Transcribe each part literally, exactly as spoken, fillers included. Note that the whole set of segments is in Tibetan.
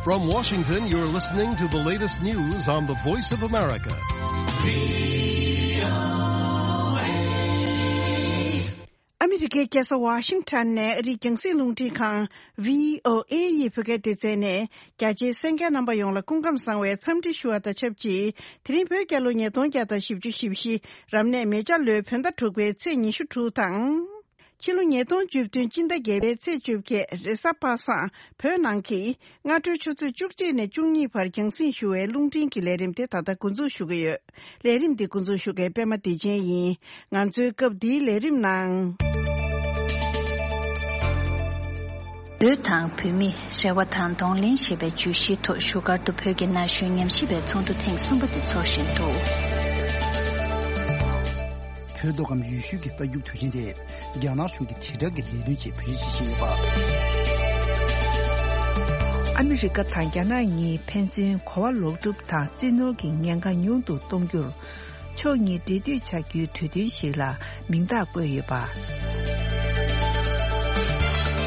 From Washington, you're listening to the latest news on the Voice of America. ཨ་མི་རི་ཀའི་རྒྱལ་ས་ཝ་ཤིང་ཊོན་ནས་ཨ་རིའི་རྒྱང་སྲིང་རླུང་འཕྲིན་ཁང་བྷི་ཨོ་ཨེ་ཡི་བོད་སྐད་སྡེ་ཚན་ནས་རྒྱ་ཆེའི་གསན་མཁན་རྣམ་པ་ཡོངས་ལ་སྐུ་ཁམས་བཟང་བའི་འཚམས་འདྲི་ཞུ་བ་དང་ཆབས་ཅིག་དེ་རིང་བོད་རྒྱལ་ལོ་ཉིས་སྟོང་བརྒྱ་དང་བཞི་བཅུ་ཞེ་བཞི། རབ་གནས་མེ་བྱ་ལོའི་བོད་ཟླ་དྲུག་པའི་ཚེས་ཉི་ཤུ་དྲུག་དང་། ཕྱི་ལོ་ཉིས་སྟོང་བཅུ་བདུན་སྤྱི་ཟླ་བརྒྱད་པའི་ཚེས་བཅོ་བརྒྱད། རེས་གཟའ་པ་སངས། བོད་ནང་གི་སྔ་དྲོའི་ཆུ་ཚོད་བཅུ་གཅིག་ནས་བཅུ་གཉིས་བར་རྒྱང་སྲིང་ཞུ་བའི་རླུང་འཕྲིན་གྱི་ལས་རིམ་དེ་ད་ལྟ་འགོ་འཛུགས་ཞུ་གི་ཡོད། ལས་རིམ་འདི་འགོ་འཛུགས་ཞུ་མཁན་པད་མ་བདེ་ཆེན་ཡིན། ང་ཚོའི་སྐབས་འདིའི་ལས་རིམ་ནང་། བོད་དང་བོད་མི། རེ་བ་དང་གདོང་ལེན་ཞེས་པའི་བརྗོད་གཞིའི་ཐོག་བཞུགས་སྒར་དུ་བོད་ཀྱི་ན་གཞོན་ཉམས་ཞིབ་པའི་ཚོགས་འདུ་ཐེངས་གསུམ་པ་དེ་འཚོགས་བཞིན་འདུག་བོད་མདོ་ཁམས་ཡུལ་ཤུལ་གྱི་རྟ་རྒྱུག་དུས་ཆེན་དེ་རྒྱ་ནག་གཞུང་གི་དྲིལ་བསྒྲགས་ཀྱི་ལས་དོན་ཆེད་བོད་ཆས་བྱེད་བཞིན་ཡོད་པ། ཨ་མི་རི་ཀ་དང་རྒྱ་ནག་གཉིས་ཕན་ཚུན་གོ་བ་ལོག་སྒྲུབ་དང་རྩིས་ནོར་གྱི་ཉེན་ཁ་ཉུང་དུ་གཏོང་རྒྱུར། ཕྱོགས་གཉིས་འབྲེལ་མཐུད་བྱ་རྒྱུའི་གྲོས་མཐུན་ཞིག་ལ་མིང་རྟགས་བཀོད་ཡོད་པ།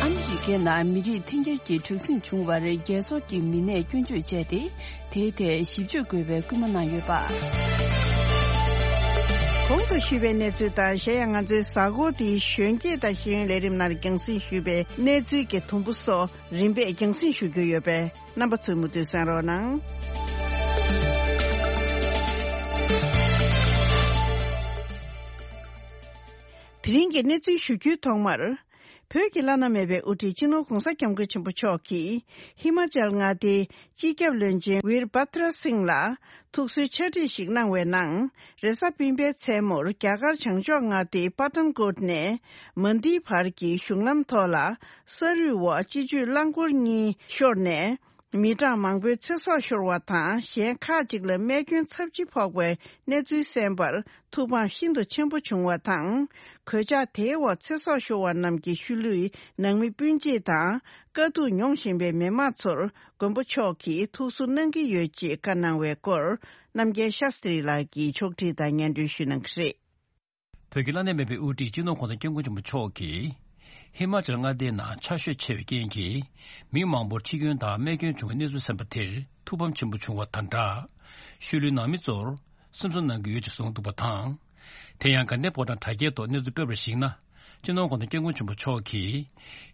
ཨ་མི་རི་ཀའི་ནང་མི་རིགས་འཐེན་འཁྱེར་གྱི་དྲག་ཟིང་བྱུང་བར་རྒྱལ་ཚོགས་ཀྱི་མི་སྣས་སྐྱོན་བརྗོད་བྱས་ཏེ། དེའི་ཐད་ཞིབ་དཔྱོད་དགོས་པའི་སྐུལ་མ་གནང་ཡོད་པ། གོང་དུ་ཞུས་པའི་གནས་ཚུལ་དང་། གཞན་ཡང་ང་ཚོའི་གཟའ་འཁོར་འདིའི་གཞོན་སྐྱེས་དང་ཤེས་ཡོན་ལས་རིམ་ནང་རྒྱང་སྲིང་ཞུས་པའི་གནས་ཚུལ་གྱི་དུམ་བུ་སོགས་རིམ་པས་རྒྱང་སྲིང་ཞུ་རྒྱུ་ཡོད་པས། རྣམ་པ་ཚོས་མུ་མཐུད་གསན་རོགས་གནང་། དེ་རིང་གི་གནས་ཚུལ་ཞུ་རྒྱུའི་ཐོག་མར། བོད་ཀྱི་བླ་ན་མེད་པའི་དབུ་ཁྲིད་སྤྱི་ནོར་༧གོང་ས་༧སྐྱབས་མགོན་ཆེན་པོ་མཆོག་གིས་ཧི་མ་ཅལ་མངའ་སྡེའི་སྤྱི་ཁྱབ་བློན་ཆེན་ཝིར་བྷ་དྲ་སིང་ལ་ཐུགས་གསོའི་ཕྱག་བྲིས་ཤིག་གནང་བའི་ནང་། རེས་གཟའ་སྤེན་པའི་མཚན་མོར་རྒྱ་གར་བྱང་ཕྱོགས་མངའ་སྡེའི་པ་ཏན་ཀོཊ་ནས་མན་དྷི་བར་གྱི་གཞུང་ལམ་ཐོག་ལ་ས་རུད་འོག་སྤྱི་སྤྱོད་རླངས་འཁོར་གཉིས་ཤོར་ནས། མི་གྲངས་མང་པོའི་ཚེ་སྲོག་ཤོར་བ་དང་། གཞན་ཁག་ཅིག་ལ་རྨས་སྐྱོན་ཚབས་ཆེ་ཕོག་པའི་གནས་ཚུལ་གསན་པར་ཐུགས་ཕམ་ཤིན་ཏུ་ཆེན་པོ་བྱུང་བ་དང་། གོད་ཆག་དེའི་འོག་ཚེ་སྲོག་ཤོར་བ་རྣམས་ཀྱི་ཤུལ་ལུས་ནང་མི་སྤུན་མཆེད་དང་། དཀའ་སྡུག་མྱོང་བཞིན་པའི་མི་མང་ཚོར་མགོན་པོ་མཆོག་གིས་ཐུགས་གསོ་གནང་གི་ཡོད་ཅེས་བཀའ་གནང་བའི་སྐོར། རྣམ་རྒྱལ་ཤཱསྟྲི་ལགས་ཀྱིས་ཕྱོགས་སྒྲིག་དང་སྙན་སྒྲོན་ཞུ་གནང་གི་རེད། བོད་ཀྱི་བླ་ན་མེད་པའི་དབུ་ཁྲིད་སྤྱི་ནོར་༧གོང་ས་༧སྐྱབས་མགོན་ཆེན་པོ་མཆོག་གིས། ཧི་མ་ཅལ་མངའ་སྡེའི་ནང་ཆར་ཞོད་ཆེ་བའི་རྐྱེན་གྱིས། མི་མང་པོར་འཆི་སྐྱོན་དང་རྨས་སྐྱོན་བྱུང་བའི་གནས་ཚུལ་གསན་པ་དེར་ཐུགས་ཕམ་ཆེན་པོ་བྱུང་བ་དང་སྦྲགས། ཤུལ་ལུས་ནང་མི་ཚོར་སེམས་གསོ་གནང་གི་ཡོད་ཅེས་གསུངས་འདུག་པ་དང་། དེ་ཡང་དགའ་ལྡན་ཕོ་བྲང་དྲ་རྒྱའི་ཐོག་གནས་ཚུལ་སྤེལ་བར་གཞིགས་ན། སྤྱི་ནོར་༧གོང་ས་༧སྐྱབས་མགོན་ཆེན་པོ་མཆོག་གིས།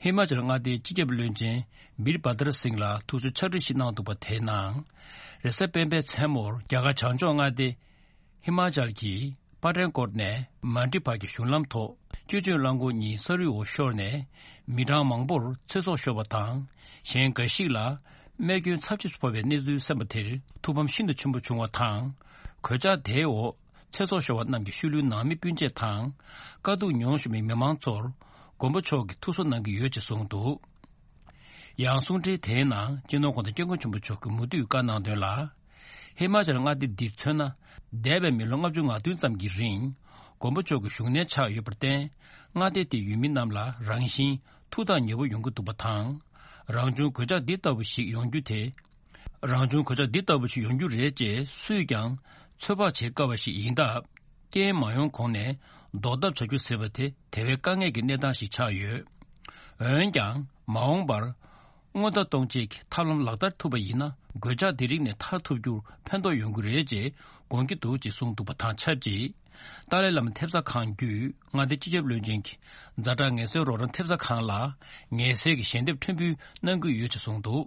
ཧི་མ་ཅལ་མངའ་སྡེའི་སྤྱི་ཁྱབ་བློན་ཆེན་བིར་བྷ་དར་སིང་ལ་ཐུགས་གསོའི་ཕྱག་བྲིས་ཤིག་གནང་འདུག་པ་དེའི་ནང་། རེས་གཟའ་སྤེན་པའི་མཚན་མོར་རྒྱ་གར་བྱང་ཕྱོགས་མངའ་སྡེ། ཧི་མ་ཅལ་གྱི་པ་ཏན་ཀོཊ་ནས་མན་དྷི་བར་གྱི་གཞུང་ལམ་ཐོག་སྤྱི་སྤྱོད་རླངས་འཁོར་གཉིས་ས་རུད་འོག་ཤོར་ནས། མི་གྲངས་མང་པོར་ཚེ་སྲོག་ཤོར་བ་དང་། གཞན་འགའ་ཞིག་ལ་རྨས་སྐྱོན་ཚབས་ཆེ་ཕོག་པའི་གནས་ཚུལ་གསན་པ་དེར་ཐུགས་ཕམ་ཤིན་ཏུ་ཆེན་པོ་བྱུང་བ་དང་། གོད་ཆག་དེའི་འོག་ཚེ་སྲོག་ཤོར་བ་རྣམས་ཀྱི་ཤུལ་ལུས་ནང་མི་སྤུན་མཆེད་དང་། དཀའ་སྡུག་མྱོང་བཞིན་པའི་མི་མང་ཚོར་མགོན་པོ་མཆོག་གིས་ཐུགས་གསོ་གནང་གི་ཡོད་ཅེས་གསུངས་འདུག་ཡང་གསུང་འཕྲིན་དེའི་ནང་སྤྱི་ནོར་༧གོང་ས་༧སྐྱབས་མགོན་ཆེན་པོ་མཆོག་གིས་མུ་མཐུད་བཀའ་གནང་དོན་ལ། ཧི་མ་ཅལ་མངའ་སྡེ་འདིར་མཚོན་ན། འདས་པའི་མི་ལོ་ལྔ་བཅུ་ང་བདུན་ཙམ་གྱི་རིང་། མགོན་པོ་མཆོག་གི་བཞུགས་གནས་ཆགས་ཡོད་པར་བརྟེན། མངའ་སྡེ་དེའི་ཡུལ་མི་རྣམས་ལ་རང་བཞིན་ཐུགས་ཐག་ཉེ་བོ་ཡོང་གི་འདུག་པ་དང་། རང་བྱུང་གོད་ཆག་འདི་ལྟ་བུ་ཞིག་ཡོང་རྒྱུ་དེ། རང་བྱུང་གོད་ཆག་འདི་ལྟ་བུ་ཞིག་ཡོང་རྒྱུ་རེད་ཅེས་སུས་ཀྱང་ཚོད་དཔག་བྱེད་དཀའ་བ་ཞིག་ཡིན་སྟབས། རྐྱེན་མ་ཡོང་གོང་ནས་ཟློག་ཐབས་བྱ་རྒྱུ་ཟེར་བ་དེ་དེ་བས་དཀའ་ངལ་གྱི་གནས་སྟངས་ཤིག་ཆགས་ཡོད། འོན་ཀྱང་མ་འོངས་པར་སྔོན་བརྡ་གཏོང་བྱེད་ཀྱི་ཐབས་ལམ་ལག་བསྟར་ཐུབ་པ་ཡིན་ན། གོད་ཆག་འདི་རིགས་ནས་ཐར་ཐུབ་རྒྱུར་ཕན་ཐོགས་ཡོང་གི་རེད་ཅེས་དགོངས་ཀྱི་འདུག་ཅེས་གསུངས་འདུག་པ་དང་ཆབས་ཅིག་ཏཱ་ལའི་བླ་མ་ཐེབས་རྩ་ཁང་བརྒྱུད་མངའ་སྡེའི་སྤྱི་ཁྱབ་བློན་ཆེན་གྱི་ཛ་དྲག་ངལ་སེལ་རོགས་རམ་ཐེབས་རྩ་ཁང་ལ་ངལ་སེལ་གྱི་ཞལ་འདེབས་ཕྲན་བུ་གནང་གི་ཡོད་ཅེས་གསུངས་འདུག་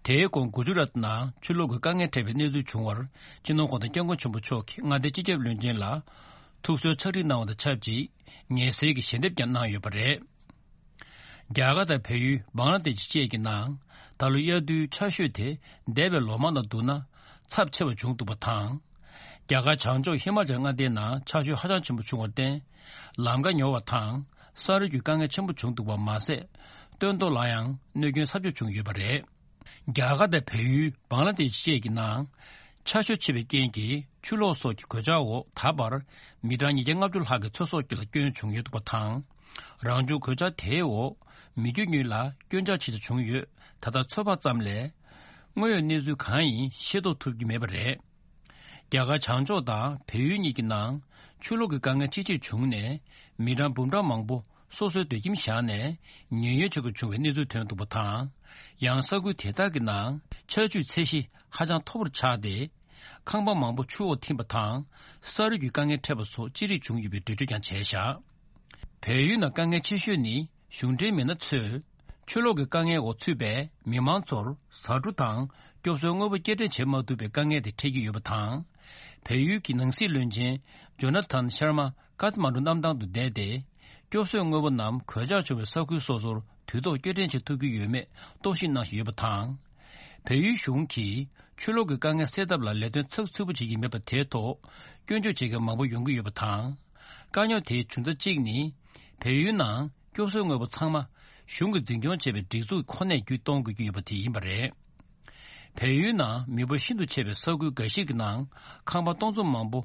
དེའི་གོང་གུ་ཇུ་རཱཏ་ནང་ཆུ་ལོག་གི་དཀའ་ངལ་འཕྲད་པའི་གནས་ཚུལ་བྱུང་བར། སྤྱི་ནོར་༧གོང་ས་༧སྐྱབས་མགོན་ཆེན་པོ་མཆོག་གིས་མངའ་སྡེའི་སྤྱི་ཁྱབ་བློན་ཆེན་ལ་ཐུགས་གསོའི་ཕྱག་བྲིས་གནང་བ་དང་ཆབས་ཅིག་ངལ་སེལ་གྱི་ཞལ་འདེབས་ཀྱང་གནང་ཡོད་པ་རེད། རྒྱ་གར་དང་བལ་ཡུལ་བང་ལ་དེ་ཤི་བཅས་ཀྱི་ནང་ད་ལོ་དབྱར་དུས་ཆར་ཞོད་དེ་འདས་པའི་ལོ་མང་དང་བསྡུར་ན་ཚབས་ཆེ་བ་བྱུང་འདུག་པ་དང་། རྒྱ་གར་བྱང་ཕྱོགས་ཧི་མ་ཅལ་མངའ་སྡེའི་ནང་ཆར་ཞོད་ཧ་ཅང་ཆེན་པོ་བྱུང་བར་བརྟེན། ལམ་ཁ་ཉོ་བ་དང་ས་རུད་ཀྱི་དཀའ་ངལ་ཆེན་པོ་བྱུང་འདུག་པ་མ་ཟད། སྟོན་ཐོག་ལ་ཡང་གནོད་སྐྱོན་ཚབས་ཆེ་བྱུང་ཡོད་པ་རེད། རྒྱ་གར་དང་བལ་ཡུལ་བང་ལ་དེ་ཤི་བཅས་ཀྱི་ནང་ཆར་ཞོད་ཆེ་བའི་རྐྱེན་གྱིས་ཆུ་ལོག་སོགས་ཀྱི་གོད་ཆག་འོག་ད་བར་མི་གྲངས་ཉིས་བརྒྱ་ལྔ་བཅུ་ལྷག་གི་ཚེ་སྲོག་ལ་སྐྱོན་བྱུང་ཡོད་འདུག་པ་དང་། རང་བྱུང་གོད་ཆག་དེའི་འོག་མི་རྒྱུ་དངོས་ལ་སྐྱོན་ཆག་ཇི་ལྟར་བྱུང་ཡོད་ད་ལྟ་ཚོད་དཔག་ཙམ་ལས། དངོས་ཡོད་གནས་ཚུལ་གང་ཡིན་ཤེས་རྟོགས་ཐུབ་ཀྱི་མེད་པ་རེད། རྒྱ་གར་བྱང་ཕྱོགས་དང་བལ་ཡུལ་གཉིས་ཀྱི་ནང་ཆུ་ལོག་གི་དཀའ་ངལ་ཆེས་ཆེར་བྱུང་ནས་མི་གྲངས་འབུམ་གྲངས་མང་པོ་ སོ་སོའི་སྡོད་ཁྱིམ་བཞག་ནས་ཉེན་གཡོལ་བྱེད་དགོས་བྱུང་བའི་གནས་ཚུལ་ཐོན་འདུག་པ་དང་། ཡང་ས་ཁུལ་དེ་དག་གི་ནང་ཆར་ཆུའི་ཚད་གཞི་ཧ་ཅང་མཐོ་པོར་ཆགས་ཏེ། ཁང་པ་མང་པོ་ཆུ་འོག་ཐིམ་པ་དང་། ས་རུད་ཀྱི་དཀའ་ངལ་འཕྲད་པ་སོགས་ཅི་རིགས་བྱུང་ཡོད་པའི་འགྲེལ་བརྗོད་ཀྱང་བྱས་བཞག་བལ་ཡུལ་ནང་དཀའ་ངལ་ཆེ་ཤོས་ནི། གཞུང་འབྲེལ་མི་སྣ་ཚོས་ཆུ་ལོག་གི་དཀའ་ངལ་འོག་ཚུད་པའི་མི་མང་ཚོར་ཟ་འབྲུ་དང་སྐྱོབ་གསོའི་དངོས་པོ་སྐྱེལ་འདྲེན་བྱེད་མ་ཐུབ་པའི་དཀའ་ངལ་དེ་འཕྲད་ཀྱི་ཡོད་པ་དང་། བལ་ཡུལ་གྱི་ནང་སྲིད་བློན་ཆེན་ཇོ་ན་ཐན་ཤར་མ་ཀཐ་མན་ཌུ་གནམ་ཐང་དུ་བསྡད་དེ། སྐྱོབ་གསོའི་དངོས་པོ་རྣམས་གོད་ཆག་བྱུང་བའི་ས་ཁུལ་སོ་སོར་དུས་ཐོག་སྐྱེལ་འདྲེན་བྱེད་ཐུབ་ཀྱི་ཡོད་མེད་རྟོག་ཞིབ་གནང་བཞིན་ཡོད་པ་དང་། བལ་ཡུལ་གཞུང་གིས་ཆུ་ལོག་གི་དཀའ་ངལ་སེལ་ཐབས་ལ་ལས་དོན་ཚགས་ཚུད་པོ་བྱེད་ཀྱི་མེད་པ་དེའི་ཐོག་སྐྱོན་བརྗོད་བྱེད་མཁན་མང་པོ་ཡོང་གི་ཡོད་པ་དང་། དཀའ་རྙོག་དེའི་འབྱུང་རྩ་གཅིག་ནི། བལ་ཡུལ་ནང་སྐྱོབ་གསོའི་དངོས་པོ་ཚང་མ་གཞུང་གིས་འཛིན་སྐྱོང་བྱེད་པའི་སྒྲིག་འཛུགས་ཁོ་ནས་བརྒྱུད་གཏོང་དགོས་ཀྱི་ཡོད་པ་དེ་ཡིན་པ་རེད། བལ་ཡུལ་ནང་མི་འབོར་ཤིན་ཏུ་ཆེ་བའི་ས་ཁུལ་འགའ་ཞིག་གི་ནང་ཁང་པ་སྟོང་ཚོ་མང་པོ་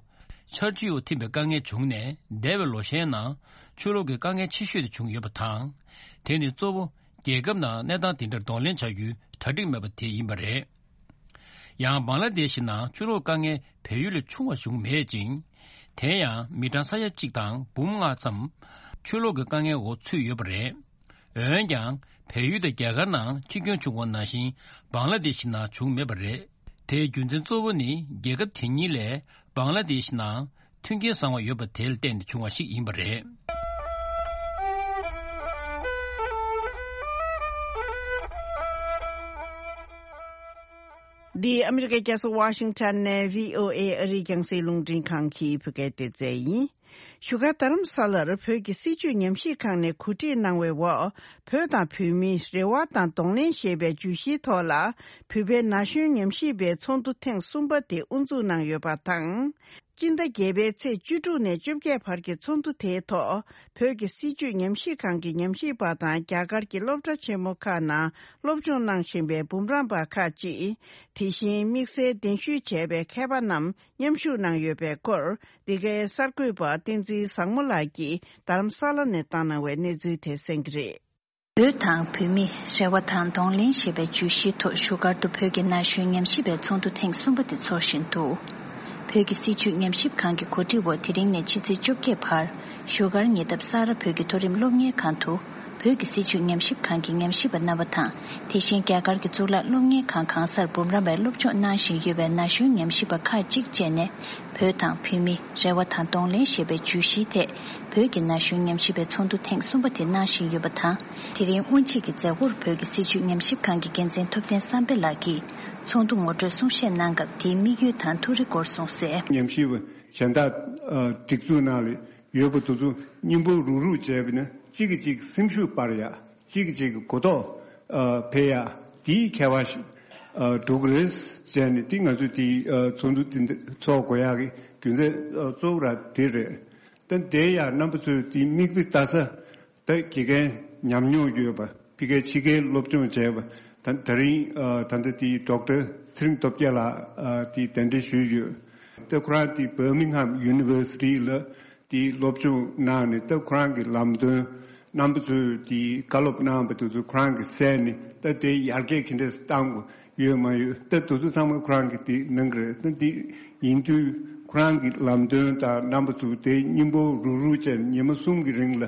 ཆར་ཆུའི་འོག་ཐིམ་པའི་དཀའ་ངལ་བྱུང་ནས། འདས་པའི་ལོ་ཤས་ནང་ཆུ་ལོག་གི་དཀའ་ངལ་ཆེ་ཤོས་དེ་བྱུང་ཡོད་པ་དང་། དེ་ནི་གཙོ་བོ་རྒྱལ་ཁབ་ནང་གནས་སྟངས་དེ་འདྲར་གདོང་ལེན་བྱ་རྒྱུའི་གྲ་སྒྲིག་མེད་པ་དེ་ཡིན་པ་རེད། ཡང་བང་ལ་དེ་ཤི་ནང་ཆུ་ལོག་དཀའ་ངལ་བལ་ཡུལ་ལས་ཆུང་བ་བྱུང་མེད་ཅིང་། དེ་ཡང་མི་གྲངས་ས་ཡ་གཅིག་དང་འབུམ་ལྔ་ཙམ་ཆུ་ལོག་གི་དཀའ་ངལ་འོག་ཚུད་ཡོད་པ་རེད། འོན་ཀྱང་བལ་ཡུལ་དང་རྒྱ་གར་ནང་འཆི་སྐྱོན་བྱུང་བ་ནང་བཞིན་བང་ལ་དེ་ཤི་ནང་བྱུང་མེད་པ་རེད། དེའི་རྒྱུ་མཚན་གཙོ་བོ་ནི་རྒྱལ་ཁབ་དེ་གཉིས་ལས་བང་ལ་དེ་ཤི་ནང་མཐུན་རྐྱེན་བཟང་བ་ཡོད་པ་དེ་ལ་བརྟེན་ནས་བྱུང་བ་ཞིག་ཡིན་པ་རེད། འདི་ཨ་མི་རི་ཀའི་རྒྱལ་ས་ཝ་ཤིང་ཊོན་ནས་བྷི་ཨོ་ཨེ་ཨ་རིའི་རྒྱང་སྲིང་རླུང་འཕྲིན་ཁང་གི་བོད་སྐད་སྡེ་ཚན་ཡིན། བཞུགས་སྒར་རྡ་རམ་ས་ལར་བོད་ཀྱི་སྲིད་བྱུས་ཉམས་ཞིབ་ཁང་ནས་གོ་སྒྲིག་གནང་བའི་འོག་བོད་དང་བོད་མིའི་རེ་བ་དང་གདོང་ལེན་ཞེས་པའི་བརྗོད་གཞིའི་ཐོག་ལ། བོད་པའི་ན་གཞོན་ཉམས་ཞིབ་པའི་ཚོགས་འདུ་ཐེངས་གསུམ་པ་དེ་དབུ་འཛུགས་གནང་ཡོད་པ་དང་། སྤྱི་ཟླ་བརྒྱད་པའི་ཚེས་བཅུ་དྲུག་ནས་བཅོ་བརྒྱད་བར་གྱི་ཚོགས་འདུ་དེའི་ཐོག་བོད་ཀྱི་སྲིད་བྱུས་ཉམས་ཞིབ་ཁང་གི་ཉམས་ཞིབ་པ་དང་རྒྱ་གར་གྱི་སློབ་གྲྭ་ཆེན་མོ་ཁག་ནང་སློབ་སྦྱོང་གནང་བཞིན་པའི་འབུམ་རམས་པ་ཁག་ཅིག་དེ་བཞིན་དམིགས་བསལ་གདན་ཞུ་བྱས་པའི་མཁས་པ་རྣམས་མཉམ་ཞུགས་གནང་ཡོད་པའི་སྐོར། འདི་གའི་གསར་འགོད་པ་བསྟན་འཛིན་བཟང་མོ་ལགས་ཀྱིས་རྡ་རམ་ས་ལ་ནས་བཏང་གནང་བའི་གནས་ཚུལ་དེ་གསན་གྱི་རེད། བོད་དང་བོད་མིའི་རེ་བ་དང་གདོང་ལེན་ཞེས་པའི་བརྗོད་གཞིའི་ཐོག་བཞུགས་སྒར་དུ་བོད་ཀྱི་ན་གཞོན་ཉམས་ཞིབ་པའི་ཚོགས་འདུ་ཐེངས་གསུམ་པ་དེ་འཚོགས་བཞིན་འདུག་བོད་ཀྱི་སྲིད་བྱུས་ཉམས་ཞིབ་ཁང་གི་གོ་སྒྲིག་འོག་དེ་རིང་ནས་ཕྱི་ཚེས་བཅོ་བརྒྱད་བར་བཞུགས་སྒར་ཉེ་འདབས་ས་རཱ་བོད་ཀྱི་མཐོ་རིམ་སློབ་གཉེར་ཁང་དུ། བོད་ཀྱི་སྲིད་བྱུས་ཉམས་ཞིབ་ཁང་གི་ཉམས་ཞིབ་པ་རྣམ་པ་དང་། དེ་བཞིན་རྒྱ་གར་གྱི་གཙུག་ལག་སློབ་གཉེར་ཁང་གང་སར་འབུམ་རམས་པའི་སློབ་སྦྱོང་གནང་བཞིན་ཡོད་པའི་ན་གཞོན་ཉམས་ཞིབ་པ་ཁག་ཅིག་བཅས་ནས། བོད་དང་བོད་མིའི་རེ་བ་དང་གདོང་ལེན་ཞེས་པའི་བརྗོད་གཞིའི་ཐད། བོད་ཀྱི་ན་གཞོན་ཉམས་ཞིབ་པའི་ཚོགས་འདུ་ཐེངས་གསུམ་པ་དེ་གནང་བཞིན་ཡོད་པ་དང་། དེ་རིང་དབུ་འབྱེད་ཀྱི་མཛད་སྒོར་བོད་ཀྱི་སྲིད་བྱུས་ཉམས་ཞིབ་ཁང་གི་འགན་འཛིན་ཐུབ་བསྟན་བསམ་འཕེལ་ལགས་ཀྱིས་ཚོགས་འདུ་ངོ་སྤྲོད་གསུང་བཤད་གནང་སྐབས། དེའི་དམིགས་ཡུལ་དང་ཐུགས་རེ་སྐོར་གསུངས་གསལ། ཉམས་ཞིབ་པ་གཞན་དག་སྒྲིག་འཛུགས་ནང་ལ་ཡོད་པ་དེ་ཚོ་སྙིང་པོ་རུག་རུག་བྱས་པ་ན་གཅིག་གིས་གཅིག་སེམས་ཤུགས་སྤར་ཡག་གཅིག་གིས་གཅིག་གི་གོ་རྟོགས་ཨ་འཕེལ་ཡག་དེའི་ཁྱད་པར་ཞིག་ཨ་འགྲོ་གི་རེད་ཟེར་ནས། དེ་ང་ཚོས་དེའི་ཨ་ཚོགས་འདུ་དེ་འདི་ཚོགས་དགོས་ཡག་གི་རྒྱུ་མཚན་ཨ་གཙོ་བོ་ར་དེ་རེད། ད་དེ་ཡང་རྣམ་པ་ཚོས་དེའི་མིག་དཔེ་ལྟ་ས། ད་དགེ་རྒན་ཉམས་མྱོང་ཡོད་པ། ཕ་གིའི་ཕྱི་རྒྱལ་སློབ་སྦྱོང་བྱས་པ། ད་དེ་རིང་ཨ་ད་ལྟ་དེའི་ཌོག་ཊར་ཚེ་རིང་སྟོབས་རྒྱལ་ལགས་ཨ་དེའི་གདན་འདྲེན་ཞུས་ཡོད། ད་ཁོ་རང་དེ་Birmingham University་ལ་དེའི་སློབ་སྦྱོང་གནང་ནས། ད་ཁོ་རང་གི་ལམ་སྟོན་རྣམ་པ་ཚོས་དེའི་བཀའ་སློབ་གནང་བ་དེ་ཚོ་ཁོ་རང་གིས་གསན་ནས། ད་དེ་ཡར་རྒྱས་ག་འདྲས་བཏང་དགོས་ཡོད་མ་ཡོད། ད་དེ་ཚོ་ཚང་མ་ཁོ་རང་གིས་དེ་གནང་གི་རེད། ད་དེ་ཡིན་དུས་ཁོ་རང་གི་ལམ་སྟོན་དང་རྣམ་པ་ཚོ་དེ་སྙིང་པོ་རུག་རུག་བྱས་ནས་ཉི་མ་གསུམ་གྱི་རིང་ལ་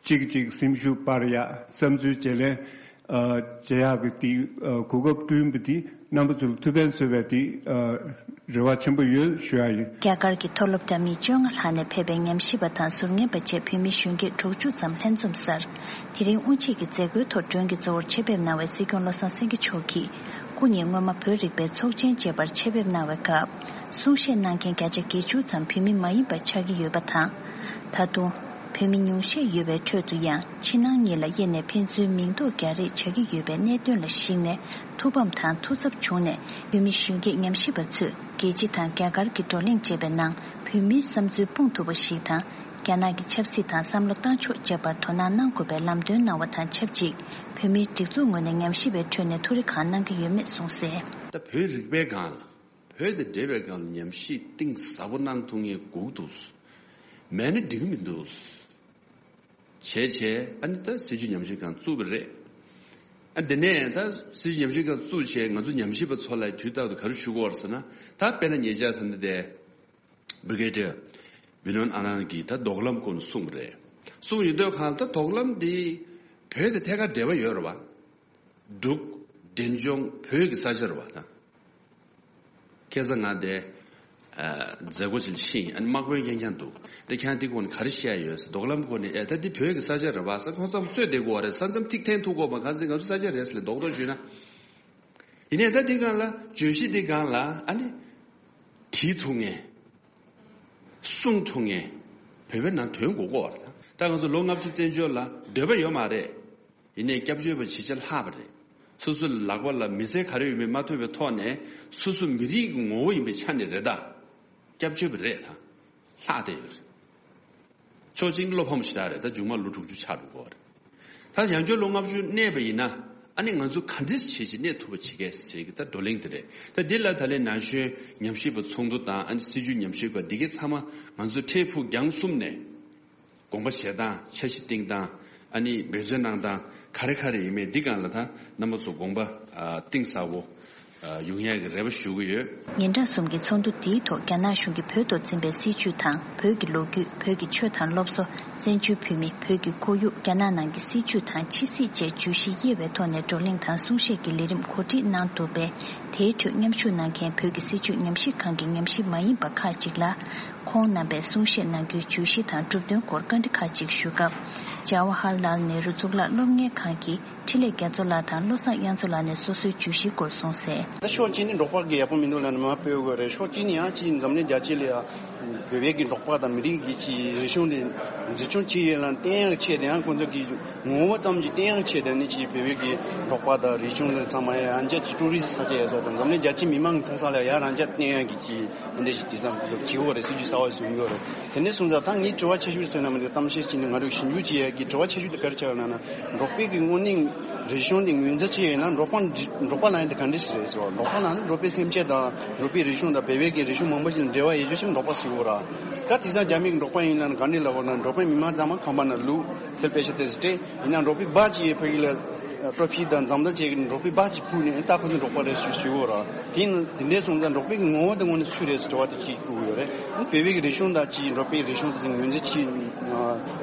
གཅིག་གིས་གཅིག་སེམས་ཤུགས་སྤར་ཡག་བསམ་ཚུལ་བརྗེ་ལེན་ཨ་བྱེད་ཡག་གི་དེ་ཨ་གོ་སྐབས་བསྐྲུན་པ་དེ་རྣམ་པ་ཚོར་ཐུགས་ཕན་གསོས་པའི་དེ་ཨ་རེ་བ་ཆེན་པོ་ཡོད་ཞུ་ཡག་ཡིན། རྒྱ་གར་གྱི་མཐོ་སློབ་འདྲ་མིན་བཅོ་ལྔ་ལྷག་ནས་ཕེབས་པའི་ཉམས་ཞིབ་པ་དང་ཟུར་ཉན་པ་བཅས་བོད་མི་གཞོན་སྐྱེས་དྲུག་ཅུ་ཙམ་ལྷན་འཛོམས་སར། དེ་རིང་དབུ་འབྱེད་ཀྱི་མཛད་སྒོའི་ཐོག་མགྲོན་གྱི་གཙོ་བོར་ཆེད་ཕེབས་གནང་བའི་སྲིད་སྐྱོང་བློ་བཟང་སེང་གེ་མཆོག་གིས། སྐུ་ཉིད་སྔོན་མ་བོད་རིག་པའི་ཚོགས་ཆེན་བཅས་པར་ཆེད་ཕེབས་གནང་བའི་སྐབས། གསུང་བཤད་གནང་མཁན་བརྒྱ་ཆ་བརྒྱད་ཅུ་ཙམ་བོད་མི་མ་ཡིན་པ་ཆགས་ཀྱི་ཡོད་པ་དང་། ད་དུང་། བོད་མི་ཉུང་ཤས་ཡོད་པའི་ཁྲོད་དུ་ཡང་ཕྱི་ནང་གཉིས་ལ་དབྱེ་ནས་ཕན་ཚུན་མིང་འདོགས་རྒྱག་རེས་བྱ་གི་ཡོད་པའི་གནད་དོན་ལ་གཞིགས་ནས། ཐུགས་ཕམ་དང་ཐུགས་འཚབ་བྱུང་ནས། བོད་མི་གཞོན་སྐྱེས་ཉམས་ཞིབ་པ་ཚོས་རྒྱལ་སྤྱི་དང་རྒྱ་གར་གྱི་བགྲོ་གླེང་བྱས་པའི་ནང་། བོད་མིའི་བསམ་ཚུལ་སྤུངས་ཐུབ་པ་ཞིག་དང་། རྒྱ་ནག་གི་ཆབ་སྲིད་དང་བསམ་བློ་བཏང་ཕྱོགས་བཅས་པར་དོ་སྣང་གནང་དགོས་པའི་ལམ་སྟོན་གནང་བ་དང་ཆབས་ཅིག་བོད་མིའི་སྒྲིག་འཛུགས་ངོས་ནས་ཉམས་ཞིབ་པའི་ཁྲོད་ནས་ཐུགས་རེ་གང་གནང་གི་ཡོད་མེད་གསུངས་གསལ། ད་བོད་རིག་པའི་སྒང་ལ། བོད་དང་འབྲེལ་བའི་སྒང་ལ་ཉམས་ཞིབ་གཏིང་ཟབ་པོ་གནང་ཐུབ་མཁན་སྒུག་འདུག་མེད་ན་འགྲིག་གི་མི་འདུག་བྱས་བྱས་ཨ་ནི་ད་སྲིད་བྱུས་ཉམས་ཞིབ་ཁང་བཙུགས་པ་རེད། ཨ་འདི་ནས་ད་སྲིད་བྱུས་ཉམས་ཞིབ་ཁང་བཙུགས་བྱས་ང་ཚོ་ཉམས་ཞིབ་པ་ཚོ་ལ་དུས་རྟག་ཏུ་ག་རེ་ཞུ་དགོས་རེད་ཟེར་ན། ད་དཔེར་ན་ཉེ་ཆར་ད་འདི་དེ་Brigadier Vinod Anand གིས་ད་མདོ་ཁ་ལམ་སྐོར་ནས་གསུངས་པ་རེད། གསུངས་ཡོད་དུས་གང་ལྟར་དོག་ལམ་འདི་བོད་དང་ཐད་ཀར་འབྲེལ་བ་ཡོད་རེད་བ། འབྲུག་འབྲས་ལྗོངས་བོད་ཀྱི་ས་ཆ་རེད་བ་ད། ཁ་སང་ང་དེ་མཛད་སྒོ་ཅིག་ཕྱིན། ཨ་ནི་དམག་དཔོན་རྐྱང་རྐྱང་འདུག་དེ་ཁྱེད་རང་དེ་སྐོར་ནས་ག་རེ་བཤད་ཡོད་ཟེར། དོག་ལམ་སྐོར་ནས། ཨེ་ད་འདི་བོད་ཀྱི་ས་ཆ་རེད་བ་ཟེར། ཁོང་ཚང་རྩོད་བསྡད་དགོས་པ་རེད། ས་མཚམས་ཐིག་འཐེན་ཐུབ་དགོས་པ། གང་ཟེར་ང་ཚོ་ས་ཆ་རེད་ཟེར་ལས་རྡོག་རྡོག་ཞུས་ན། ཡིན་ནའི་ད་འདི་སྒང་ལ་བརྗོད་གཞི་འདི་སྒང་ལ་ཨ་ནི་བྲིས་ཐུབ་མཁན། གསུང་ཐུབ་མཁན་བོད་པའི་ནང་དོན་གོ་གོ་བར་དང་། ད་ང་ཚོ་ལོ་ལྔ་བཅུ་བཙན་བྱོལ་ལ་འདོད་པ་ཡོད་མ་རེད། ཡིན་ནའི་སྐྱབས་བཅོལ་བ་བྱེད་ཆེད་ལྷག་པ་རེད། སོ་སོའི་ལག་པ་ལ་མི་ཚེ་ག་རེ་ཡོད་མེད་མ་ཐུབ་པའི་ཐོག་ནས། སོ་སོ་མི་རིགས་ཀྱི་ངོ་བོ་ཡིན་པའི་ཆ་ནས་རེད་ད། སྐྱབས་བཅོལ་བ་རེད་ད། ལྷག་བསྡད་ཡོད་རེད། ཕྱོགས་གཅིག་བློ་ཕམ་ཞེ་དྲག་རེད། ད་མཇུག་མ་ལོ་དྲུག་ཅུ་ཆགས་འགྲོ་གོ་བ་རེད། ད་ཡང་བསྐྱར་ལོ་ལྔ་བཅུ་གནས་པ་ཡིན་ན། ཨ་ནི་ང་ཚོ་ག་འདྲས་བྱེད་ཅིག་གནས་ཐུབ་པ་བྱེད་གས་ཟེར་གི་ད་བགྲོ་གླེང་དེ་རེད། ད་འདི་ལ་ད་ལན་ན་གཞོན་ཉམས་ཞིབ་པ་ཚོགས་འདུ་དང་། ཨ་ནི་སྲིད་བྱུས་ཉམས་ཞིབ་པ་འདི་གའི་ཚང་མ་ང་ཚོ་འཕྲལ་ཕུགས་རྒྱང་གསུམ་ནས་དགོངས་པ་བཞེས་སྟངས། འཆར་གཞི་བཏིང་སྟངས། ཨ་ནི་འབད་བརྩོན་གནང་སྟངས་ག་རེ་ག་རེ་ཡིན་མིན་འདི་སྒང་ལ་ད་རྣམ་པ་ཚོ་དགོངས་པ་ཨ་གཏིང་ཟབ་པོ་ཨ་ཡོང་ཡག་གི་རེ་བ་ཞུ་གི་ཡོད། ཉིན་གྲངས་གསུམ་གྱི་ཚོགས་འདུ་འདིའི་ཐོག་རྒྱ་ནག་གཞུང་གིས་བོད་ཐོག་འཛིན་པའི་སྲིད་བྱུས་དང་། བོད་ཀྱི་ལོ་རྒྱུས། བོད་ཀྱི་ཆོས་དང་སློབ་གསོ། བཙན་བྱོལ་བོད་མི། བོད་ཀྱི་ཁོར་ཡུག། རྒྱ་ནག་ནང་གི་སྲིད་བྱུས་དང་ཕྱི་སྲིད་བཅས་བརྗོད་གཞི་དབྱེ་བའི་ཐོག་ནས་བགྲོ་གླེང་དང་གསུང་བཤད་ཀྱི་ལས་རིམ་གོ་སྒྲིག་གནང་འདུག་པས། དེའི་ཁྲོད་མཉམ་ཞུགས་གནང་མཁན་བོད་ཀྱི་སྲིད་བྱུས་ཉམས་ཞིབ་ཁང་གི་ཉམས་ཞིབ་མ་ཡིན་པ་ཁག་ཅིག་ལ། ཁོང་རྣམ་པས་གསུང་བཤད་གནང་རྒྱུའི་བརྗོད་གཞི་དང་གྲུབ་དོན་སྐོར་བཀའ་འདྲི་ཁག་ཅིག་ཞུས་སྐབས། ཇ་ཝ་ཧར་ལཱལ་ནེ་རུ་གཙུག་ལག་སློབ་གཉེར་ཁང་གི་འཕྲིན་ལས་རྒྱ་མཚོ་ལགས་དང་བློ་བཟང་དབྱངས་མཚོ་ལགས་ནས་སོ་སོའི་བརྗོད་གཞིའི་སྐོར་གསུངས་གསལ། ད་ཕྱོགས་གཅིག་ནས་འབྲོག་པ་གི་ཡག་པོ་མི་འདུག་ལབ་ནས་མར་སྤོ་དགོས་རེད། ཕྱོགས་གཅིག་ནས་ཡང་ཅིག་འཛམ་གླིང་རྒྱལ་སྤྱི་ལ་ཡང་བོད་པའི་གི་འབྲོག་པ་དང་མི་རིགས་ཀྱི་ཅིག་རིག་གཞུང་དེ་འཛིན་སྐྱོང་བྱེད་ཡས་ལ་བརྟེན་ཡག་ཆེད་དུ། ཡང་ཁོང་ཚོ་གི་ངོ་བོ་ཙམ་གྱི་བརྟེན་ཡག་ཆེད་དུ་ནི་ཅིག་བོད་པའི་གི་འབྲོག་པ་དང་རིག་གཞུང་དེ་ཚང་མ་ཡང་ཅིག་ཊུ་རི་སི་ས་ཆ་ཡས་ས་དང་འཛམ་གླིང་རྒྱལ་སྤྱིའི་མི་མང་གི་མཐོང་ས་ལ་ཡང་རང་འཇགས་བརྟེན་ཡག་གི་ཅིག་འདི་འདྲ་ཞིག་དེང་སང་ཁོང་ཚོ་བྱེད་དགོས་རེད། སྲིད་ཇུས་གསར་བ་བཟོ་གི་ཡོད་རེད། དེ་ནས་སོང་ཙང་ད་ངའི་དྲི་བ་ཆེ་ཤོས་ཟེར་ན་མི་འདུག་གཏམ་བཤད་བྱས་ནས་ང་རང་གི་ཞིབ་འཇུག་བྱེད་ཡག་གི་དྲི་བ་ཆེ་ཤོས་དེ་ག་རེ་ཆགས་ཡོད་ལབ་ན། འབྲོག་པའི་གི་དངོས་གནས་རིག་གཞུང་དེ་ངོས་འཛིན་བྱས་ཡོད་ན་འབྲོག་པ་འདི་འབྲོག་པ་ལབ་ཡག་དེ་ག་འདྲ་ཞིག་རེད་ཟེར་བ། འབྲོག་པ་ལབ་ན་འབྲོག་པའི་སེམས་ཅན་དང་འབྲོག་པའི་རིག་གཞུང་དང་བོད་པའི་གི་རིག་གཞུང་མང་པོ་ཞིག་ལ་འབྲེལ་བ་ཡོད་རྒྱུ་ཞིག་འབྲོག་པ་ཟེར་གི་ཡོད་རེད། ད་དེང་སང་རྒྱ་མི་གི་འབྲོག་པ་ཡིན་ན་ག་འདྲ་ལབ་དགོས་ན། འབྲོག་པའི་མི་མང་ཚང་མ་ཁང་པ་ནང་ལུས་ཐལ་པེ་ཤ་དེ་ཚོ་སྤྲད། ཡིན་ན་འབྲོག་པའི་སྦག་ཅིག་ཡོད། ཕ་གི་ལ་ཊོ་ཕི་དང་འཛོམས་ཐོན་བྱས་ཀྱི་འབྲོག་པའི་སྦག་ཅིག་ཕུལ་ནས་ད་ཁོ་ཚོ་འབྲོག་པ་རེད་ཞུ་ཞུ་གི་ཡོད་རེད། དེ་ཡིན་དེ་འདྲ་སོང་ཙང་འབྲོག་པའི་གི་ངོ་བོ་དེ་དངོས་གནས་སུ་རེད་ཟེར་དྲི་བ་དེ་གཅིག་བཀོད་ཀྱི་ཡོད་རེད། བོད་པའི་གི་རིག་གཞུང་དང་ཅིག་འབྲོག་པའི་རིག་གཞུང་དེ་ཚོ་ངོས་འཛིན་བྱེད་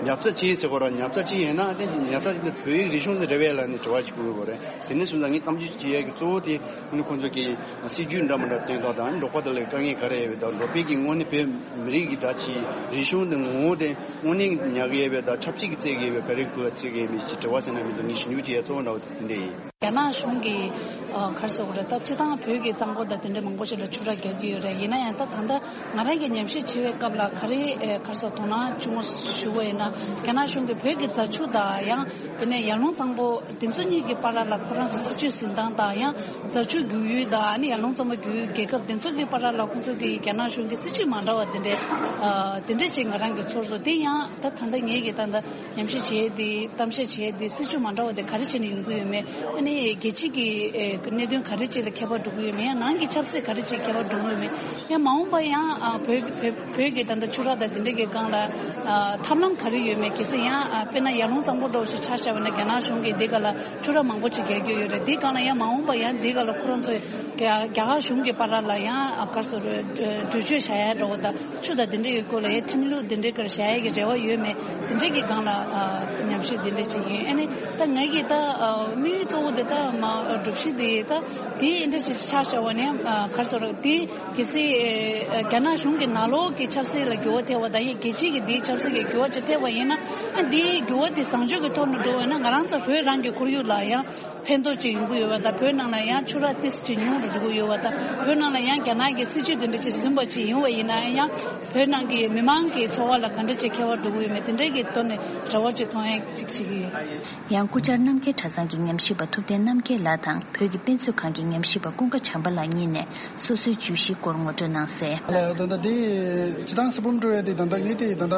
ཉར་ཚགས་བྱེད་ཟེར་གི་ཡོད་རེད། ཉར་ཚགས་བྱེད་ཡིན་ན་དེ་ཉར་ཚགས་བྱེད་དེ་བོད་ཡིག་རིག་གཞུང་དེ་རེད་པས་ལབ་ནས་དྲི་བ་ཅིག་བཀོད་ཀྱི་ཡོད་རེད། དེ་ནས་སོང་ཙང་ངས་གཏམ་རྒྱུད་བྱེད་ཡག་གི་གཙོ་བོ་དེ་ཨ་ནི་ཁོང་ཚོ་གི་སྲིད་ཇུས་འདྲ་མི་འདྲ་བཏོན་ཐོག་དང་འབྲོག་པ་དེ་ལ་དཀའ་ངལ་ག་རེ་ཡོད་པ་དང་འབྲོག་པའི་གི་དངོས་གནས་བོད་མི་རིགས་ཀྱི་ད་ཅིག་རིག་གཞུང་དེ་ངོ་བོ་དེ་དངོས་གནས་ཉར་གི་ཡོད་པ་དང་ཆབ་སྲིད་ཀྱི་བརྩི་གི་ཡོད་པ་ག་རེ་དགོས་བརྩི་གི་ཡོད་མེད་ཅིག་དྲི་བ་ཟེར་ན་མི་འདུག་ངས་ཞིབ་འཇུག་བྱེད་ཡག་གཙོ་བོ་འདྲ་བོ་དེ་འདྲ་ཡིན། རྒྱ་ནག་གཞུང་གིས་ཨ་ག་རེ་ཟེར་དགོས་རེད། ད་སྤྱིར་བཏང་བོད་ཀྱི་གཙང་པོ་དང་དེ་འདྲ་མང་པོ་ཞིག་ལ་ཆུ་རགས་རྒྱག་གི་ཡོད་རེད། ཡིན་ན་ཡང་ད་ད་ལྟ་ང་རང་གིས་ཉམས་ཞིབ་བྱེད་པའི་སྐབས་ལ་ག་རེ་ཨེ་ག་རེ་ཟེར་དོ་སྣང་ཆུང་ངུ་ཞུ་བ་ཡིན་ན། རྒྱ་ནག་གཞུང་གིས་བོད་ཀྱི་རྫ་ཆུ་དང་ཡང་དེ་ནས་ཡར་ཀླུང་གཙང་པོ་དེ་ཚོ་གཉིས་ཀྱི་བར་ལ་ཁོ་རང་ཚོ་སྲིད་ཇུས་འཛིན་སྟངས་དང་། ཡང་རྫ་ཆུ་རྒྱུག་ཡུལ་དང་ཨ་ནི་ཡར་ཀླུང་གཙང་པོ་རྒྱུག་ཡུལ་རྒྱལ་ཁབ་དེ་ཚོ་གི་བར་ལ་ཁོང་ཚོ་གི་རྒྱ་ནག་གཞུང་གི་སྲིད་ཇུས་མ་འདྲ་བ་དེ་འདྲས་ཨ་དེ་འདྲས་ཅིག་ང་རང་གིས་ཚོར་སོང་། དེ་ཡང་ད་ད་ལྟ་ངེད་ཀྱིས་ད་ལྟ་ཉམས་ཞིབ་བྱས་ཏེ་གཏམ་བཤད་བྱས་ཏེ་སྲིད་ཇུས་མ་འདྲ་བ་དེ་ག་རེ་བྱས་ནས་ཡོང་གི་ཡོད་མེད། ཨ་ནི་རྒྱལ་སྤྱི་གི་ཨེ་གནད་དོན་ག་རེ་ཅིག་ལ་ཁྱད་པར་འགྲོ་གི་ཡོད་མེད། ཡང་ནང་གི་ཆབ་སྲིད་ག་རེ་ཅིག་ཁྱད་པར་འགྲོ་གི་ཡོད་མེད། ཡང་མ་འོངས་པ་ཡང་ཨ་བོད་བོད་བོད་ཀྱི་ད་ལྟ་ཆུ་རགས་དང་དེ་འདྲ་གི་སྒང་ལ་ཨ་ཐབས་ལམ་ག་རེ་ཡོད་མེད། གལ་སྲིད་ཡང་ཨ་དཔེར་ན་ཡར་ཀླུང་གཙང་པོ་འདྲ་བོ་ཞིག་ཆ་བཞག་པ་ན་རྒྱ་ནག་གཞུང་གིས་འདི་ག་ལ་ཆུ་རགས་མང་པོ་ཅིག་རྒྱག་གི་ཡོད་རེད། འདི་སྒང་ལ་ཡང་མ་འོངས་པ་ཡང་འདི་ག་ལ་ཁོ་རང་ཚོས་རྒྱ་རྒྱ་གར་གཞུང་གི་བར་ལ་ཡང་ཨ་ག་རེ་ཟེར་གྲོས་ཆོད་བཞག་ཡ་འདྲ་བོ་དང་། ཆུ་དང་དེ་འདྲ་ཡི་སྐོར་ལ་ཡང་ཁྲིམས་ལུགས་དེ་འདྲའི་སྐོར་བཞག་ཡ་གི་རེ་བ་ཡོད་མེད། དེ་འདྲའི་གི་སྒང་ལ་ཨ་ཉམས་ཞིབ་དེ་འདྲ་བྱེད་ཀྱི་ཡོད། ཨ་ནི་ད་ངའི་གི་ད་ཨ་དམིགས་ཡུལ་གཙོ་བོ་དེ་ད་མ་སྒྲུབ་གཞི་དེ་ད་དེ་འདྲ་ཞིག་ཆགས་བཞག་པ་ནས་ཨ་ག་རེ་ཟེར་དེ་གལ་སྲིད་ཨ་རྒྱ་ནག་གཞུང་གི་ནང་ལོགས་ཀྱི་ཆབ་སྲིད་ལ་འགྱུར་བ་ཐེབས་པ་དང་ཡང་རྒྱལ་སྤྱིའི་གི་དེའི་ཆབ་སྲིད་ཀྱི་འགྱུར་བ་ཅིག་ཐེབས་པ་ཡིན་ན། ཨ་དེའི་འགྱུར་བ་དེ་བཟང་སྤྱོད་ཀྱི་ཐོག་ནས་འགྲོ་བ་ཡིན་ན་ང་རང་ཚོ་བོད་རང་གི་ཁོར་ཡུག་ལ་ཡང་ཕན་ཐོགས་ཅིག་ཡོང་གི་ཡོད་པ་དང་། བོད་ནང་ལ་ཡང་ཆུ་རགས་ཏོག་ཙམ་ཅིག་ཉུང་རུ་འགྲོ་གི་ཡོད་པ་དང་། བོད་ནང་ལ་ཡང་རྒྱ་ནག་གི་སྲིད་ཇུས་དེ་འདྲ་ཅིག་ཟིན་པ་ཅིག་ཡོང་བ་ཡིན་ན་ཡང་བོད་ནང་གི་མི་མང་གི་འཚོ་བ་ལ་ག་འདྲ་ཅིག་ཁྱད་པར་འགྲོ་གི་ཡོད་མེད་དེ་འདྲའི་གི་ཐོག་ནས་རེ་བ་ཅིག་མཐོང་ཡ་ཅིག་བྱེད་ཀྱི་ཡོད། ཡང་སྐུ་བཅར་རྣམ་རྒྱལ་གྲྭ་ཚང་གི་ཉམས་ཞིབ་པ་ཐུབ་བསྟན་རྣམ་རྒྱལ་ལགས་དང་བོད་ཀྱི་དཔེ་མཛོད་ཁང་གི་ཉམས་ཞིབ་པ་ཀུན་དགའ་བྱམས་པ་ལགས་གཉིས་ནས་སོ་སོའི་བརྗོད་གཞིའི་སྐོར་ངོ་སྤྲོད་གནང་གསལ། ལགས། ད་ལྟ་འདི་སྤྱིར་བཏང་གསེར་བུམ་སྤྲོ་བའི་དེ་ད་ལྟ་ངས་དེ་ད་ལྟ་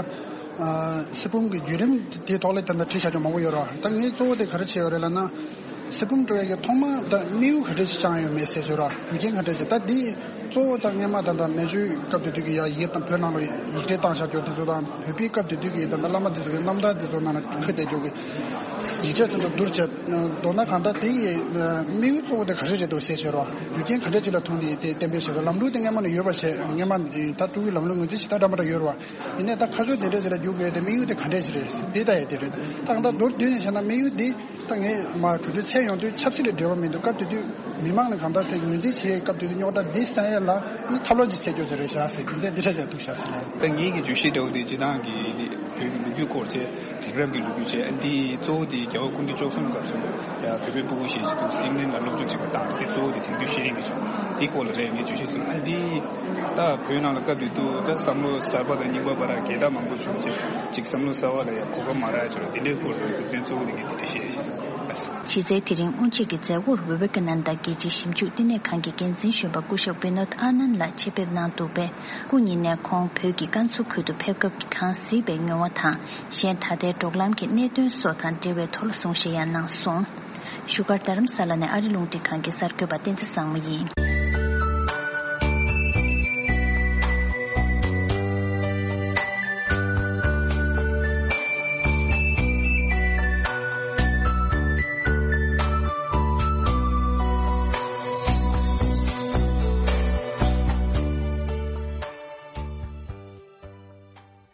ཨ་གསེར་བུམ་གྱི་བརྒྱུད་རིམ་དེའི་ཐོག་ལ་ད་ལྟ་བྲིས་བཞག་རྒྱུ་མང་པོ་ཡོད་ར། ད་ངས་གཙོ་བོ་དེ་ག་རེ་བྱས་ཡོད་རེད་ལབ་ན། གསེར་བུམ་སྤྲོ་བའི་གི་ཐོག་མ་ད་དམིགས་ཡུལ་ག་འདྲ་ཞིག་བཅངས་ཡོད་མེད་ཟེར་ཞུ་ར། རྒྱུ་རྐྱེན་ག་འདྲ་ཞིག་ད་འདི་ གཙོ་བོ་ད་སྔས་མ་ད་ལྟ་མན་ཇུའི་སྐབས་དེ་དུས་ཀྱི་ཡ་ཡིག་དང་བོད་ནང་ལ་ཡིག་ཕྲེང་བཏང་བཞག་རྒྱུ་དེ་ཚོ་དང་བོད་པའི་སྐབས་དེ་དུས་ཀྱི་ད་ལྟ་བླ་མ་དེ་ཚོ་གི་རྣམ་ཐར་དེ་ཚོ་ནང་ལ་འཁོད་བསྡད་རྒྱུ་གི་ཡིག་ཆ་དེ་ཚོ་བསྡུར་བྱས། མདོར་ན་གང་ལྟར་དེ་ཡི་དམིགས་ཡུལ་གཙོ་བོ་དེ་ག་རེ་རེད་འདུག་ཟེར་བྱས་རོགས། རྒྱུ་རྐྱེན་ག་འདྲ་ཅིག་ལ་ཐུག་ནས་དེ་གཏན་འབེབས་བྱས་རོགས། ལམ་ལུགས་དེ་སྔས་མ་ནས་ཡོད་པ་བྱས། སྔས་མ་ད་ཀྲུང་གོའི་ལམ་ལུགས་ངོས་འཛིན་བྱེད་སྟངས་འདྲ་མི་འདྲ་ཡོད་རོགས། ཡིན་ནའི་ད་ཁ་ཕྱོགས་དེ་འདྲ་ཅིག་ལ་རྒྱུག་དགོས་དེ་དམིགས་ཡུལ་དེ་ག་འདྲ་ཅིག་རེད་ཟེར་དེ་ལྟ་ཡ་དེ་རེད། ད་གང་ལྟར་མདོར་བསྡུས་ནས་བཤད་ན་དམིགས་ཡུལ་འདི། ད་ངས་མ་གྲོས་མཐུན་ཚད་ཡོང་དུས་ཆབ་སྲིད་ལ་འབྲེལ་བ་མི་འདུག་སྐབས་དེ་དུས་མི་མང་ནས་གང་ལྟར་དེ་ངོས་འཛིན་བྱེད་ཡས་སྐབས་དེ་དུས་རྙོག་དྲ་འདི་སེལ་ཡས་ལ་ནི་ཐབས་ལམ་ཅིག་བཙལ་རྒྱུ་ཟེར་རེད་བཞག་ཟེར། རྒྱུ་མཚན་འདི་འདྲ་ཅིག་འདུག་བཞག་ཟེར་ལ། ད་ངེད་ཀྱི་བརྗོད་གཞི་འདྲ་བོ་དེ་སྤྱིར་བཏང་གི་བོད་ཀྱི་ལོ་རྒྱུས་སྐོར་བྱས། དེང་རབས་ཀྱི་ལོ་རྒྱུས་བྱས། ཨ་འདི་གཙོ་བོ་དེ་རྒྱལ་བ་སྐུ་ཕྲེང་བཅུ་གསུམ་སྐབས་སུ་ཡ་བོད་པའི་སྤུ་གུ་ཞེ་ཅིག་འདུག་ཨིང་ལན་ལ་སློབ་སྦྱོང་བྱེད་པར་བཏང་། དེ་གཙོ་བོ་དེ་དེང་དུས་ཤེས་རིག་གི་ཕྱོགས་འདི་སྐོར་ལ་རེད། ངས་བརྗོད་གཞི་བཟོས། ཨ་འདི་ད་བོད་ནང་ལ་སྐབས་དེ་དུས་ད་བསམ་བློ་གསར་པ་དང་རྙིང་པ་བར་རྒྱལ་ཐབས་མང་པོ་བྱུང་བྱས། ཅིག་བསམ་བློ་གསར་པ་ལ་ཡང་གོ་སྐབས་མ་རག་ཡ་བྱུང་། འདི་འདྲའི་སྐོར་ལ་རྒྱུ་མཚན་གཙོ་བོ་དེ་གི་དེ་འདྲ་བཤད་ཡ་ཞིག་ཨ། གཞི་རྩའི་དེ་རིང་དབུ་འབྱེད་ཀྱི་མཛད་སྒོར་བི་ཝེ་ཀ་ནན་ད་རྒྱལ་སྤྱིའི་ཞིབ་འཇུག་བསྟི་གནས་ཁང་གི་འགན་འཛིན་གཞོན་པ་སྐུ་ཞབས་བི་ནོད་ཨ་ནན་ལགས་ཆེད་ཕེབས་གནང་འདུག་པས། སྐུ་ཉིད་ནས་ཁོང་བོད་ཀྱི་ཀན་སུའུ་ཁུལ་དུ་ཕེབས་སྐབས་ཀྱི་གང་གཟིགས་པའི་མྱོང་བ་དང་། གཞན་ད་ལྟའི་འབྲོག་ལམ་གྱི་གནད་དོན་སོགས་དང་འབྲེལ་བའི་ཐོག་ལ་གསུང་བཤད་ཡང་གནང་སོང་། བཞུགས་སྒར་རྡ་རམ་ས་ལ་ནས་ཨ་རི་རླུང་འཕྲིན་ཁང་གི་གསར་འགོད་པ་བསྟན་འཛིན་བཟང་མོ་ཡིན།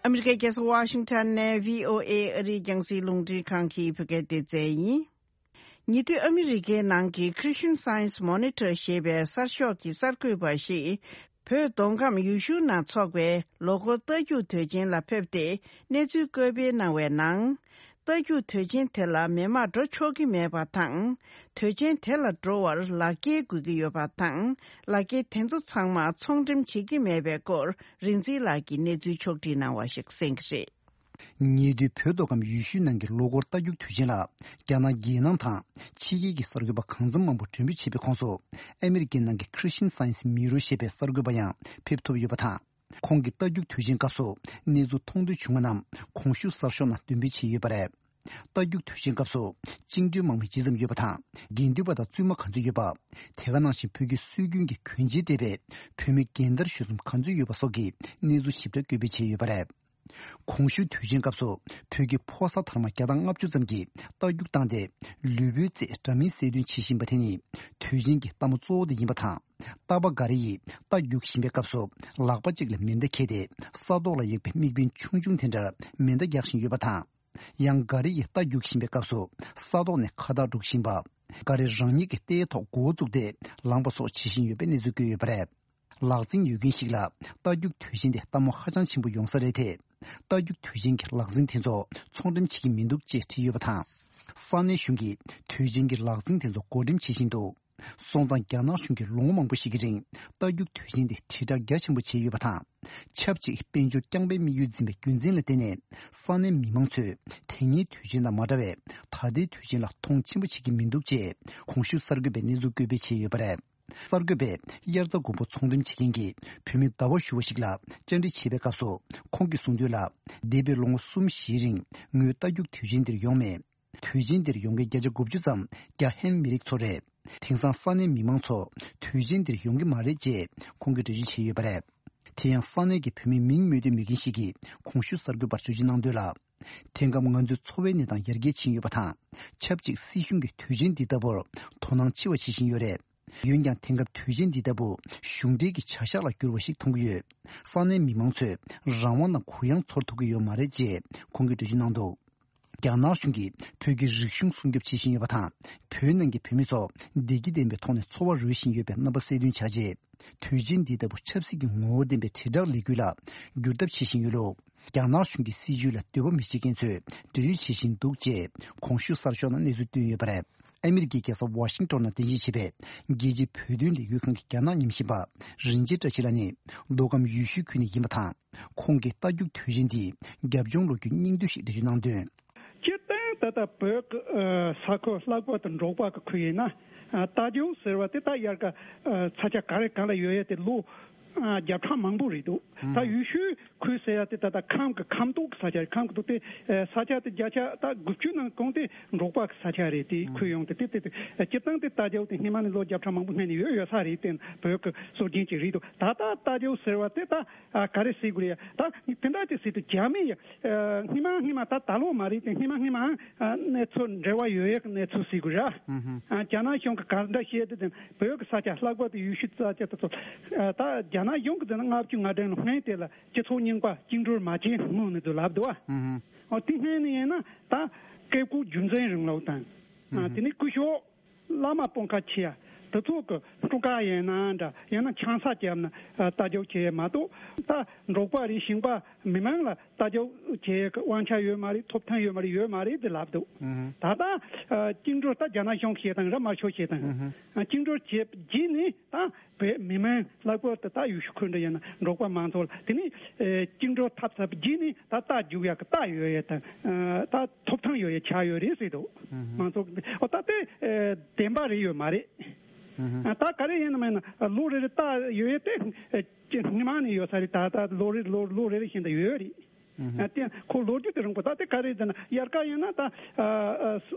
ཨ་མི་རི་ཀའི་རྒྱལ་ས་ཝ་ཤིང་ཊོན་ནས་བྷི་ཨོ་ཨེ་ཨ་རིའི་རྒྱང་སྲིང་རླུང་འཕྲིན་ཁང་གི་བོད་སྐད་སྡེ་ཚན་ཡིན། ཉེ་དུས་ཨ་མི་རི་ཀའི་ནང་གི་Christian Science Monitor ཞེས་པའི་གསར་ཤོག་གི་གསར་འགོད་པ་ཞིག་བོད་མདོ་ཁམས་ཡུལ་ཤུལ་ནང་འཚོགས་པའི་ལོ་འཁོར་རྟ་རྒྱུག་དུས་ཆེན་ལ་ཕེབས་ཏེ་གནས་ཚུལ་བཀོད་སྤེལ་གནང་བའི་ནང་། རྟ་རྒྱུག་དུས་ཆེན་དེ་ལ་མི་མང་འགྲོ་ཆོག་གི་མེད་པ་དང་། དུས་ཆེན་དེ་ལ་འགྲོ་བར་ལག་འཁྱེར་དགོས་ཀྱི་ཡོད་པ་དང་། ལག་འཁྱེར་དེ་ཚོ་ཚང་མ་ཚོང་འགྲེམས་བྱེད་ཀྱི་མེད་པའི་སྐོར་རིག་འཛིན་ལགས་ཀྱིས་གནས་ཚུལ་ཕྱོགས་བསྒྲིགས་གནང་བ་ཞིག་གསན་གྱི་རེད། ཉེ་དུས་བོད་མདོ་ཁམས་ཡུལ་ཤུལ་ནང་གི་ལོ་འཁོར་རྟ་རྒྱུག་དུས་ཆེན་ལ་རྒྱ་ནག་རྒྱལ་ནང་དང་ཕྱི་རྒྱལ་གྱི་གསར་འགོད་པ་གང་འཚམ་མང་པོ་མགྲོན་འབོད་བྱས་པའི་ཁོངས་སུ་ཨ་མི་རི་ཀའི་ནང་གི་Christian Science Mirror ཞེས་པའི་གསར་འགོད་པ་ཡང་ཕེབས་ཐུབ་ཡོད་པ་དང་། ཁོང་གིས་རྟ་རྒྱུག་དུས་ཆེན་སྐབས་སུ་གནས་ཚུལ་མཐོང་ཐོས་བྱུང་བ་རྣམས་གོང་ཞུས་གསར་ཤོག་ནང་འདོན་སྤེལ་བྱས་ཡོད་པ་རེད། རྟ་རྒྱུག་དུས་ཆེན་སྐབས་སུ་བཅིངས་འགྲོལ་དམག་མི་ཇི་ཙམ་ཡོད་པ་དང་། དགེ་འདུན་པ་དང་བཙུན་མ་ག་ཚོད་ཡོད་པ། དེ་ག་ནང་བཞིན་བོད་ཀྱི་སྲོལ་རྒྱུན་གྱི་གོན་ཆས་སྤྲས་པའི་བོད་མི་རྒན་དར་གཞོན་གསུམ་ག་ཚོད་ཡོད་པ་སོགས་ཀྱི་གནས་ཚུལ་ཞིབ་ཕྲ་བཀོད་སྤེལ་བྱས་ཡོད་པ་རེད། གོང་ཞུས་དུས་ཆེན་སྐབས་སུ་བོད་ཀྱི་ཕོ་གསར་དར་མ་བརྒྱ་དང་ལྔ་བཅུ་ཙམ་གྱིས་རྟ་རྒྱུག་བཏང་སྟེ་ལུས་པོའི་རྩེས་འདྲ་མིན་གསལ་སྟོན་བྱེད་བཞིན་པ་དེ་ནི་དུས་ཆེན་གྱི་ལྟད་མོ་གཙོ་བོ་དེ་ཡིན་པ་དང་། རྟ་པ་འགའ་རེ་ཡིས་རྟ་རྒྱུག་བཞིན་པའི་སྐབས་སུ་ལག་པ་གཅིག་ལ་མེ་མདའ་འཁྱེར་ཏེ་ས་ཐོག་ལ་གཡུགས་པའི་དམིགས་འབེན་ཆུང་ཆུང་དེ་འདྲར་མེ་མདའ་རྒྱག་བཞིན་ཡོད་པ་དང་། ཡང་འགའ་རེ་ཡིས་རྟ་རྒྱུག་བཞིན་པའི་སྐབས་སུ་ས་ཐོག་ནས་ཁ་བཏགས་སྒྲོག་བཞིན་པ། འགའ་རེ་རང་ཉིད་ཀྱི་རྟའི་ཐོག་མགོ་བོ་བཙུགས་ཏེ་ལངས་པ་སོགས་བྱེད་བཞིན་ཡོད་པའི་གནས་ཚུལ་བཀོད་ཡོད་པ་རེད། ལག་འཛིན་ཡོད་མཁན་ཞིག་ལ་རྟ་རྒྱུག་དུས་ཆེན་དེ་ལྟད་མོ་ཧ་ཅང་ཆེན་པོ་ཡོང་ས་རེད་དེ། རྟ་རྒྱུག་དུས་ཆེན་གྱི་ལག་འཛིན་དེ་ཚོ་ཚོང་འགྲེམས་བྱེད་ཀྱི་མི་འདུག་ཅེས་བྲིས་ཡོད་པ་དང་། ས་གནས་གཞུང་གིས་དུས་ཆེན་གྱི་ལག་འཛིན་དེ་ཚོ་བགོ་འགྲེམས་བྱེད་བཞིན་འདུག་སོང་ཙང་རྒྱ་ནག་གཞུང་གིས་ལོ་ངོ་མང་པོ་ཞིག་གི་རིང་རྟ་རྒྱུག་དུས་ཆེན་དེ་དྲིལ་བསྒྲགས་རྒྱ་ཆེན་པོ་བྱས་ཡོད་པ་དང་། ཆབས་ཅིག་དཔལ་འབྱོར་རྐྱང་པའི་དམིགས་ཡུལ་འཛིན་པའི་རྒྱུ་མཚན་ལ་བརྟེན་ནས་ས་གནས་མི་མང་ཚོས་དེ་སྔའི་དུས་ཆེན་དང་མ་འདྲ་བའི་ད་ལྟའི་དུས་ཆེན་ལ་མཐོང་ཆེན་པོ་བྱེད་ཀྱི་མི་འདུག་ཅེས་གོང་ཞུས་གསར་འགོད་པས་གནས་ཚུལ་བཀོད་སྤེལ་བྱས་ཡོད་པ་རེད། གསར་འགོད་པས་དབྱར་རྩྭ་དགུན་འབུ་ཚོང་འགྲེམས་བྱེད་མཁན་གྱི་བོད་མི་ཟླ་བ་ཞུ་བ་ཞིག་ལ་བཅར་འདྲི་བྱས་པའི་སྐབས་སུ་ཁོང་གིས་གསུངས་དོན་ལ། འདས་པའི་ལོ་ངོ་གསུམ་བཞིའི་རིང་ངོས་རྟ་རྒྱུག་དུས་ཆེན་འདིར་ཡོང་མེད། དུས་ཆེན་འདིར་ཡོང་མཁན་བརྒྱ་ཆ་དགུ་བཅུ་ཙམ་རྒྱ་ཧན་མི་རིགས་ཚོ་རེད། དེང་སང་ས་གནས་མི་མང་ཚོ་དུས་ཆེན་འདིར་ཡོང་གི་མ་རེད་ཅེས་ཁོང་གིས་འགྲེལ་བརྗོད་བྱས་ཡོད་པ་རེད། དེ་ཡང་ས་གནས་ཀྱི་བོད་མིའི་མིང་སྨོས་འདོད་མེད་མཁན་ཞིག་གིས་གོང་ཞུས་གསར་འགོད་པར་འགྲེལ་བརྗོད་གནང་དོན་ལ། དེང་སྐབས་ང་ཚོའི་འཚོ་བའི་གནས་སྟངས་ཡར་རྒྱས་ཕྱིན་ཡོད་པ་དང་། ཆབས་ཅིག་སྲིད་གཞུང་གིས་དུས་ཆེན་འདི་ལྟ་བུར་དོ་སྣང་ཆེ་བ་བྱེད་བཞིན་ཡོད་རེད། འོན་ཀྱང་དེང་སྐབས་དུས་ཆེན་འདི་ལྟ་བུ་གཞུང་འབྲེལ་གྱི་བྱ་གཞག་ལ་འགྱུར་བ་ཞིག་མཐོང་གི་ཡོད། ས་གནས་མི་མང་ཚོས་རང་དབང་དང་གུ་ཡངས་ཚོར་ཐུབ་ཀྱི་ཡོད་མ་རེད་ཅེས་ཁོང་གིས་འགྲེལ་བརྗོད་གནང་འདུག་རྒྱ་ནག་གཞུང་གིས་བོད་ཀྱི་རིག་གཞུང་སྲུང་སྐྱོབ་བྱེད་བཞིན་ཡོད་པ་དང་། བོད་ནང་གི་བོད་མི་ཚོ་བདེ་སྐྱིད་ལྡན་པའི་ཐོག་ནས་འཚོ་བ་རོལ་བཞིན་ཡོད་པའི་རྣམ་པ་གསལ་སྟོན་བྱས་རྗེས། དུས་ཆེན་འདི་ལྟ་བུ་ཆབ་སྲིད་ཀྱི་ངོ་བོ་ལྡན་པའི་དྲིལ་བསྒྲགས་ལས་འགུལ་ལ་འགྱུར་ཐབས་བྱེད་བཞིན་ཡོད་ལུགས། རྒྱ་ནག་གཞུང་གི་སྲིད་བྱུས་ལ་འདོད་པ་མི་བྱེད་མཁན་ཚོས་འབྲེལ་ཡོད་བྱེད་བཞིན་འདུག་ཅེས་གོང་ཞུས་གསར་ཤོག་ནང་གནས་ཚུལ་བཏོན་ཡོད་པ་རེད། ཨ་མི་རི་ཀའི་རྒྱལ་ས་ཝ་ཤིང་ཏོན་ནང་རྟེན་གཞི་བྱས་པའི་རྒྱལ་སྤྱིའི་བོད་དོན་ལས་འགུལ་ཁང་གི་རྒྱ་ནག་ཉམས་ཞིབ་པ་རིན་ཆེན་བཀྲ་ཤིས་ལགས་ནི་མདོ་ཁམས་ཡུལ་ཤུལ་ཁུལ་ནས་ཡིན་པ་དང་། ཁོང་གིས་རྟ་རྒྱུག་དུས་ཆེན་འདིའི་རྒྱབ་ལྗོངས་ལོ་རྒྱུས་སྙིང་བསྡུས་ཤིག་འགྲེལ་བརྗོད་གནང་དོན། སྤྱིར་བཏང་ད་ལྟ་བོད་ཀྱི་ས་ཁུལ་ལྷག་པར་དུ་འབྲོག་པ་གི་ཁུལ་ཡིན་ན། རྟ་རྒྱུག་ཟེར་བ་དེ་ད་དབྱར་ཁ་ས་ཆ་ག་རེ་ག་ལ་ཡོད་ཡ་དེ་ལོ་ ཨ། བརྒྱ་ཕྲག་མང་པོ་རེད་འདུག་ད་ཡུལ་ཤུལ་ཁུལ་ཟེར་ཡ་དེ་ད་ལྟ་ཁམས་ཀྱི་ཁམས་ཐོག་གི་ས་ཆ་རེད། ཁམས་ཀྱི་ཐོག་དེ་ས་ཆ་དེ་བརྒྱ་ཆ་ད་དགུ་བཅུ་ནང་གང་དེ་འབྲོག་པ་གི་ས་ཆ་རེད། དེ་ཁུལ་ཡོངས་དེ་དེ་དེ་དེ་སྤྱིར་བཏང་དེ་རྟ་རྒྱུག་དེ་སྔོན་མ་ནས་ལོ་བརྒྱ་ཕྲག་མང་པོ་སྔོན་ནས་ཡོད་ཡོད་ས་རེད། དེ་བོད་ཀྱི་སྲོལ་རྒྱུན་ཅིག་རེད་འདུག་ད་ལྟ་རྟ་རྒྱུག་ཟེར་བ་དེ་ད་ཨ་ག་རེ་ཟེར་དགོས་རེད། ད་དེ་འདྲ་ཅིག་ཟེར་དུས་རྒྱ་མི་ཡ་ཨ་སྔོན་མ་སྔོན་མ་ད་ད་ལོ་མ་རེད་དེ། སྔོན་མ་སྔོན་མ་ཨ་གནས་ཚུལ་འབྲེལ་བ་ཡོད་ཡག་གི་གནས་ཚུལ་ཟེར་དགོས་ར། ཨ་རྒྱ་ནག་གཞུང་གིས་ག་འདྲ་བཤད་དེ་དེ་བོད་ཀྱི་ས་ཆ་ལྷག་པར་དུ་ཡུལ་ཤུལ་ས་ཆ་དེ་ཚོ་ཨ་ད་རྒྱ་ནག་གཞུང་གིས་དེ་ནི་ལྔ་བཅུ་ང་བདུན་ལོ་སྔོན་དེ་ལ་སྤྱི་ཚོགས་རྙིང་པ་བཅིངས་འགྲོལ་མ་བྱས་སྔོན་ནས་དུ་ལབ་འདུག་ཨ། ཨོ་དེ་སྔོན་ནས་ཡིན་ན་ད་བཀས་བཀོད་རྒྱུད་འཛིན་རིང་ལུགས་དང་། ཨ་དེ་ནས་སྐུ་ཞབས་བླ་མ་སྤོང་ཁ་ཆེ་ཡ་དེ་ཚོ་གི་སྤྲུལ་སྐུ་ཡིན་ན་འདྲ། ཡང་ན་ཆང་ས་བརྒྱབ་ན་ཨ་རྟ་རྒྱུག་བྱེད་ཡ་མ་གཏོགས། ད་འབྲོག་པ་རེད། ཞིང་པ་མི་མང་ལ་རྟ་རྒྱུག་བྱེད་ཡ་གི་དབང་ཆ་ཡོད་མ་རེད། ཐོབ་ཐང་ཡོད་མ་རེད། ཡོད་མ་རེད་དེ་ལབ་འདུག་ད་ལྟ་ཨ་བཅིངས་འགྲོལ་ད་རྒྱ་ནག་གཞུང་གིས་བྱེད་སྟངས་ར། དམར་ཤོག་བྱེད་སྟངས་ཨ་བཅིངས་འགྲོལ་བྱས་རྗེས་ནས་ད་བོད་མི་མང་ལྷག་པར་དུ་ད་ཡུལ་ཤུལ་ཁུལ་འདྲ་ཡིན་ན་འབྲོག་པ་མང་ཚོགས་ལ་དེ་ནས་ཨེ་བཅིངས་འགྲོལ་ཐེབས་ཚར་རྗེས་ནས་ད་རྟ་རྒྱུག་ཡག་གི་རྟ་ཡོད་ཡ་དང་ཨ་ད་ཐོབ་ཐང་ཡོད་ཡ་ཆགས་ཡོད་རེད་ཟེར་འདུག་མང་ཚོགས་ཀྱི་ཨོ་ད་དེ་ཨེ་བདེན་པ་རེད་ཡོད་མ་རེད། ཨ་ད་ག་རེ་ཡིན་ནམ་ཡིན་ན་ལོ་རེ་རེ་རྟ་ཡོད་ཡ་དེ་ཨེ་སྔོན་མ་ནས་ཡོད་ས་རེད། ད་ད་ལོ་རེ་ལོ་ལོ་རེ་རེ་བཞིན་དུ་ཡོད་རེད། ཨ་དེ་ཁོ་ལོ་རྒྱུས་དེ་རིང་པོ། ད་དེ་ག་རེ་ཟེར་ན་དབྱར་ཁ་ཡིན་ན་ད་ཨ་ཨ་ས་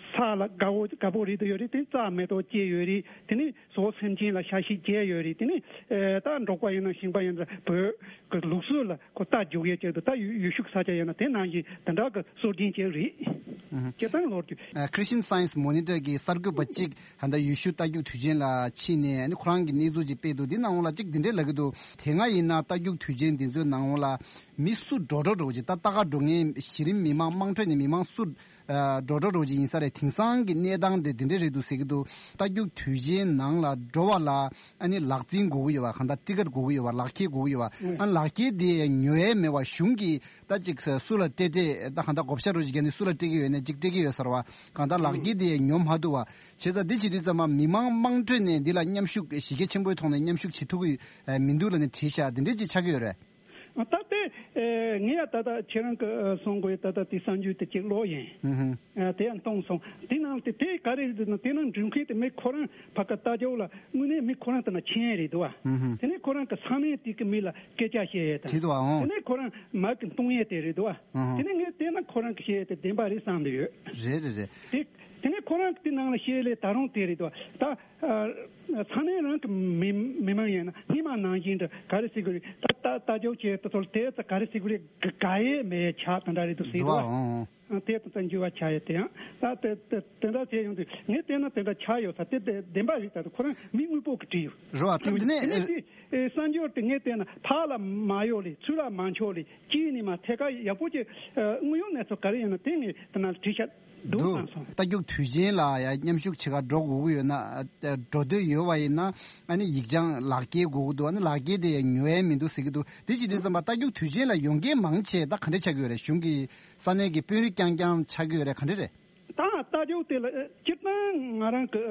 ས་ལ་དགའ་བོ་དགའ་བོ་རེད་དུ་ཡོད་རེད། དེ་རྩྭ་མེ་ཏོག་སྐྱེས་ཡོད་རེད། དེ་ནས་ཟོག་སེམས་ཅན་ལ་ཤ་ཤེད་སྐྱེས་ཡོད་རེད། དེ་ནས་ཨ་ད་འབྲོག་པ་ཡིན་ན་ཞིང་པ་ཡིན་ན་བོད་ཀྱི་ལུགས་སྲོལ་ལ་ཁོ་རྟ་རྒྱུག་ཡས་ཅིག་འདུག་ད་ཡུལ་ཡུལ་ཤུལ་ས་ཆ་ཡིན་ན་དེ་ནང་བཞིན་དེ་འདྲ་གི་སྲོལ་རྒྱུན་ཅིག་རེད། ཨ་སྤྱིར་བཏང་ལོ་རྒྱུས། ཨ་Christian Science Monitor གི་གསར་འགོད་པ་གཅིག་ཧ་ད་ཡུལ་ཤུལ་རྟ་རྒྱུག་དུས་ཆེན་ལ་ཕྱིན་ནས་ཨ་ནི་ཁོ་རང་གི་གནས་ཚུལ་ཅིག་སྤེལ་འདུག་འདི་ནང་ལ་གཅིག་འདི་འདྲས་ལབ་ཀྱི་འདུག་དེ་སྔ་ཡིན་ན་རྟ་རྒྱུག་དུས་ཆེན་འདི་ཚོའི་ནང་ལ་མི་སུ་འགྲོ་འགྲོ་འགྲོ་ཅིག་ད་རྟ་ག་འགྲོ་མཁན་གཞི་རིམ་མི་མང་དམངས་ཁྲོད་ནས་མི་མང་སུ་ཨ་འགྲོ་འགྲོ་འགྲོ་ཅིག་ཡིན་ས་རེད། དེང་སང་གི་གནས་སྟངས་དེ་འདི་འདྲས་རེད་འདུག་ཟེར་གྱི་འདུག་རྟ་རྒྱུག་དུས་ཆེན་ནང་ལ་འགྲོ་བ་ལ་ཨ་ནི་ལག་འཛིན་དགོས་ཀྱི་ཡོད་པ། གང་ལྟར་ཊི་ཀེཊ་དགོས་ཀྱི་ཡོད་པ། ལག་འཁྱེར་དགོས་ཀྱི་ཡོད་པ། ཨ་ལག་འཁྱེར་དེ་ཉོ་ཡས་མེད་པ། གཞུང་གིས་ད་ཅིག་སུ་ལ་སྤྲད་སྤྲད་ད་གང་ལྟར་བགོ་བཤའ་འགྲོ་ཅིག་བརྒྱབ་ནས་སུ་ལ་སྤྲད་ཀྱི་ཡོད་ན་ཅིག་སྤྲད་ཀྱི་ཡོད་ས་རེད་པ། གང་ལྟར་ལག་འཁྱེར་དེ་ཉོ་མ་ཐུབ་པ། བྱས་ཙང་འདི་བྱེད་དུས་ཙམ་པ་མི་མང་དམངས་ཁྲོད་ནས་འདི་ལ་མཉམ་ཞུགས་གཞི་རྒྱ་ཆེན་པོའི་ཐོག་ནས་མཉམ་ཞུགས་བྱེད་ཐུབ་ཀྱི་མི་འདུག་ལབ་ནས་བྲིས་ཤག་འདི་འདྲས་ཅིག་ཆགས་ཀྱི་ཡོད་རེད། ད་ལྟའི་ངས་ཡ་ད་ལྟ་ཁྱེད་རང་གི་གསུང་དགོས་ཡ་ད་ལྟ་དེ་གསར་འགྱུར་དེ་གཅིག་ཀློག་ཡིན། དེ་ཡང་གཏོང་སོང་། དེ་ནང་དེ་དེ་ག་རེ་རེད་ཟེར་ན་དེ་ནང་འགྲེམས་མཁན་དེ་མི་ཁོ་རང་ཕ་གི་རྟ་རྒྱུག་ལ་དངོས་གནས་མི་ཁོ་རང་དེ་ན་མཁྱེན་རེད་འདུག་བ། དེ་ནས་ཁོ་རང་གི་ས་གནས་དེ་གི་མི་ལ་སྐད་ཆ་བཤད་ཡས་དང་། དེ་འདུག་བ། ཨོ། དེ་ནས་ཁོ་རང་མ་གི་གཏོང་ཡས་དེ་རེད་འདུག་བ། དེ་ནས་ངས་བལྟས་ན་ཁོ་རང་གི་བཤད་ཡས་དེ་བདེན་པ་རེད་བསམ་གི་ཡོད། རེད་རེད་རེད། དེ་དེ་ནས་ཁོ་རང་གི་དེ་ནང་ལ་བཤད་ལས་ད་རུང་དེ་རེད་འདུག་བ། ད། ཨ་ས་གནས་རང་གི་མི་མི་མང་ཡིན་ན་སྔོན་མ་ནང་བཞིན་དུ་ག་རེ་ཟེར་དགོས་རེད། ད་ད་ལྟ་རྒྱུག་བྱས་དེ་ཚོར་དེ་ཚོ་ག་རེ་ཟེར་དགོས་རེད། དགའ་ཡས་མེད་ཆགས་དེ་འདྲ་རེད་འདུག་ཟེར་འདུག་བ། ཨང་། ཨ་དེ་ཚོ་ཚང་འགྱུར་བ་ཆགས་ཡོད་དེ་ཡང་ད་དེ་དེ་དེ་འདྲ་བྱས་ཡོང་དུས་ངས་བལྟས་ན་དེ་འདྲ་ཆགས་ཡོད་ས་དེ་དེ་བདེན་པ་རེད། ད་དུ་ཁོ་རང་མི་དངོས་པོ་གི་བྲིས་ཡོད། རེད་བ། དེ་འདི་ནས་དེ་ནས་དེ་གསར་འགྱུར་དེ་ངས་བལྟས་ན་ཕར་ལ་མ་གཡོ་ལེ་ཚུར་ལ་མ་འཕྱོ་ལེ་དཀྱིལ་ནས་མ་ཐད་ཀ་ཡག་པོ་ཅིག་དངོས་ཡོད་གནས་ཚུལ་ག་རེ་ཡིན་ན་དེ་ངས་དེ་ན་བྲིས་ཤག་འདུག་འདུག་བསམ་སོང་། རྟ་རྒྱུག་དུས་ཆེན་ལ་ཡང་མཉམ་ཞུགས་བྱེད་གར་འགྲོ་དགོས་ཀྱི་ཡོད་ན། ཨ་འགྲོ་འདོད་ཡོད་པ་ཡིན་ན་ཨ་ནི་ཡིག་ཆ་ལག་འཁྱེར་དགོས་ཀྱི་འདུག་ཨ་ནི་ལག་འཁྱེར་དེ་ཡང་ཉོ་ཡས་མི་འདུག་ཟེར་གྱི་འདུག་དེ་བྱེད་དུས་ཙམ་པ་རྟ་རྒྱུག་དུས་ཆེན་ལ་ཡོང་མཁན་མང་ཆེ་ད་ག་འདྲ་ཆགས་ཀྱི་ཡོད་རེད། གཞུང་གི་ས་གནས་ཀྱི་དཔོན་རིགས་རྐྱང་རྐྱང་ཆགས་ཀྱི་ཡོད་རེད། ག་འདྲ་རེད། ད་རྟ་རྒྱུག་དེ་ལ་སྤྱིར་བཏང་ང་རང་གི་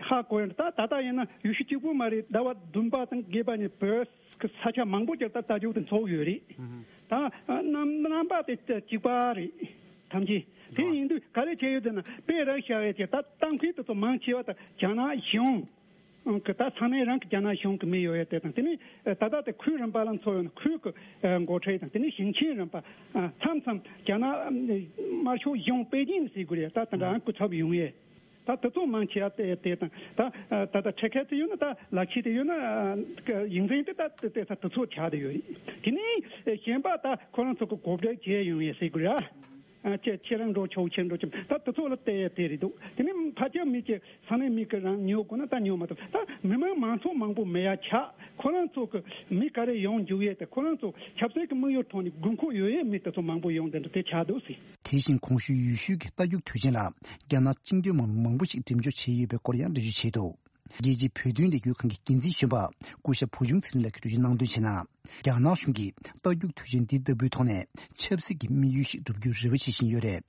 ཧ་གོ་ཡོད། ད་ད་ལྟ་ཡིན་ན་ཡུལ་ཤུལ་གཅིག་པུ་མ་རེད། ཟླ་བ་བདུན་པ་དང་བརྒྱད་པ་ནས་བོད་གི་ས་ཆ་མང་པོ་ཅིག་ད་རྟ་རྒྱུག་དེ་འཚོགས་ཡོད་རེད། ད་རྣམ་རྣམ་པ་དེ་གཅིག་པ་རེད། ཐམས་ཅད་དེ་ཡིན་དུས་ག་རེ་བྱས་ཡོད་ཟེར་ན་དཔེ་རག་བཞག་ཡས་ཀྱི་ད་གཏམ་མཁན་དེ་ཚོ་མང་ཆེ་བ་ད་རྒྱ་ནག་གཞུང་གི་ད་ས་གནས་རང་གི་རྒྱ་ནག་གཞུང་གི་མི་ཡོད་ཡས་དེ་དང་། དེ་ནས་ད་ལྟ་དེ་ཁུལ་རིམ་པ་ལ་འཚོགས་ཡོད་ན་ཁུལ་གི་འགོ་ཁྲིད་དང་། དེ་ནས་ཞིང་ཆེན་རིམ་པ་མཚམས་མཚམས་རྒྱ་ནག་དམར་ཤོག་གཞུང་པེ་ཅིང་ཟེར་དགོས་རེད། ད་དེ་འདྲ་སྐུ་ཚབ་ཡོང་ཡས། ད་དེ་ཚོ་མང་ཆེ་བ་དེ་དེ་དང་ད་ད་ལྟ་ཁྲལ་ཁ་དེ་ཡོད་ན་ད་ལག་ཁྱེར་དེ་ཡོད་ན་ཡིག་ཚང་དེ་ད་དེ་ད་དེ་ཚོ་ཆགས་བསྡད་ཡོད་རེད། དེ་ནས་གཞན་པ་ད་ཁོ་རང་ཚོ་གི་གོ་སྒྲིག་བྱས་ཡོང་ཡས་ཟེར་དགོས་ར། ཨ་ཁྱེད་ཁྱེད་རང་འགྲོ་ཆོག་ཁྱེད་འགྲོ་ཆོག་ད་དེ་ཚོ་ལ་བལྟས་ཡས་དེ་རེད་འདུག་དེ་ནས་ཕལ་ཆེར་མི་གི་ས་གནས་མི་གི་རང་ཉོ་དགོས་ན་ད་ཉོ་མ་ཐུབ། ད་མི་མང་མང་ཚོགས་མང་པོ་མེད་ཡ་ཆགས། ཁོ་རང་ཚོ་གི་མི་ག་རེ་ཡོང་འཇུག་ཡས་དེ་ཁོ་རང་ཚོ་ཆབ་སྲིད་ཀྱི་དམིགས་ཡུལ་ཐོག་ནས་དགོས་མཁོ་ཡོད་ཡས་མི་དེ་ཚོ་མང་པོ་ཡོང་དེ་འདྲ་དེ་ཆགས་འདུག་ཟེར། དེ་བཞིན་གོང་ཞུས་ཡུལ་ཤུལ་གྱི་རྟ་རྒྱུག་དུས་ཆེན་ལ་རྒྱ་ནག་བཅིངས་འགྲོལ་དམག་མི་མང་པོ་ཞིག་འགྲེམས་འཇོག་བྱས་ཡོད་པའི་སྐོར་ཡང་འགྲེལ་བརྗོད་བྱས་འདུག་རྒྱལ་སྤྱིའི་བོད་དོན་ལས་འགུལ་ཁང་གི་འགན་འཛིན་གཞོན་པ་སྐུ་ཞབས་བུ་ཆུང་ཚེ་རིང་ལགས་ཀྱིས་འགྲེལ་བརྗོད་གནང་དོན་བྱས་ན། རྒྱ་ནག་གཞུང་གིས་རྟ་རྒྱུག་དུས་ཆེན་འདི་ལྟ་བུའི་ཐོག་ནས་ཆབ་སྲིད་ཀྱི་དམིགས་ཡུལ་ཞིག་བསྒྲུབ་རྒྱུའི་རེ་བ་བྱེད་བཞིན་ཡོད་རེད།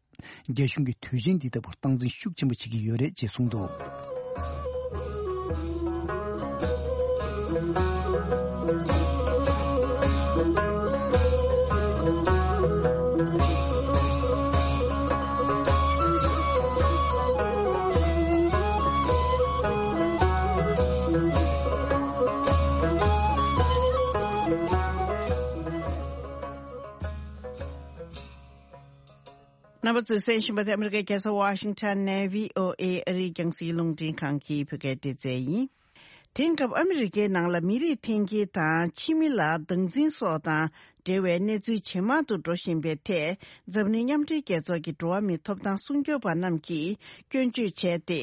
རྒྱ་གཞུང་གིས་དུས་ཆེན་འདི་ལྟ་བུར་སྟངས་འཛིན་ཤུགས་ཆེན་པོ་བྱེད་ཀྱི་ཡོད་རེད་ཅེས་གསུངས་འདུག་རྣམ་པ་ཚོས་གསན་བཞིན་པ་དེ་ཨ་མི་རི་ཀའི་རྒྱལ་ས་ཝ་ཤིང་ཊོན་ནས་བྷི་ཨོ་ཨེ་ཨ་རིའི་རྒྱང་སྲིང་རླུང་འཕྲིན་ཁང་གི་བོད་སྐད་སྡེ་ཚན་ཡིན། དེང་སྐབས་ཨ་མི་རི་ཀའི་ནང་ལ་མི་རིགས་འཐེན་འཁྱེར་དང་ཕྱི་མི་ལ་སྡང་འཛིན་སོགས་དང་འབྲེལ་བའི་གནས་ཚུལ་ཇེ་མང་དུ་འགྲོ་བཞིན་པའི་ཐད། འཛམ་གླིང་མཉམ་འབྲེལ་རྒྱལ་ཚོགས་ཀྱི་འགྲོ་བ་མིའི་ཐོབ་ཐང་སྲུང་སྐྱོབ་པ་རྣམས་ཀྱིས་སྐྱོན་བརྗོད་བྱས་ཏེ།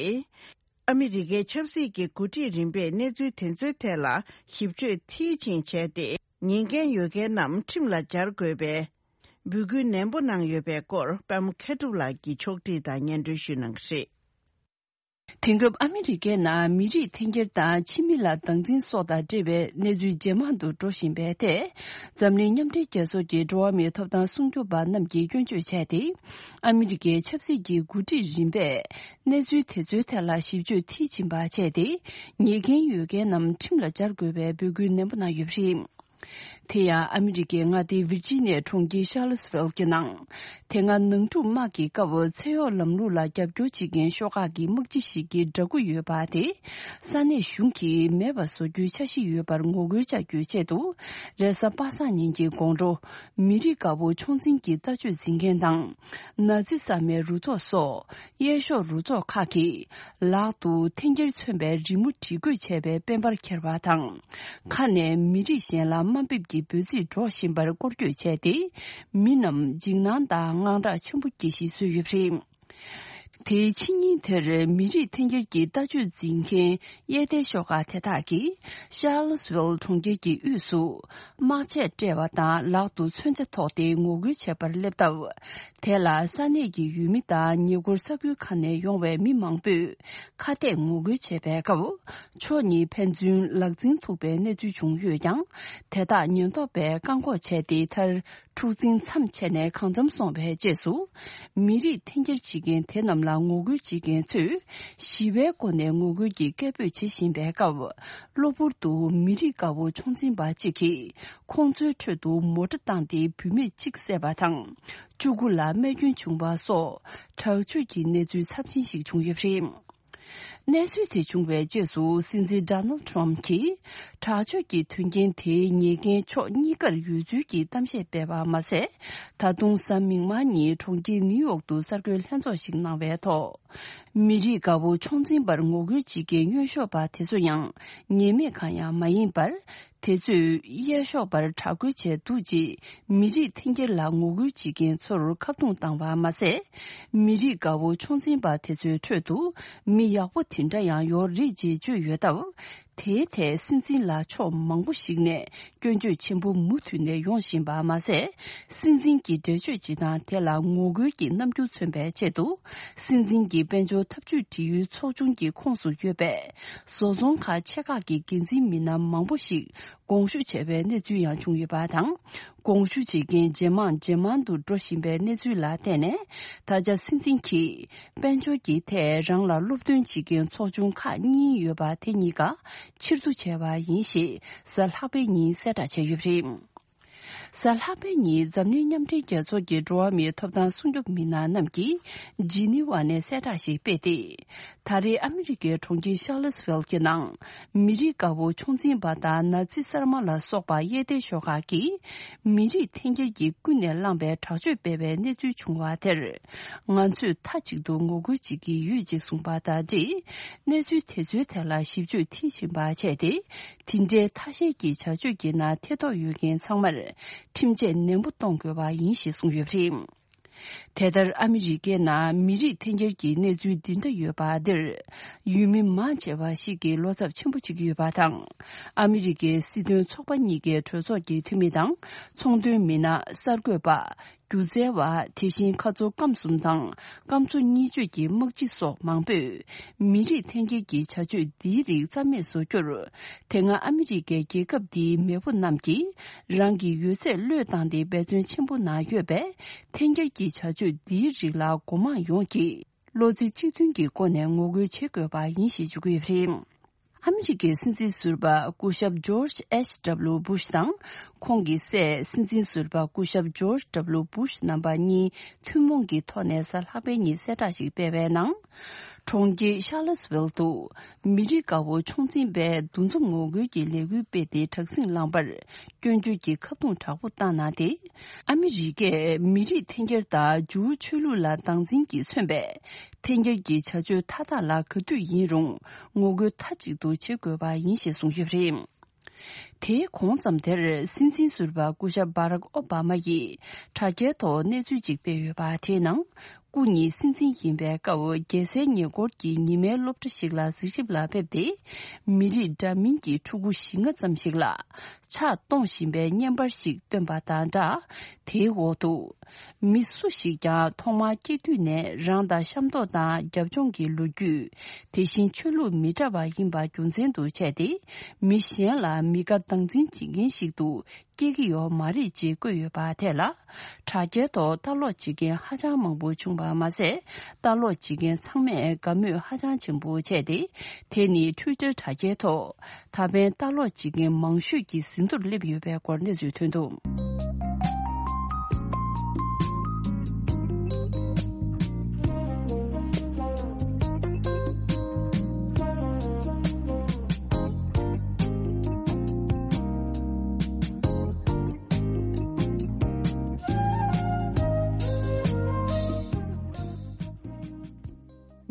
ཨ་མི་རི་ཀའི་ཆབ་སྲིད་ཀྱི་འགོ་ཁྲིད་རིམ་པས་གནས་ཚུལ་དེ་ཚོའི་ཐད་ལ་ཞིབ་དཔྱོད་མཐིལ་ཕྱིན་བྱས་ཏེ། ཉེས་འགན་ཡོད་མཁན་རྣམས་ཁྲིམས་ལ་སྦྱར་དགོས་པའི་འབོད་སྐུལ་ནན་པོ་གནང་ཡོད་པའི་སྐོར་པད་མ་མཁས་གྲུབ་ལགས་ཀྱིས་ཕྱོགས་སྒྲིག་དང་སྙན་སྒྲོན་ཞུ་གནང་གི་རེད། དེང་སྐབས་ཨ་མི་རི་ཀའི་ནང་མི་རིགས་འཐེན་འཁྱེར་དང་ཕྱི་མི་ལ་སྡང་འཛིན་སོགས་དང་འབྲེལ་བའི་གནས་ཚུལ་ཇེ་མང་དུ་འགྲོ་བཞིན་པའི་ཐད། འཛམ་གླིང་མཉམ་འབྲེལ་རྒྱལ་ཚོགས་ཀྱི་འགྲོ་བ་མིའི་ཐོབ་ཐང་སྲུང་སྐྱོབ་པ་རྣམས་ཀྱིས་སྐྱོན་བརྗོད་བྱས་ཏེ། ཨ་མི་རི་ཀའི་ཆབ་སྲིད་ཀྱི་འགོ་ཁྲིད་རིམ་པས་གནས་ཚུལ་དེ་ཚོའི་ཐད་ལ་ཞིབ་དཔྱོད་མཐིལ་ཕྱིན་པ་བྱས་ཏེ། ཉེས་འགན་ཡོད་མཁན་རྣམས་ཁྲིམས་ལ་སྦྱར་དགོས་པའི་འབོད་སྐུལ་ནན་པོ་གནང་ཡོད་པ་རེད། དེ་ཡང་ཨ་མི་རི་ཀའི་མངའ་སྡེ་ཝིར་ཇི་ནི་ཡའི་གྲོང་ཁྱེར་ཤར་ལོ་སི་ཝེལ་གྱི་ནང་། དེ་སྔ་ནང་འཁྲུག་དམག་གི་སྐབས་ཚེ་གཡོག་ལམ་ལུགས་ལ་རྒྱབ་སྐྱོར་བྱེད་མཁན་ཤོག་ཁག་གི་དམག་སྤྱི་ཞིག་གི་འདྲ་སྐུ་ཡོད་པ་དེ། ས་གནས་གཞུང་གིས་མེད་པ་བཟོ་རྒྱུའི་འཆར་གཞི་ཡོད་པར་ངོ་རྒོལ་བྱ་རྒྱུའི་ཆེད་དུ། རེས་གཟའ་པ་སངས་ཉིན་གྱི་དགོང་དྲོ། མི་རིགས་དགའ་པོ་ཆོག་མཆན་གྱི་ལྟ་སྤྱོད་འཛིན་མཁན་དང་། ནཱ་ཛི་ས་མའི་རུ་ཚོགས་སོགས། གཡས་ཕྱོགས་རུ་ཚོགས་ཁག་གིས། ལག་ཏུ་འཐེན་འཁྱེར་མཚོན་པའི་རི་མོ་བྲིས་འགོད་བྱས་པའི་དཔལ་འབར་འཁྱེར་བ་དང་། ཁ་ནས་མི་རིགས་གཞན་ལ་དམའ་འབེབས་ཀྱི་འབོད་ཚིག་སྒྲོག་བཞིན་པར་སྐོར་སྐྱོད་བྱས་ཏེ། མི་རྣམས་འཇིགས་སྣང་དང་དངངས་སྐྲག་ཆེན་པོ་སྐྱེ་གཞི་བཟོས་ཡོད་པ་རེད། དེའི་ཕྱི་ཉིན་དེར་མི་རིགས་འཐེན་འཁྱེར་གྱི་ལྟ་སྤྱོད་འཛིན་མཁན་གཡས་ལྡན་ཤོག་ཁག་དེ་དག་གིས། ཤར་ལོ་སི་ཝེལ་གྲོང་ཁྱེར་གྱི་དབུས་སུ། དམག་ཆས་སྤྲས་པ་དང་ལག་ཏུ་མཚོན་ཆ་ཐོགས་ཏེ་ངོ་རྒོལ་བྱེད་པར་སླེབས་སྟབས། དེ་ལ་ས་གནས་ཀྱི་ཡུལ་མི་དང་ཉེ་འཁོར་ས་ཁུལ་ཁག་ནས་ཡོང་བའི་མི་མང་པོས་ཁ་གཏད་ངོ་རྒོལ་བྱེད་པའི་སྐབས། ཕྱོགས་གཉིས་ཕན་ཚུན་ལག་འཛིང་ཐུག་པའི་གནས་ཚུལ་བྱུང་ཡོད་ཀྱང་། དེ་དག་ཉེན་རྟོག་པས་བཀག་འགོག་བྱས་ཏེ། མཐར་འཁྲུག་འཛིང་མཚམས་ཆད་ནས་གང་འཚམ་སོང་བའི་རྗེས་སུ། མི་རིགས་འཐེན་འཁྱེར་བྱེད་མཁན་དེ་རྣམས་ལ་ངོ་རྒོལ་བྱེད་མཁན་ཚོས་ཞི་བའི་སྒོ་ནས་ངོ་རྒོལ་གྱི་སྐད་འབོད་བྱེད་བཞིན་པའི་སྐབས། གློ་བུར་དུ་མི་རིགས་དགའ་པོ་ཆོག་འཛིན་པ་གཅིག་གིས་ཁོང་ཚོའི་ཁྲོད་དུ་མོ་ཊ་བཏང་སྟེ་བུད་མེད་གཅིག་བསད་པ་དང་། བཅུ་དགུ་ལ་རྨས་སྐྱོན་བྱུང་བ་སོགས་དྲག་སྤྱོད་ཀྱི་གནས་ཚུལ་ཚབས་ཆེན་ཞིག་བྱུང་ཡོད་པ་རེད། གནས་ཚུལ་དེ་བྱུང་བའི་རྗེས་སུ་སྲིད་འཛིན་ཌོ་ནལ་ཌི་ཊརམ་ཕི་གྱིས་དྲག་སྤྱོད་ཀྱི་དོན་རྐྱེན་དེའི་ཉེས་འགན་ཕྱོགས་གཉིས་ཀར་ཡོད་ཚུལ་གྱི་གཏམ་བཤད་སྤེལ་བ་མ་ཟད། ད་དུང་གཟའ་མིག་དམར་ཉིན་གྲོང་ཁྱེར་ནིའུ་ཡོག་ཏུ་གསར་འགོད་ལྷན་ཚོགས་ཤིག་གནང་བའི་ཐོག་མི་རིགས་དགའ་པོ་ཆོག་འཛིན་པར་ངོ་རྒོལ་བྱེད་མཁན་གཡོན་ཕྱོགས་པ་དེ་ཚོ་ཡང་ཉེས་མེད་གང་ཡང་མ་ཡིན་པར། དེ་ཚོས་གཡས་ཕྱོགས་པར་དྲག་རྒོལ་བྱས་འདུག་ཅེས་མི་རིགས་འཐེན་འཁྱེར་ལ་ངོ་རྒོལ་བྱེད་མཁན་ཚོར་ཁ་རྡུང་བཏང་བ་མ་ཟད། མི་རིགས་དགའ་པོ་ཆོག་འཛིན་པ་དེ་ཚོའི་ཁྲོད་དུ་མི་ཡག་པོ་དེ་འདྲ་ཡང་ཡོད་རེད་ཅེས་བརྗོད་ཡོད་སྟབས། དེའི་ཐད་སྲིད་འཛིན་ལ་ཕྱོགས་མང་པོ་ཞིག་ནས་སྐྱོན་བརྗོད་ཆེན་པོ་མུ་མཐུད་ནས་ཡོང་བཞིན་པ་མ་ཟད། སྲིད་འཛིན་གྱི་འགྲེལ་བརྗོད་བྱེད་སྟངས་དེ་ལ་ངོ་རྒོལ་གྱི་རྣམ་འགྱུར་མཚོན་པའི་ཆེད་དུ། སྲིད་འཛིན་གྱི་དཔལ་འབྱོར་འཐབ་ཇུས་འབྲེལ་ཡོད་ཚོགས་ཆུང་གི་ཁོངས་སུ་ཡོད་པའི་བཟོ་ཚོང་ཁག་ཆེ་ཁག་གི་འགན་འཛིན་མི་སྣ་མང་པོ་ཞིག་དགོངས་ཞུ་བྱས་པའི་གནས་ཚུལ་ཡང་བྱུང་ཡོད་པ་དང་། དགོངས་ཞུ་བྱེད་མཁན་ཇེ་མང་ཇེ་མང་དུ་འགྲོ་བཞིན་པའི་གནས་ཚུལ་ལ་བརྟེན་ནས། ད་ཆ་སྲིད་འཛིན་གྱིས་དཔལ་འབྱོར་གྱི་ཐད་རང་ལ་སློབ་སྟོན་བྱེད་མཁན་ཚོགས་ཆུང་ཁག་གཉིས་ཡོད་པ་དེ་གཉིས་ཀ་ཕྱིར་བསྡུ་བྱས་པ་ཡིན་ཞེས་གཟའ་ལྷག་པའི་ཉིན་གསལ་བསྒྲགས་བྱས་ཡོད་པ་རེད། གཟའ་ལྷག་པའི་ཉིན་འཛམ་གླིང་མཉམ་འབྲེལ་རྒྱལ་ཚོགས་ཀྱི་འགྲོ་བ་མིའི་ཐོབ་ཐང་སྲུང་སྐྱོབ་མི་སྣ་རྣམས་ཀྱིས་ཇི་ནི་ཝ་ནས་གསལ་བསྒྲགས་ཤིག་སྤེལ་ཏེ། ད་རེས་ཨ་མི་རི་ཀའི་གྲོང་ཁྱེར་ཤར་ལོ་སི་ཝེལ་གྱི་ནང་མི་རིགས་དགའ་པོ་ཆོག་འཛིན་པ་དང་ནཱ་ཛི་གསར་མ་ལ་སོགས་པ་གཡས་ལྡན་ཤོག་ཁག་གིས་མི་རིགས་འཐེན་འཁྱེར་གྱིས་ཀུན་ནས་བསླངས་པའི་དྲག་སྤྱོད་སྤེལ་བའི་གནས་ཚུལ་བྱུང་བ་དེར། ང་ཚོས་མཐའ་གཅིག་ཏུ་ངོ་རྒོལ་བྱེད་ཀྱི་ཡོད་ཅེས་གསུངས་པ་དང་འབྲེལ། གནས་ཚུལ་དེ་ཚོའི་ཐད་ལ་ཞིབ་དཔྱོད་མཐིལ་ཕྱིན་པ་བྱས་ཏེ། དེ་འདྲའི་ཐ་ཤལ་གྱི་བྱ་སྤྱོད་ཀྱི་ནང་ཐེ་གཏོགས་ཡོད་མཁན་ཚང་མར་ཁྲིམས་ཆད་ནན་པོ་གཏོང་དགོས་པ་ཡིན་ཞེས་གསུངས་ཡོད་པ་རེད། དེ་ལྟར་ཨ་མི་རི་ཀའི་ནང་མི་རིགས་འཐེན་འཁྱེར་གྱི་གནས་ཚུལ་འདི་འདྲ་ཡོད་པ་འདིར། ཡུལ་མི་མང་ཆེ་བ་ཞིག་གིས་བློ་འཚབ་ཆེན་པོ་བྱེད་ཀྱི་ཡོད་པ་དང་། ཨ་མི་རི་ཀའི་སྲིད་དོན་ཚོགས་པ་གཉིས་ཀའི་གྲོས་ཚོགས་ཀྱི་འཐུས་མི་དང་། ཚོང་དོན་མི་སྣ། གསར་འགོད་པ། སྒྱུ་རྩལ་བ། དེ་བཞིན་ཁ་མཚོ་སྐམ་གསུམ་དང་སྐམ་མཚོ་གཉིས་གཅོད་ཀྱི་དམག་སྤྱི་སོགས་མང་པོས། མི་རིགས་འཐེན་འཁྱེར་གྱི་བྱ་སྤྱོད་འདིའི་རིགས་རྩ་མེད་བཟོ་རྒྱུར། དེ་སྔ་ཨ་མི་རི་ཀའི་རྒྱལ་ཁབ་འདིའི་མེས་པོ་རྣམས་ཀྱིས་རང་གི་ཡོད་ཚད་བློས་བཏང་སྟེ་འབད་བརྩོན་ཆེན་པོ་གནང་ཡོད་པས། འཐེན་འཁྱེར་གྱི་བྱ་སྤྱོད་འདིའི་རིགས་ལ་སྒོ་མང་ཡོངས་ཀྱིས་བློ་རྩེ་གཅིག་མཐུན་གྱི་སྒོ་ནས་ངོ་རྒོལ་བྱེད་དགོས་པ་ཡིན་ཞེས་བརྗོད་ཀྱི་ཡོད་པ་རེད། ཨ་མི་རི་ཀའི་སྲིད་འཛིན་ཟུར་པ་སྐུ་ཞབས་ཇོརྗ་ཨེཆ་ཌབ་ལུ་བྷུཤ་དང་། ཁོང་གི་སྲས་སྲིད་འཛིན་ཟུར་པ་སྐུ་ཞབས་ཇོརྗ་ཌབ་ལུ་བྷུཤ་རྣམ་པ་གཉིས་ཐུན་མོང་གི་ཐོག་ནས་གཟའ་ལྷག་པའི་ཉིན་གསལ་བསྒྲགས་ཤིག་སྤེལ་བའི་ནང་། གྲོང་ཁྱེར་ཤཱ་ལི་སི་ཝེལ་དུ་མི་རིགས་དགའ་བོ་ཕྱོགས་འཛིན་པས་འདུ་འཛོམས་ངོ་རྒོལ་གྱི་ལས་འགུལ་སྤེལ་ཏེ་དྲག་ཟིང་བསླངས་པར་སྐྱོན་བརྗོད་ཀྱི་ཁ་རྡུང་དྲག་པོ་བཏང་གནང་སྟེ། ཨ་མི་རི་ཀས་མི་རིགས་འཐེན་འཁྱེར་དང་ཇུའུ་ཆོས་ལུགས་ལ་སྡང་འཛིན་གྱིས་མཚོན་པའི་འཐེན་འཁྱེར་གྱི་བྱ་སྤྱོད་མཐའ་དག་ལ་ག་དུས་ཡིན་རུང་ངོ་རྒོལ་མཐའ་གཅིག་ཏུ་བྱེད་དགོས་པ་ཡིན་ཞེས་གསུངས་ཡོད་པ་རེད། དེའི་གོང་ཙམ་དེར་སྲིད་འཛིན་ཟུར་པ་སྐུ་ཞབས་སྦ་རག་ཨོ་བྷ་མ་ཡིས་དྲ་རྒྱའི་ཐོག་གནས་ཚུལ་ཅིག་སྤེལ་ཡོད་པ་དེའི་ནང་། སྐུ་ཉིད་སྲིད་འཛིན་ཡིན་པའི་སྐབས་རྒྱལ་སའི་ཉེ་འཁོར་གྱི་ཉི་མའི་སློབ་གྲྭ་ཞིག་ལ་གཟིགས་ཞིབ་ལ་ཕེབས་ཏེ། མི་རིགས་འདྲ་མིན་གྱི་ཕྲུ་གུ་བཞི་ལྔ་ཙམ་ཞིག་ལ་ཕྱག་གཏོང་བཞིན་པའི་བརྙན་པར་ཞིག་བཏོན་པ་དང་སྦྲགས། དེའི་འོག་ཏུ། མི་སུ་ཞིག་ཀྱང་ཐོག་མར་སྐྱེས་དུས་ནས་རང་དང་ཤ་མདོག་དང་རྒྱབ་ལྗོངས་ཀྱི་ལོ་རྒྱུས། དེ་བཞིན་ཆོས་ལུགས་མི་འདྲ་བ་ཡིན་པ་རྒྱུ་མཚན་དུ་བྱས་ཏེ། མི་གཞན་ལ་མི་དགའ་སྡང་འཛིན་བྱེད་མཁན་ཞིག་ཏུ་སྐྱེ་གི་ཡོད་མ་རེད་ཅེས་བཀོད་ཡོད་པ་དེ་ལ། དྲ་རྒྱའི་ཐོག་ལྟ་ཀློག་བྱེད་མཁན་ཧ་ཅང་མང་པོ་བྱུང་བ་མ་ཟད། ལྟ་ཀློག་བྱེད་མཁན་ཚང་མས་དགའ་མོས་ཧ་ཅང་ཆེན་པོ་བྱས་ཏེ། དེ་ནི་ཊུའི་ཊར་དྲ་རྒྱའི་ཐོག་ད་ཕན་ལྟ་ཀློག་བྱེད་མཁན་མང་ཤོས་ཀྱི་ཟིན་ཐོར་སླེབས་ཡོད་པའི་སྐོར་གནས་ཚུལ་ཐོན་འདུག་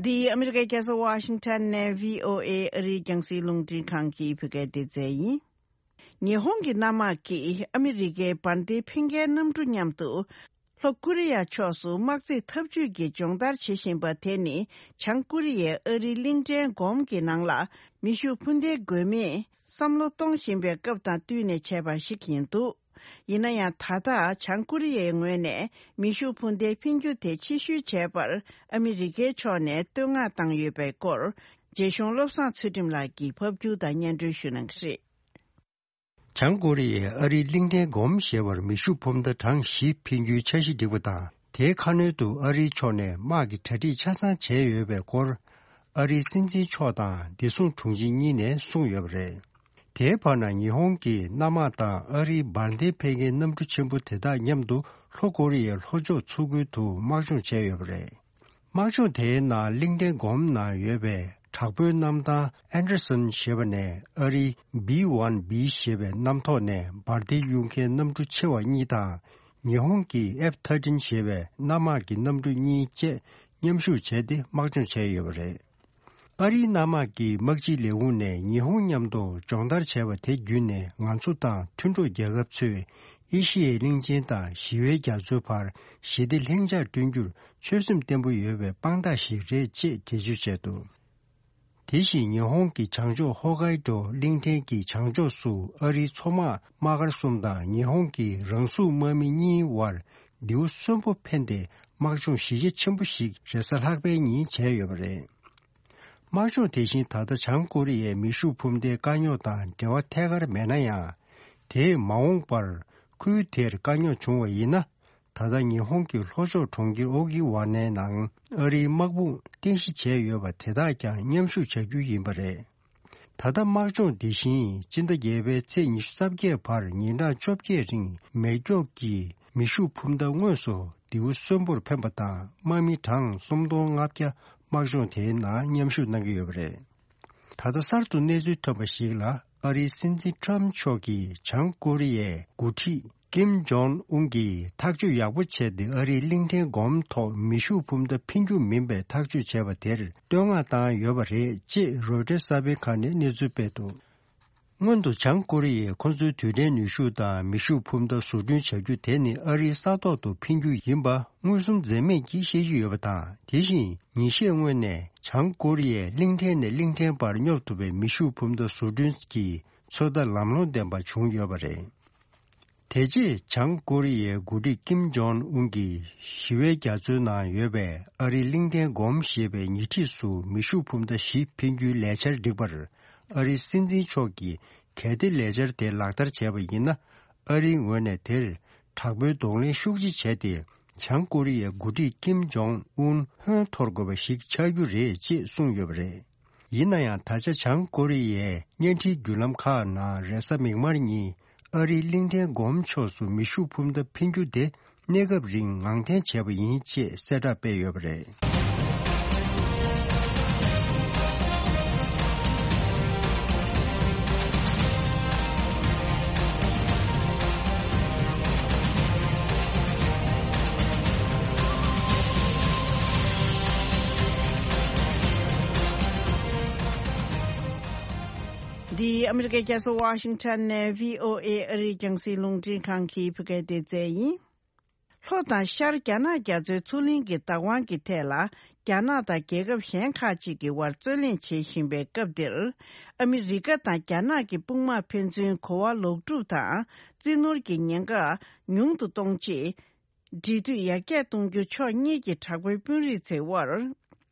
འདི་ཨ་མི་རི་ཀའི་རྒྱལ་ས་ཝ་ཤིང་ཊོན་ནས་བྷི་ཨོ་ཨེ་ཨ་རིའི་རྒྱང་སྲིང་རླུང་འཕྲིན་ཁང་གི་བོད་སྐད་སྡེ་ཚན་ཡིན། ཉི་ཧོང་གི་གནམ་དམག་གིས་ཨ་མི་རི་ཀའི་འབར་མདེལ་འཕེན་མཁན་གནམ་གྲུ་མཉམ་དུ་ལྷོ་ཀོ་རི་ཡ་ཕྱོགས་སུ་དམག་རྩེད་འཐབ་ཇུས་ཀྱི་སྦྱོང་བརྡར་བྱེད་བཞིན་པ་དེ་ནི། བྱང་ཀོ་རི་ཡས་ཨ་རིའི་གླིང་ཕྲན་སྒོམ་གྱི་ནང་ལ་མེ་ཤུགས་འཕུར་མདེལ་འགོས་མིན་བསམ་བློ་གཏོང་བཞིན་པའི་སྐབས་དང་བསྟུན་ནས་བྱས་པ་ཞིག་ཡིན་འདུག་ཡིན་ན་ཡང་། ད་ལྟ་བྱང་ཀོ་རི་ཡའི་ངོས་ནས་མེ་ཤུགས་འཕུར་མདེལ་འཕེན་རྒྱུ་དེ་ཕྱིར་བཤོལ་བྱས་པར་ཨ་མི་རི་ཀའི་ཕྱོགས་ནས་བསྟོད་བསྔགས་བཏང་ཡོད་པའི་སྐོར། རྒྱལ་གཞུང་བློ་བཟང་ཚུལ་ཁྲིམས་ལགས་ཀྱིས་ཕབ་སྒྱུར་དང་སྙན་སྒྲོན་ཞུ་གནང་གི་རེད། བྱང་ཀོ་རི་ཡས་ཨ་རིའི་གླིང་ཕྲན་སྒོམ་ཞེས་པར་མེ་ཤུགས་འཕུར་མདའ་གྲངས་བཞི་འཕེན་རྒྱུའི་འཆར་གཞི་བསྒྲིགས་པ་དང་། དེའི་ཁ་སྣོན་དུ་ཨ་རིའི་ཕྱོགས་ནས་དམག་གི་གྲ་སྒྲིག་ཆ་ཚང་བྱས་ཡོད་པའི་སྐོར། ཨ་རིའི་སྲིད་འཛིན་མཆོག་དང་བདེ་སྲུང་དྲུང་ཆེ་གཉིས་ནས་གསུངས་ཡོད་པ་རེད། དེའི་བར་ན་ཉི་ཧོང་གིས་གནམ་དམག་དང་ཨ་རིའི་འབར་མདེལ་འཕེན་མཁན་གནམ་གྲུ་ཆེན་པོ་དེ་དག་མཉམ་དུ་ལྷོ་ཀོ་རི་ཡའི་ལྷོ་ཕྱོགས་མཚོ་ཁུལ་དུ་དམག་སྦྱོང་བྱས་ཡོད་པ་རེད། དམག་སྦྱོང་དེའི་ནང་གླིང་ཕྲན་སྒོམ་ནང་ཡོད་པའི་དྲག་པོའི་གནམ་ཐང་ཨན་ཌར་སན་ཞེས་པ་ནས་ཨ་རིའི་བྷི་ཝན་བྷི་ཞེས་པའི་གནམ་ཐོག་ནས་འབར་མདེལ་གཡུག་མཁན་གནམ་གྲུ་ཆེ་བ་གཉིས་དང་། ཉི་ཧོང་གི་ཨེཕ་ཐར་ཊིན་ཞེས་པའི་གནམ་དམག་གི་གནམ་གྲུ་གཉིས་བཅས་མཉམ་ཞུགས་བྱས་ཏེ་དམག་སྦྱོང་བྱས་ཡོད་པ་རེད། ཨ་རིའི་གནམ་དམག་གི་དམག་སྤྱིའི་ལས་ཁུངས་ནས་ཉི་ཧོང་མཉམ་དུ་སྦྱོང་བརྡར་བྱས་པ་དེ་བརྒྱུད་ནས་ང་ཚོ་དང་མཐུན་གྲོགས་རྒྱལ་ཁབ་ཚོས་ཨེ་ཤི་ཡའི་གླིང་ཆེན་དང་ཞི་བའི་རྒྱ་མཚོའི་བར་ཞི་བདེ་ལྷིང་འཇགས་བསྐྲུན་རྒྱུར་ཆོད་སེམས་བརྟན་པོ་ཡོད་པའི་དཔང་རྟགས་ཤིག་རེད་ཅེས་འགྲེལ་བརྗོད་བྱས་འདུག་དེ་བཞིན་ཉི་ཧོང་གི་བྱང་ཕྱོགས་ཧོ་ཀའི་ཌོ་གླིང་ཕྲན་གྱི་བྱང་ཕྱོགས་སུ་ཨ་རིའི་མཚོ་དམག་དམག་སྒར་གསུམ་དང་ཉི་ཧོང་གི་རང་སྲུང་དམག་མི་གཉིས་དབར་མདེའུ་གསོན་པོ་འཕེན་ཏེ་དམག་སྦྱོང་གཞི་རྒྱ་ཆེན་པོ་ཞིག་རེས་གཟའ་ལྷག་པའི་ཉིན་བྱས་ཡོད་པ་རེད། དམག་སྦྱོང་དེ་བཞིན་ད་ལྟ་བྱང་ཀོ་རི་ཡའི་མེ་ཤུགས་འཕུར་མདེལ་དཀའ་རྙོག་དང་འབྲེལ་བ་ཐད་ཀར་མེད་ན་ཡང་། དེས་མ་འོངས་པར་ཁུལ་དེར་དཀའ་རྙོག་བྱུང་བ་ཡིན་ན། ད་ལྟ་ཉི་ཧོང་གི་ལྷོ་ཕྱོགས་གྲོང་ཁྱེར་ཨོ་ཀི་ཝ་ནའི་ནང་ཨ་རིའི་དམག་དཔུང་རྟེན་གཞི་བྱས་ཡོད་པ་དེ་དག་ཀྱང་མཉམ་ཞུགས་བྱ་རྒྱུ་ཡིན་པ་རེད། ད་ལྟ་དམག་སྦྱོང་འདི་བཞིན་སྤྱི་ཟླ་བརྒྱད་པའི་ཚེས་ཉི་ཤུ་རྩ་བརྒྱད་བར་ཉིན་གྲངས་བཅོ་བརྒྱད་རིང་མེ་སྒྱོགས་ཀྱི་མེ་ཤུགས་འཕུར་མདའ་དངོས་སུ་མདེའུ་གསོན་པོར་འཕེན་པ་དང་དམག་མི་གྲངས་སུམ་སྟོང་ལྔ་བརྒྱ་དམག་སྦྱོང་དེའི་ནང་མཉམ་ཞུགས་གནང་གི་ཡོད་པ་རེད། ད་ལྟ་གསར་དུ་གནས་ཚུལ་ཐོན་པ་ཞིག་ལ་ཨ་རིའི་སྲིད་འཛིན་ཊྲམ་མཆོག་གིས་བྱང་ཀོ་རི་ཡའི་འགོ་ཁྲིད་ཀིམ་ཇོང་ཨུན་གྱིས་ཐག་གཅོད་ཡག་པོ་བྱས་ཏེ་ཨ་རིའི་གླིང་ཕྲན་སྒོམ་ཐོག་མེ་ཤུགས་འཕུར་མདའ་འཕེན་རྒྱུ་མིན་པའི་ཐག་གཅོད་བྱས་པ་དེར་བསྟོད་བསྔགས་བཏང་ཡོད་པ་རེད་ཅེས་རོའི་ཊར་གསར་སྤེལ་ཁང་ནས་གནས་ཚུལ་སྤེལ་འདུག་སྔོན་དུ་བྱང་ཀོ་རི་ཡས་ཁོ་ཚོའི་རྡུལ་ཕྲན་ནུས་ཤུགས་དང་མེ་ཤུགས་འཕུར་མདའ་བཟོ་སྐྲུན་བྱ་རྒྱུ་དེ་ནི་ཨ་རིའི་ས་ཐོག་ཏུ་འཕེན་རྒྱུ་ཡིན་པ་མངོན་སུམ་འཛེམ་མེད་ཀྱིས་བཤད་ཀྱི་ཡོད་པ་དང་། དེ་བཞིན་ཉིན་ཤས་སྔོན་ནས་བྱང་ཀོ་རི་ཡས་གླིང་ཕྲན་ནས་གླིང་ཕྲན་བར་སྙོབ་ཐུབ་པའི་མེ་ཤུགས་འཕུར་མདའ་བཟོ་སྐྲུན་གྱི་ཚོད་ལྟ་ལམ་ལྷོང་ལྡན་པ་བྱུང་ཡོད་པ་རེད། དེ་རྗེས་བྱང་ཀོ་རི་ཡའི་འགོ་ཁྲིད་ཀིམ་ཇོང་ཨུན་གྱིས་ཞི་བའི་རྒྱ་མཚོའི་ནང་ཡོད་པའི་ཨ་རིའི་གླིང་ཕྲན་སྒོམ་ཞེས་པའི་ཉེ་འཁྲིས་སུ་མེ་ཤུགས་འཕུར་མདའ་བཞི་འཕེན་རྒྱུའི་ལས་འཆར་བསྒྲིགས་པར། ཨ་རིའི་སྲིད་འཛིན་མཆོག་གིས་གལ་ཏེ་ལས་འཆར་དེ་ལག་བསྟར་བྱས་པ་ཡིན་ན། ཨ་རིའི་ངོས་ནས་དེར་དྲག་པོའི་གདོང་ལེན་ཤུགས་ཆེ་བྱས་ཏེ། བྱང་ཀོ་རི་ཡའི་འགོ་ཁྲིད་ཀིམ་ཇོང་ཨུན་ཧོན་འཐོར་དགོས་པ་ཞིག་ཆགས་རྒྱུ་རེད་ཅེས་གསུངས་ཡོད་པ་རེད། ཡིན་ན་ཡང་། ད་ཆ་བྱང་ཀོ་རི་ཡའི་བརྙན་འཕྲིན་བརྒྱུད་ལམ་ཁག་ནང་རེས་གཟའ་མིག་དམར་ཉིན་ཨ་རིའི་གླིང་ཕྲན་སྒོམ་ཕྱོགས་སུ་མེ་ཤུགས་འཕུར་མདའ་འཕེན་རྒྱུ་དེ་གནས་སྐབས་རིང་ངང་འཐེན་བྱས་པ་ཡིན་ཅེས་གསལ་བསྒྲགས་སྤེལ་ཡོད་པ་རེད། འདི་ཨ་མི་རི་ཀའི་རྒྱལ་ས་ཝ་ཤིང་ཊོན་ནས་བྷི་ཨོ་ཨེ་ཨ་རིའི་རྒྱང་སྲིང་རླུང་འཕྲིན་ཁང་གི་བོད་སྐད་སྡེ་ཚན་ཡིན། ལྷོ་དང་ཤར་རྒྱ་ནག་རྒྱ་མཚོའི་མཚོ་གླིང་གི་བདག་དབང་གི་ཐད་ལ། རྒྱ་ནག་དང་རྒྱལ་ཁབ་གཞན་ཁག་ཅིག་གི་དབར་རྩོད་གླེང་བྱེད་བཞིན་པའི་སྐབས་འདིར། ཨ་མི་རི་ཀ་དང་རྒྱ་ནག་གི་དཔུང་དམག་ཕན་ཚུན་གོ་བ་ལོག་སྒྲུབ་དང་རྩིས་ནོར་གྱི་ཉེན་ཁ་ཉུང་དུ་གཏོང་ཆེད། འབྲེལ་མཐུད་ཡར་རྒྱས་གཏོང་རྒྱུ་ཕྱོགས་གཉིས་ཀྱི་དྲག་པོའི་དཔོན་རིགས་ཚོའི་དབར།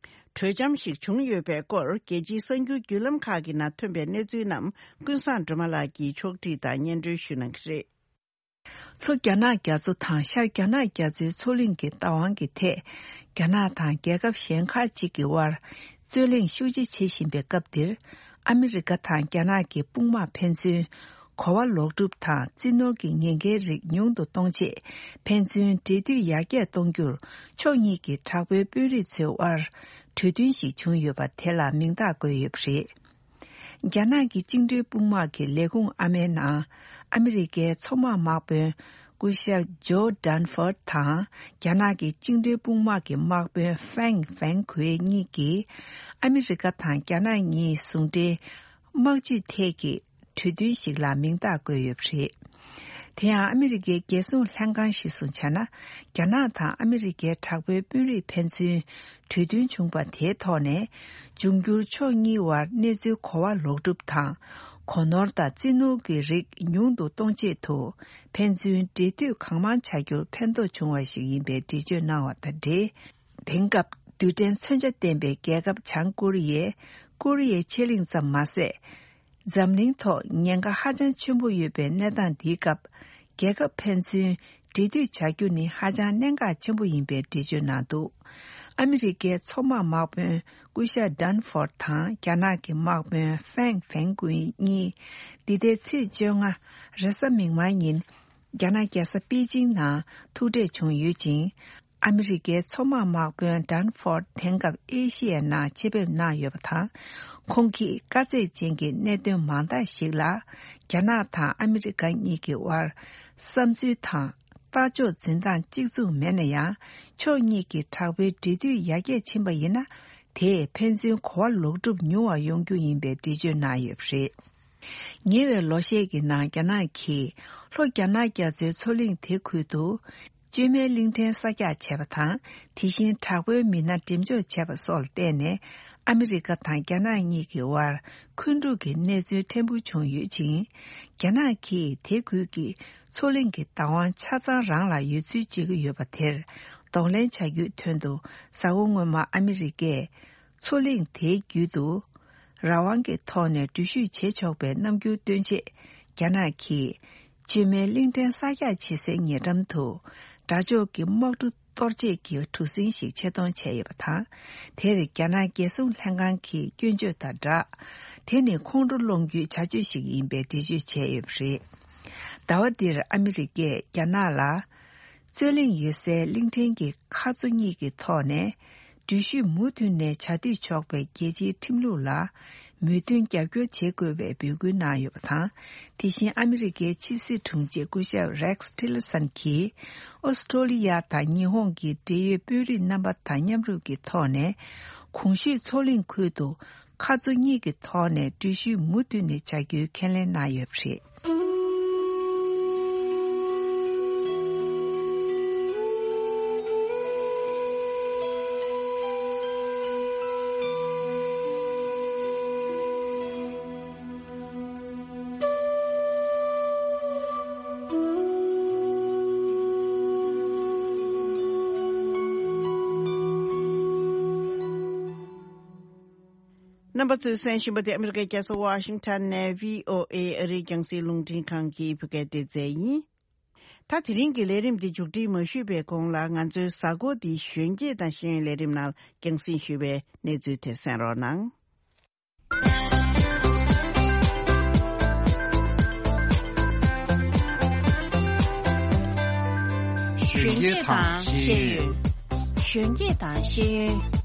གྲོས་འཆམ་ཞིག་བྱུང་ཡོད་པའི་སྐོར། རྒྱལ་སྤྱིའི་གསར་འགྱུར་བརྒྱུད་ལམ་ཁག་གི་ནང་ཐོན་པའི་གནས་ཚུལ་རྣམས་ཀུན་བཟང་སྒྲོལ་མ་ལགས་ཀྱིས་ཕྱོགས་སྒྲིག་དང་སྙན་སྒྲོན་ཞུ་གནང་གི་རེད། ལྷོ་རྒྱ་ནག་རྒྱ་མཚོ་དང་ཤར་རྒྱ་ནག་རྒྱ་མཚོའི་མཚོ་གླིང་གི་བདག་དབང་གི་ཐད། རྒྱ་ནག་དང་རྒྱལ་ཁབ་གཞན་ཁག་ཅིག་གི་དབར་རྩོད་གླེང་ཤུགས་ཆེ་བྱེད་བཞིན་པའི་སྐབས་འདིར། ཨ་མི་རི་ཀ་དང་རྒྱ་ནག་གི་དཔུང་དམག་ཕན་ཚུན་གོ་བ་ལོག་སྒྲུབ་དང་རྩིས་ནོར་གྱི་ཉེན་ཁའི་རིགས་ཉུང་དུ་གཏོང་ཆེད། ཕན་ཚུན་འབྲེལ་མཐུད་ཡར་རྒྱས་གཏོང་རྒྱུར་ཕྱོགས་གཉིས་ཀྱི་དྲག་པོའི་དཔོན་རིགས་ཚོའི་དབར་གྲོས་མཐུན་ཞིག་བྱུང་ཡོད་པ་དེ་ལ་མིང་རྟགས་བཀོད་ཡོད་པ་རེད། རྒྱ་ནག་གི་བཅིངས་འགྲོལ་དཔུང་དམག་གི་ལས་ཁུངས་ཨ་མའི་ནང་ཨ་མི་རི་ཀའི་མཚོ་དམག་དམག་དཔོན་སྐུ་ཞབས་ཇོ་ཌན་ཧྥོར་དང་རྒྱ་ནག་གི་བཅིངས་འགྲོལ་དཔུང་དམག་གི་དམག་དཔོན་ཧྥེང་ཧྥེང་གུའེ་གཉིས་ཀྱིས་ཨ་མི་རི་ཀ་དང་རྒྱ་ནག་གཉིས་ཟུང་འབྲེལ་དམག་ཇུས་ཐད་ཀྱི་གྲོས་མཐུན་ཞིག་ལ་མིང་རྟགས་བཀོད་ཡོད་པ་རེད། དེ་ཡང་ཨ་མི་རི་ཀའི་རྒྱལ་སྲུང་ལྷན་ཁང་གཞིར་བཟུང་བྱས་ན། རྒྱ་ནག་དང་ཨ་མི་རི་ཀའི་དྲག་པོའི་དཔོན་རིགས་ཕན་ཚུན་གྲོས་མཐུན་བྱུང་བ་དེའི་ཐོག་ནས། འབྱུང་འགྱུར་ཕྱོགས་གཉིས་དབར་གནས་ཚུལ་གོ་བ་ལོག་སྒྲུབ་དང་། གོ་ནོར་དང་རྩིས་ནོར་གྱི་རིགས་ཉུང་དུ་གཏོང་ཆེད་དུ། ཕན་ཚུན་འབྲེལ་མཐུད་གང་མང་བྱ་རྒྱུར་ཕན་ཐོགས་བྱུང་བ་ཞིག་ཡིན་པའི་འགྲེལ་བརྗོད་གནང་བ་དང་འབྲེལ། དེང་སྐབས་རྡུལ་ཕྲན་མཚོན་ཆ་ལྡན་པའི་རྒྱལ་ཁབ་བྱང་ཀོ་རི་ཡས་ཀོ་རི་ཡའི་ཆེ་གླིང་ཙམ་མ་ཟད། འཛམ་གླིང་ཐོག་ཉེན་ཁ་ཧ་ཅང་ཆེན་པོ་ཡོད་པའི་གནས་སྟངས་འདིའི་སྐབས། རྒྱལ་ཁབ་ཕན་ཚུན་འབྲེལ་མཐུད་བྱ་རྒྱུ་ནི་ཧ་ཅང་གནད་འགག་ཆེན་པོ་ཡིན་པའི་འགྲེལ་བརྗོད་གནང་འདུག་ཨ་མི་རི་ཀའི་མཚོ་དམག་དམག་དཔོན་སྐུ་ཞབས་ཌན་ཧྥོར་དང་རྒྱ་ནག་གི་དམག་དཔོན་ཧྥེང་ཧྥེང་གུའེ་གཉིས། འདི་ཟླའི་ཚེས་བཅོ་ལྔ་རེས་གཟའ་མིག་དམར་ཉིན། རྒྱ་ནག་རྒྱལ་ས་པེ་ཅིང་ནང་ཐུག་འཕྲད་བྱུང་ཡོད་ཅིང་། ཨ་མི་རི་ཀའི་མཚོ་དམག་དམག་དཔོན་ཌན་ཧྥོར་དེང་སྐབས་ཨེ་ཤི་ཡའི་ནང་ཆེད་ཕེབས་གནང་ཡོད་པ་དང་། ཁོང་གིས་དཀའ་ཚེགས་ཅན་གྱི་གནད་དོན་མང་དག་ཞིག་ལ། རྒྱ་ནག་དང་ཨ་མི་རི་ཀ་གཉིས་ཀྱི་དབར་བསམ་ཚུལ་དང་ལྟ་ཕྱོགས་འཛིན་སྟངས་གཅིག་མཚུངས་མེད་ན་ཡང་། ཕྱོགས་གཉིས་ཀྱི་དྲག་པོའི་འབྲེལ་མཐུད་ཡར་རྒྱས་ཕྱིན་པ་ཡིན་ན། དེས་ཕན་ཚུན་གོ་བ་ལོག་སྒྲུབ་ཉུང་བ་ཡོང་རྒྱུ་ཡིན་པའི་འགྲེལ་བརྗོད་གནང་ཡོད་པ་རེད། ཉེ་བའི་ལོ་ཤས་ཀྱི་ནང་རྒྱ་ནག་གིས་ལྷོ་རྒྱ་ནག་རྒྱ་མཚོའི་མཚོ་གླིང་དེ་ཁུལ་དུ། བཅོས་མའི་གླིང་ཕྲན་གསར་རྒྱག་བྱས་པ་དང་། དེ་བཞིན་དྲག་པོའི་མི་སྣ་འགྲེམས་འཇོག་བྱས་པ་སོགས་ལ་བརྟེན་ནས། ཨ་མི་རི་ཀ་དང་རྒྱ་ནག་གཉིས་ཀྱི་དབར་འཁོན་འཁྲུག་གི་གནས་ཚུལ་ཕྲན་བུ་བྱུང་ཡོད་ཅིང་། རྒྱ་ནག་གིས་དེ་ཁུལ་གྱི་མཚོ་གླིང་གི་བདག་དབང་ཆ་ཚང་རང་ལ་ཡོད་ཚུལ་བརྗོད་ཀྱི་ཡོད་པ་དེར་གདོང་ལེན་བྱ་རྒྱུའི་དོན་དུ། གཟའ་འཁོར་སྔོན་མ་ཨ་མི་རི་ཀས་མཚོ་གླིང་དེའི་རྒྱུད་དུ། རང་དབང་གི་ཐོག་ནས་འགྲུལ་བཞུད་བྱེད་ཆོག་པའི་རྣམ་འགྱུར་སྟོན་ཆེད། རྒྱ་ནག་གིས་བཅོས་མའི་གླིང་ཕྲན་གསར་རྒྱག་བྱེད་སའི་ཉེ་འགྲམ་དུ། དགྲ་ཕྱོགས་ཀྱི་དམག་གྲུ་གཏོར་བྱེད་ཀྱི་གྲུ་གཟིངས་ཤིག་ཆེད་གཏོང་བྱས་ཡོད་པ་དང་། དེར་རྒྱ་ནག་རྒྱལ་སྲུང་ལྷན་ཁང་གིས་སྐྱོན་བརྗོད་དང་སྦྲགས། དེ་ནི་ཁོང་ཁྲོ་སློང་རྒྱུའི་བྱ་སྤྱོད་ཞིག་ཡིན་པའི་འགྲེལ་བརྗོད་བྱས་ཡོད་པ་རེད། ཟླ་བ་འདིར་ཨ་མི་རི་ཀས་རྒྱ་ནག་ལ། རྩོད་གླེང་ཡོད་སའི་གླིང་ཕྲན་གྱི་མཁའ་མཚོ་གཉིས་ཀྱི་ཐོག་ནས། འགྲུལ་བཞུད་མུ་མཐུད་ནས་བྱ་སྡོད་ཆོག་པའི་རྒྱལ་སྤྱིའི་ཁྲིམས་ལུགས་ལ་མོས་མཐུན་རྒྱབ་སྐྱོར་བྱེད་དགོས་པའི་འབོད་སྐུལ་གནང་ཡོད་པ་དང་། དེ་བཞིན་ཨ་མི་རི་ཀའི་ཕྱི་སྲིད་དྲུང་ཆེ་སྐུ་ཞབས་རེགས་ཊི་ལར་སན་གྱིས། ཨོ་སི་ཀྲོ་ལི་ཡ་དང་ཉི་ཧོང་གི་འབྲེལ་ཡོད་དཔོན་རིགས་རྣམ་པ་དང་མཉམ་རུབ་ཀྱི་ཐོག་ནས། གོང་ཞུས་མཚོ་གླིང་ཁུལ་དུ། མཁའ་མཚོ་གཉིས་ཀྱི་ཐོག་ནས་འགྲུལ་བཞུད་མུ་མཐུད་ནས་བྱ་རྒྱུའི་ཁས་ལེན་གནང་ཡོད་པ་རེད། རྣམ་པ་ཚོས་གསན་བཞིན་པ་དེ་ཨ་མི་རི་ཀའི་རྒྱལ་ས་ཝ་ཤིང་ཊོན་ནས་བྷི་ཨོ་ཨེ་ཨ་རིའི་རྒྱང་སྲིང་རླུང་འཕྲིན་ཁང་གི་བོད་སྐད་སྡེ་ཚན་ཡིན། ད་དེ་རིང་གི་ལས་རིམ་འདི་མཇུག་སྒྲིལ་མ་ཞུས་པའི་གོང་ལ། ང་ཚོའི་གཟའ་འཁོར་འདིའི་གཞོན་སྐྱེས་དང་ཤེས་ཡོན་ལས་རིམ་ནང་རྒྱང་སྲིང་ཞུས་པའི་གནས་ཚུལ་དེ་གསན་རོགས་གནང་། གཞོན་སྐྱེས་དང་ཤེས་ཡོན། གཞོན་སྐྱེས་དང་ཤེས་ཡོན།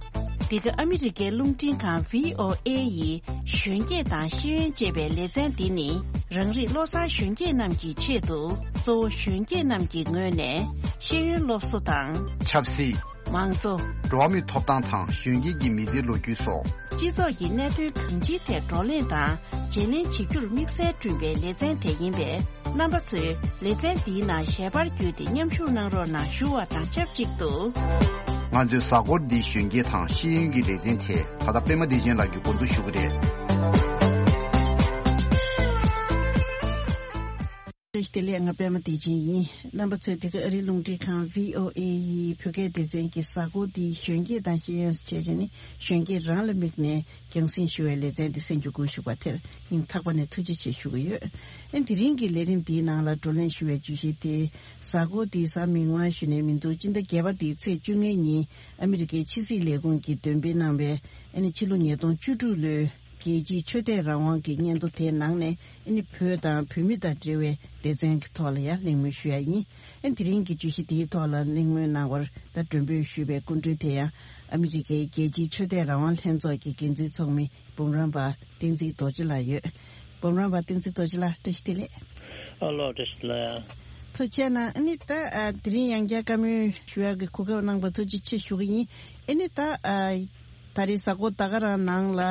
འདི་ག་ཨ་མི་རི་ཀའི་རླུང་འཕྲིན་ཁང་བྷི་ཨོ་ཨེ་ཡི་གཞོན་སྐྱེས་དང་ཤེས་ཡོན་ཅེས་པའི་ལེ་ཚན་འདི་ནི། རང་རིགས་བློ་བཟང་གཞོན་སྐྱེས་རྣམས་ཀྱི་ཆེད་དུ། གཙོ་བོ་གཞོན་སྐྱེས་རྣམས་ཀྱི་ངོས་ནས་ཤེས་ཡོན་སློབ་གསོ་དང་། ཆབ་སྲིད། མང་གཙོ། འགྲོ་བ་མིའི་ཐོབ་ཐང་དང་གཞོན་སྐྱེས་ཀྱི་མི་ཚེའི་ལོ་རྒྱུས་སོགས། སྤྱི་ཚོགས་ཀྱི་གནད་དོན་གང་ཅིའི་ཐད་བགྲོ་གླེང་དང་བརྗེ་ལེན་བྱེད་རྒྱུར་དམིགས་བསལ་བསྐྲུན་པའི་ལེ་ཚན་དེ་ཡིན་པས། རྣམ་པ་ཚོས་ལེ་ཚན་འདིའི་ནང་ཞལ་པར་བརྒྱུད་དེ་མཉམ་ཞུགས་གནང་རོགས་གནང་ཞུ་བ་དང་ཆབས་ཅིག་ཏུ། ང་ཚོའི་གཟའ་འཁོར་འདིའི་གཞོན་སྐྱེས་དང་ཤེས་ཡོན་གྱི་ལེ་ཚན་དེ་ད་ལྟ་པད་མ་བདེ་ཆེན་ལགས་ཀྱིས་འགོ་འཛུགས་ཞུ་གི་རེད། བཀྲ་ཤིས་བདེ་ལེགས། ང་པད་མ་བདེ་ཆེན་ཡིན། རྣམ་པ་ཚོས་འདི་ག་ཨ་རིའི་རླུང་འཕྲིན་ཁང་V O A ཡི་བོད་སྐད་སྡེ་ཚན་གྱི་གཟའ་འཁོར་འདིའི་གཞོན་སྐྱེས་དང་ཤེས་ཡོན་ཞེས་བྱས་ནས་གཞོན་སྐྱེས་རང་ལ་དམིགས་ནས་རྒྱང་སྲིང་ཞུ་བའི་ལེ་ཚན་འདི་གསན་རྒྱུ་དགོངས་ཞུ་བ་དེར་སྙིང་ཐག་པ་ནས་ཐུགས་རྗེ་ཆེ་ཞུ་གི་ཡོད། ཨ་དེ་རིང་གི་ལས་རིམ་འདིའི་ནང་ལ་བགྲོ་གླེང་ཞུ་བའི་བརྗོད་གཞི་དེ་གཟའ་འཁོར་འདིའི་གཟའ་མིག་དམར་ཞུ་ནས་མི་འདུག་སྤྱི་ཟླ་བརྒྱད་པ་འདིའི་ཚེས་བཅོ་ལྔའི་ཉིན་ཨ་མི་རི་ཀའི་ཕྱི་སྲིད་ལས་ཁུངས་ཀྱིས་འདོན་སྤེལ་གནང་བའི་ཨ་ནི་ཕྱི་ལོ་ཉིས་སྟོང་བཅུ་དྲུག་ལོའི་རྒྱལ་སྤྱིའི་ཆོས་དད་རང་དབང་གི་སྙན་ཐོ་དེའི་ནང་ནས་ཨ་ནི་བོད་དང་བོད་མི་དང་འབྲེལ་བའི་སྡེ་ཚན་གྱི་ཐོག་ལ་ཡང་གླེང་མོལ་ཞུ་ཡ་ཡིན། ཨ་དེ་རིང་གི་བརྗོད་གཞི་དེའི་ཐོག་ལ་གླེང་མོལ་གནང་བར་ད་མགྲོན་འབོད་ཞུས་པའི་སྐུ་མགྲོན་དེ་ཡང་ཨ་མི་རི་ཀའི་རྒྱལ་སྤྱིའི་ཆོས་དད་རང་དབང་ལྷན་ཚོགས་ཀྱི་འགན་འཛིན་ཚོགས་མི་འབུམ་རམས་པ་བསྟན་འཛིན་རྡོ་རྗེ་ལགས་ཡོད། འབུམ་རམས་པ་བསྟན་འཛིན་རྡོ་རྗེ་ལགས་བཀྲ་ཤིས་བདེ་ལེགས། ཨ་ལོ་བཀྲ་ཤིས་བདེ་ལེགས། ཐུགས་རྗེ་གནང་། ཨ་ནི་ད་ཨ་དེ་རིང་ཡང་བསྐྱར་བཀའ་མོལ་ཞུ་ཡག་གི་གོ་སྐབས་གནང་བར་ཐུགས་རྗེ་ཆེ་ཞུ་གི་ཡིན། ཨ་ནི་ད་ཨ་ད་རེས་གཟའ་འཁོར་ད་ག་རང་ནང་ལ་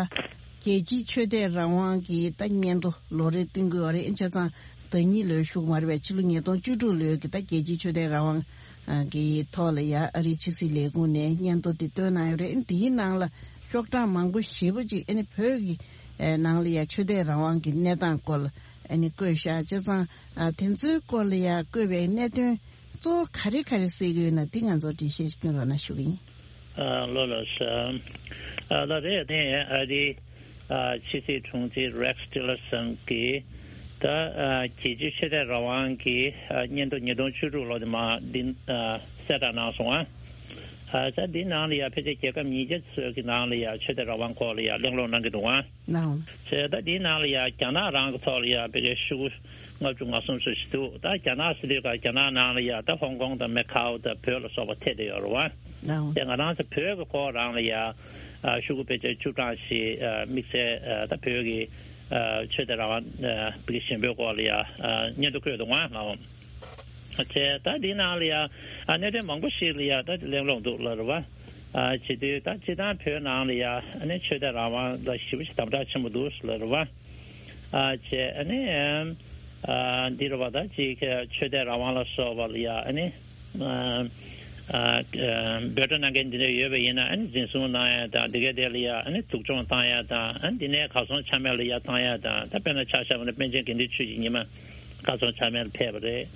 རྒྱལ་སྤྱིའི་ཆོས་དད་རང་དབང་གི་ད་སྙན་ཐོ་ལོ་རེ་བཏོན་གྱི་ཡོད་རེད། ཨ་ནི་བྱས་ཙང་ཟླ་ཉིན་ལོས་ཞུགས་མ་རེད་པས། ཕྱི་ལོ་ཉིས་སྟོང་བཅུ་དྲུག་ལོའི་གི་ད་རྒྱལ་སྤྱིའི་ཆོས་དད་རང་དབང་གི་ཐོག་ལ་ཡ་ཨ་རིའི་ཕྱི་སྲིད་ལས་ཁུངས་ནས་སྙན་ཐོ་དེ་བཏོན་གནང་ཡོད་རེད། ཨ་ནི་དེའི་ནང་ལ་ཤོག་གྲངས་མང་པོ་ཞེ་པོ་ཅིག་ཨ་ནི་བོད་ཀྱི་ནང་ལ་ཡ་ཆོས་དད་རང་དབང་གི་གནས་སྟངས་སྐོར་ལ་ཨ་ནི་བཀོད་བཞག་བྱས་ཙང་། དེ་ཚོའི་སྐོར་ལ་ཡ་བཀོད་པའི་གནད་དོན་གཙོ་བོ་ག་རེ་ག་རེ་གསལ་གྱི་ཡོད་ན་དེ་ང་ཚོར་འགྲེལ་བཤད་སྐྱོན་རོགས་གནང་ཞུ་གི་ཡིན། ཨ་ལོ་ལོ་ས། ཨ་ལ་རེད་དེ་ཨ་རི་ཨ་ཕྱི་སྲིད་དྲུང་ཆེ་Rex Tillerson གྱིས་ད་ཨ་རྒྱལ་སྤྱིའི་ཆོས་དད་རང་དབང་གི་ཨ་སྙན་ཐོ་ཉིས་སྟོང་བཅུ་དྲུག་ལོ་དེ་མ་འདི་ཨ་གསལ་བསྒྲགས་གནང་སོང་ཨ། ཨ་ད་འདི་ནང་ལ་ཡ་ཕལ་ཆེར་རྒྱལ་ཁབ་ཉིས་བརྒྱ་ཙམ་གྱི་ནང་ལ་ཡ་ཆོས་དད་རང་དབང་སྐོར་ལ་ཡ་གླེང་སློང་གནང་གི་འདུག་ཨ། ནའོ། བྱས་ད་འདིའི་ནང་ལ་ཡང་རྒྱ་ནག་རང་གི་ཐོག་ལ་ཡང་ཕལ་ཆེར་ཤོག་གུ་ལྔ་བཅུ་ང་གསུམ་ཙམ་ཞིག་འདུག་ད་རྒྱ་ནག་ཟེར་དུས་ཀ་རྒྱ་ནག་ནང་ལ་ཡང་ད་ཧོང་ཀོང་དང་མེ་ཁའོ་དང་བོད་ལ་སོགས་པ་ཐེ་བསྡད་ཡོད་རེད་བ། ལའོ། དེ་ང་རང་ཚོ་བོད་ཀྱི་སྐོར་རང་ལ་ཡང་ཨ་ཤོག་གུ་ཕལ་ཆེར་བཅུ་གྲངས་ཤིག་ཨ་དམིགས་བསལ་ཨ་ད་བོད་ཀྱི་ཨ་ཆོས་དད་རང་དབང་ཨ་བོད་ཀྱི་ཞེན་ཕུལ་སྐོར་ལ་ཡང་ཨ་སྙན་ཐོ་བཀོད་འདུག་ང་ལའོ། བྱས་ད་འདི་ནང་ལ་ཡང་ཨ་གནད་དོན་མང་པོ་ཞིག་ལ་ཡང་ད་གླེང་སློང་འདུག་ལབ་རེད་བ། ཨ་བྱེད་དུས་ད་སྤྱིར་བཏང་བོད་ནང་ལ་ཡང་ཨ་ནི་ཆོས་དད་རང་དབང་ལ་ཞེ་པོ་ཞིག་དམ་དྲག་ཆེན་པོ་འདུག་ལབ་རེད་བ། ཨ་བྱས་ཨ་ནི་ཨ་འདི་རེད་བ། ད་ཅིག་ཆོས་དད་རང་དབང་ལ་སོགས་པ་ལ་ཡང་ཨ་ནི་ཨ་ཨ་འབོད་སྒྲ་གནང་མཁན་འདི་འདྲ་ཡོད་པ་ཡིན་ན་ཨ་ནི་འཛིན་བཟུང་གནང་ཡ་དང་འདི་གའི་དེ་ལ་ཡང་ཨ་ནི་སྡུག་སྦྱོང་བཏང་ཡ་དང་ཨ་ནི་འདི་ནས་གར་སོང་ཆ་མེད་ལ་ཡ་བཏང་ཡ་དང་། ད་དཔེར་ན་ཆ་བཞག་པ་ན་པཎ་ཆེན་དགེ་འདུན་ཆོས་ཀྱི་ཉི་མ་གར་སོང་ཆ་མེད་ལ་ཕེབས་པ་རེད།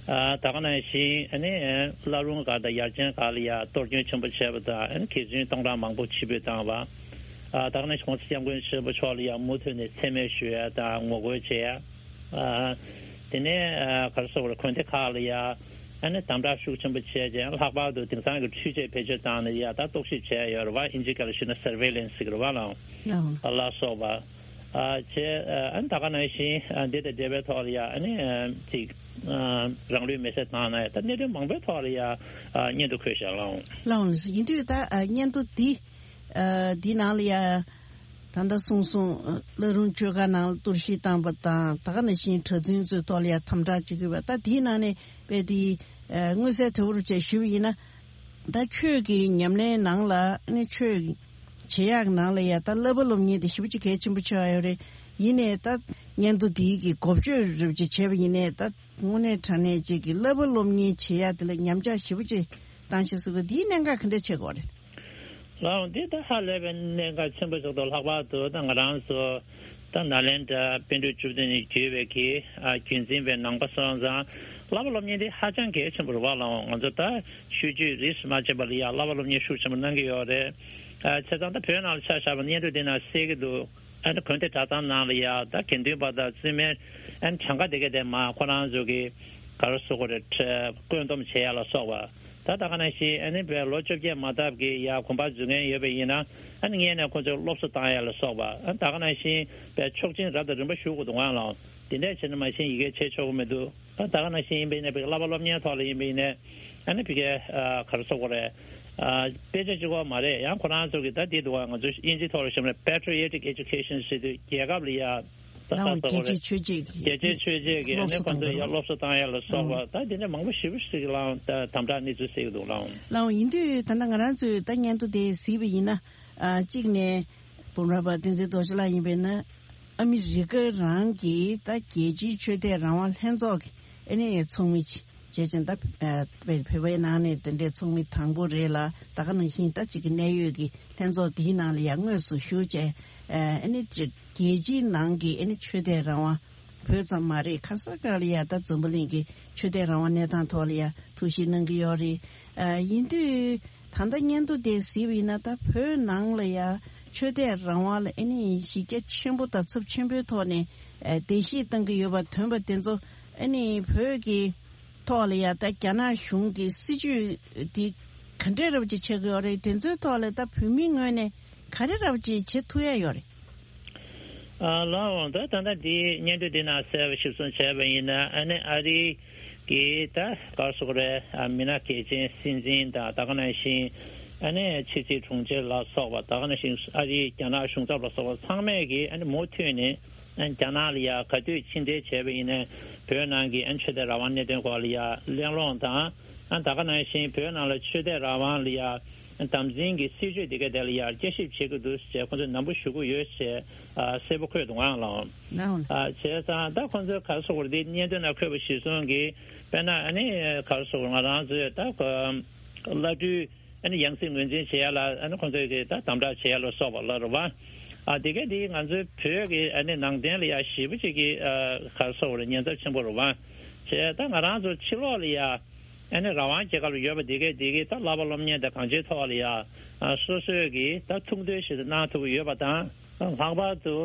ཨ་ད་ག་ནང་བཞིན་ཨ་ནི་བླ་རུང་སྒར་དང་ཡར་ཆེན་སྒར་ལ་ཡ་གཏོར་སྐྱོན་ཆེན་པོ་བྱས་པ་དང་། ཨ་ནི་གྱི་ཟུན་སྟོང་ཕྲག་མང་པོ་ཕྱིར་འབུད་བཏང་བ། ཨ་ད་ག་ནང་བཞིན་༸གོང་ས་༸སྐྱབས་མགོན་ཆེན་པོ་མཆོག་ལ་ཡ་མུ་མཐུད་ནས་མཚན་སྨད་ཞུ་ཡ་དང་ངོ་རྒོལ་བྱེད་ཡ། ཨ་དེ་ནས་ཨ་ག་རེ་ཟེར་དགོས་རེད། དགོན་སྡེ་ཁག་ལ་ཡ་ཨ་ནི་དམ་དྲག་ཤུགས་ཆེན་པོ་བྱས་རྗེས་ལྷག་པར་དུ་དེང་སང་གི་འཕྲུལ་ཆས་བེད་སྤྱོད་བཏང་ནས་ཡ་ད་རྟོག་ཞིབ་བྱས་ཡོད་རེད་བ། ཨིན་ཇི་སྐད་ལ་ཞུས་ན་surveillance ཟེར་གི་རེད་བ་ལགས། ལགས། ལ་སོགས་པ། ཨ་བྱས་ཨ་ནི་ད་ག་ནང་བཞིན་ཨ་འདི་དང་འབྲེལ་བའི་ཐོག་ལ་ཡ་ཨ་ནི་ཨ་ཅིག་ཨ་རང་ལུས་མེར་སྲེག་བཏང་ན་ཡ་ད་གནད་དོན་མང་པོའི་ཐོག་ལ་ཡ་ཨ་སྙན་ཐོ་འཁོད་བཞག་ལགས། ལགས་ཡིན་དུས་ད་ཨ་སྙན་ཐོ་འདི་ཨ་འདི་ནང་ལ་ཡ་ད་ལྟ་གསུངས་སོང་། བླ་རུང་ཆོས་སྒར་ནང་ལ་གཏོར་བཤིག་བཏང་པ་དང་། ད་ག་ནང་བཞིན་གྲྭ་བཙུན་ཚོའི་ཐོག་ལ་ཡ་དམ་དྲག་བྱེད་དགོས་པ། ད་དེའི་ནང་ནས་དཔེ་དེ་ཨ་མངོན་གསལ་དོད་པོ་བྱས་ཞུས་པ་ཡིན་ན། ད་ཆོས་ཀྱི་ཉམས་ལེན་ནང་ལ་ཨ་ནི་ཆོས་བྱེད་ཡག་ནང་ལ་ཡ་ད་བསླབ་པ་སློབ་གཉེར་དེ་ཞེ་པོ་ཅིག་གལ་ཆེན་པོ་ཆགས་ཡོད་རེད། ཡིན་ནའི་ད་སྙན་ཐོ་འདིའི་གི་འགོ་བརྗོད་རེ་བ་ཅིག་བྱས་པ་ཡིན་ནའི་ད་དངོས་གནས་དྲང་གནས་ཅིག་གི་བསླབ་པ་སློབ་གཉེར་བྱེད་ཡག་དེ་ལ་ཉམས་ཆག་ཞེ་པོ་ཅིག་བཏང་ཤག་ཟེར་གི། འདིའི་གནད་འགག་ག་འདྲ་ཆགས་ཀྱི་ཡོད་རེད། ལགས་འོང་། འདི་ད་ཧ་ལས་པའི་གནད་འགག་ཆེན་པོ་ཞིག་འདུག་ལྷག་པར་དུ་ད་ང་རང་ཚོ་ད་ནཱ་ལེནྡྲ་པཎ་གྲུབ་བཅུ་བདུན་ནས་བརྒྱུད་པའི་གི་ཨ་བརྒྱུད་འཛིན་པའི་ནང་པ་སོང་ཙང་བསླབ་པ་སློབ་གཉེར་འདི་ཧ་ཅང་གལ་ཆེན་པོ་རེད་བ་ལགས་འོང་། ང་ཚོ་ད་ཆོས་བརྒྱུད་རིས་སུ་མ་ཆད་པ་ལ་ཡ་བསླབ་པ་སློབ་གཉེར་ཤུགས་ཆེན་པོ་གནང་གི་ཡོད་རེད། ཨ་བྱས་ཙང་ད་བོད་ནང་ལ་ཆ་བཞག་པ་ན་སྙན་ཐོ་འདི་ནང་གསལ་གི་འདུག་ཨ་ནི་དགོན་སྡེ་གྲྭ་ཚང་ནང་ལ་ཡ་ད་དགེ་འདུན་པ་དང་བཙུན་མའི་ཨ་ནི་གྱངས་ཁ་དེ་ག་དེ་མ་ཁོ་རང་ཚོ་གི་ག་རེ་ཟེར་དགོས་རེད། བཀོད་འདོམས་བྱེད་ཡ་ལ་སོགས་པ། ད་ད་ག་ནང་བཞིན་ཨ་ནི་བའི་ལོ་བཅོ་བརྒྱད་མ་ཐག་གི་ཡ་དགོན་པ་འཛུགས་མཁན་ཡོད་པ་ཡིན་ན་ཨ་ནི་སྔོན་ནས་ཁོ་ཚོར་སློབ་གསོ་བཏང་ཡ་ལ་སོགས་པ། ཨ་ནི་ད་ག་ནང་བཞིན་བའི་ཆོག་མཆན་རབ་དང་རིམ་པ་ཞུ་དགོས་འདུག་ཨང་ལགས། དེ་འདྲས་བྱས་ན་མ་གཞི་ཡི་གེ་བྱེད་ཆོག་གི་མི་འདུག་ད་ད་ག་ནང་བཞིན་ཡིན་པ་ཡིན་ན་བའི་བསླབ་པ་སློབ་གཉེར་ཐོག་ལ་ཡིན་པ་ཡིན་ནའི་ཨ་ནི་བི་གའི་ག་རེ་ཟེར་དགོས་རེད། དཔེ་ཆ་གཅིག་པོ་མ་རེད། ཡང་ཁོ་རང་ཚོ་གི་ད་འདི་འདུག་ཨ། ང་ཚོ་དབྱིན་ཇིའི་ཐོག་ལ་ཞུས་ན་patriotic education ཟེར་དུས་རྒྱལ་ཁབ་ལ་ཡ་ ལའང་རྒྱལ་གཅེས་ཆོས་གཅེས་ཀྱི་རྒྱལ་གཅེས་ཆོས་གཅེས་ཀྱི་ཨ་ནི་ཁོང་ཚོ་ཡང་སློབ་གསོ་བཏང་ཡ་ལ་སོགས་པ་ད་དེ་འདྲ་མང་པོ་ཞེ་པོ་ཞིག་ལའང་ད་དམ་དྲག་གནས་ཚུལ་གསལ་གྱི་འདུག་ལའང་། ལའང་ཡིན་དུས་ད་ལྟ་ང་རང་ཚོས་ད་སྙན་ཐོ་དེ་གཟིགས་པ་ཡིན་ན། ཨ་གཅིག་ནས་འབུམ་རམས་པ་བསྟན་འཛིན་རྡོ་རྗེ་ལགས་ཡིན་པས་ན། ཨ་མི་རི་ཀ་རང་གི་ད་རྒྱལ་སྤྱིའི་ཆོས་དད་རང་དབང་ལྷན་ཚོགས་ཀྱི་ཨ་ནི་ཚོགས་མི་བྱས་ཙང་ད་ཨ་བོད་པའི་ནང་ནས་དེ་འདྲའི་ཚོགས་མི་དང་པོ་རེད་ལ། ད་ག་ནང་བཞིན་ད་ཅིག་གི་གནད་ཡོད་ཀྱི་ལྷན་ཚོགས་འདིའི་ནང་ལ་ཡང་དངོས་སུ་ཞུགས་བྱས། ཨ་ནི་ཅིག་རྒྱལ་སྤྱིའི་ནང་གི་ཨ་ནི་ཆོས་དད་རང་དབང་། བོད་ཙམ་མ་རེད། ག་ས་ག་ལ་ཡ་ད་འཛམ་བུ་གླིང་གི་ཆོས་དད་རང་དབང་གནས་སྟངས་ཐོག་ལ་ཡ་ཐུགས་ཞིབ་གནང་གི་ཡོད་རེད། ཨ་ཡིན་དུས་ད་ལྟ་སྙན་ཐོ་དེ་གཟིགས་པ་ཡིན་ན། ད་བོད་ནང་ལ་ཡ་ཆོས་དད་རང་དབང་ལ་ཨ་ནི་གཞི་རྒྱ་ཆེན་པོ་དང་ཚབས་ཆེན་པོའི་ཐོག་ནས་ཨ་བརྡལ་བཤིག་བཏང་གི་ཡོད་པ་ཐོན་པ་དེ་ཚོ་ཨ་ནི་བོད་ཀྱི་ཐོག་ལ་ཡ་ད་རྒྱ་ནག་གཞུང་གི་སྲིད་ཇུས་དེ་ག་འདྲས་རབ་ཅིག་ཆགས་ཀྱི་ཡོད་རེད། དེ་ཚོའི་ཐོག་ལ་ད་བོད་མིའི་ངོས་ནས་ག་རེ་རབ་ཅིག་བྱེད་ཐུབ་ཡ་ཡོད་རེད། ཨ་ལགས་འོང་ད་ད་ལྟ་འདི་སྙན་ཐོ་འདི་ནང་གསལ་བ་ཞིབ་གསུང་བྱས་པ་ཡིན་ན། ཨ་ནི་ཨ་རི་གི་ད་ག་རེ་ཟེར་དགོས་རེད། ཨ་མི་སྣ་གལ་ཆེན་སྲིད་འཛིན་དང་ད་ག་ནང་བཞིན་ཨ་ནི་ཕྱི་སྲིད་དྲུང་ཆེ་ལ་སོགས་པ། ད་ག་ནང་བཞིན་ཨ་རིའི་རྒྱ་ནག་གཞུང་ཚབ་ལ་སོགས་པ་ཚང་མས་ཀྱིས་ཨ་ནི་མུ་མཐུད་ནས་ཨ་རྒྱ་ནག་ལ་ཡ་ག་དུས་ཕྱི་འབྲེལ་བྱས་པ་ཡིན་ན་བོད་ནང་གི་ཨ་ཆོས་དད་རང་དབང་གནད་དོན་སྐོར་ལ་ཡ་གླེང་སློང་དང་། ཨ་ད་ག་ནང་བཞིན་བོད་ནང་ལ་ཆོས་དད་རང་དབང་ལ་ཡ་དམ་འཛིན་གྱི་སྲིད་བྱུས་དེ་ག་དེ་ལ་ཡ་བསྐྱར་ཞིབ་བྱེད་ཀྱི་འདུག་ཅེས་ཁོང་ཚོས་ནན་པོ་ཞུ་གི་ཡོད་ཅེས་ཨ་གསལ་པོ་འཁོད་འདུག་ཨང་ལགས། ལགས། ཨ་བྱས་ཙང་ད་ཁོང་ཚོས་ག་རེ་ཟེར་དགོས་རེད། འདི་སྙན་ཐོ་ནང་འཁོད་པ་གཞིར་བཟུང་གིས་དཔེར་ན་ཨ་ནི་ག་རེ་ཟེར་དགོས་རེད། ང་རང་ཚོས་ད་ཁོ་བླ་སྤྲུལ་ཨ་ནི་ཡང་སྲིད་ངོས་འཛིན་བྱེད་ཡ་ལ་ཨ་ནི་ཁོང་ཚོས་ཀྱིས་ད་དམ་དྲག་བྱེད་ཡ་ལ་སོགས་པ་ལ་རེད་བ། ཨ་དེ་ག་དེ་ང་ཚོའི་བོད་ཀྱི་ཨ་ནི་ནང་བསྟན་ལ་ཡ་ཞེ་པོ་ཅིག་གི་ཨ་ག་རེ་ཟེར་དགོས་རེད། ཉེན་ཚབས་ཆེན་པོ་རེད་བ། བྱས་ད་ང་རང་ཚོ་ཕྱི་ལོགས་ལ་ཡ་ཨ་ནི་རང་དབང་རྒྱལ་ཁབ་ལ་ཡོད་པ་དེ་གས་དེ་གས་ད་བསླབ་པ་སློབ་གཉེར་དང་གང་ཅིའི་ཐོག་ལ་ཡ་ཨ་སོ་སོས་ཀྱིས་ད་ཐུགས་འདོད་ཞིག་གནང་ཐུབ་ཀྱི་ཡོད་པ་དང་། ལྷག་པར་དུ་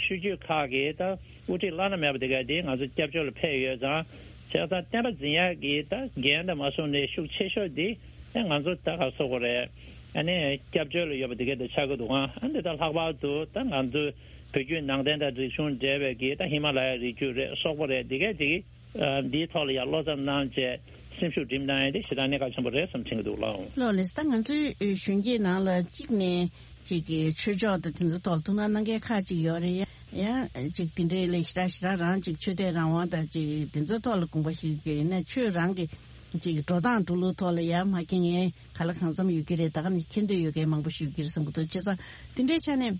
ཆོས་བརྒྱུད་ཁག་གིས་ད་དབུ་ཁྲིད་བླ་ན་མེད་པ་དེ་གས་དེ་ང་ཚོ་སྐྱབས་བཅོལ་ལ་ཕེབས་ཡོད་ཙང་། བྱས་ཙང་བསྟན་པ་འཛིན་ཡག་གི་ད་འགན་དང་མ་སོང་ནས་ཤུགས་ཆེ་ཤོས་དེ་ཨ་ང་ཚོ་ད་ག་རེ་ཟེར་དགོས་རེད། ཨ་ནི་སྐྱབས་བཅོལ་ལ་ཡོད་པ་དེ་གས་དེ་ཆགས་ཀྱི་འདུག་ཨང་། ཨ་འདི་ད་ལྷག་པར་དུ་ད་ང་ཚོ་བོད་བརྒྱུད་ནང་བསྟན་དང་རིག་གཞུང་འབྲེལ་བའི་གི་ད་ཧི་མ་ལ་ཡའི་རི་རྒྱུད་རེད། སོག་པོ་རེད། དེ་གས་དེ་གི་ཨ་འདིའི་ཐོག་ལ་ཡང་བློ་འཚབ་གནང་བྱས་སེམས་ཤུགས་སྒྲིམ་གནང་ཡ་དེ་ཞེ་དྲག་གནད་འགག་ཆེན་པོ་རེད་བསམ་དྲན་གྱི་འདུག་ལགས། ལགས་ལགས། ད་ང་ཚོའི་གཞོན་སྐྱེས་ནང་ལ་གཅིག་ནས་ཅིག་གི་ཆོས་ཕྱོགས་དང་དེ་ཚོའི་ཐོག་ལ་ཐུགས་སྣང་གནང་མཁན་ཁག་ཅིག་ཡོད་རེད། ཡང་ཅིག་དེ་འདྲའི་ལས་ཞེ་དྲག་ཞེ་དྲག་རང་ཅིག་ཆོས་དད་རང་དབང་དང་ཅིག་དེ་ཚོའི་ཐོག་ལ་དགོངས་པ་བཞེས་ཀྱི་ཡིན་ན། ཆོས་རང་གི་ཅིག་འགྲོ་སྟངས་འགྲོ་ལུགས་ཐོག་ལ་ཡང་མ་མཁྱེན་མཁན་ག་ལ་གང་འཚམ་ཡོད་ཀྱི་རེད། ད་ག་ནས་མཁྱེན་འདོད་ཡོད་མཁན་མང་པོ་ཞིག་ཡོད་ཀྱི་རེད་བསམ་གྱི་འདུག་བྱས་ཙང་དེ་འདྲའི་ཆ་ནས།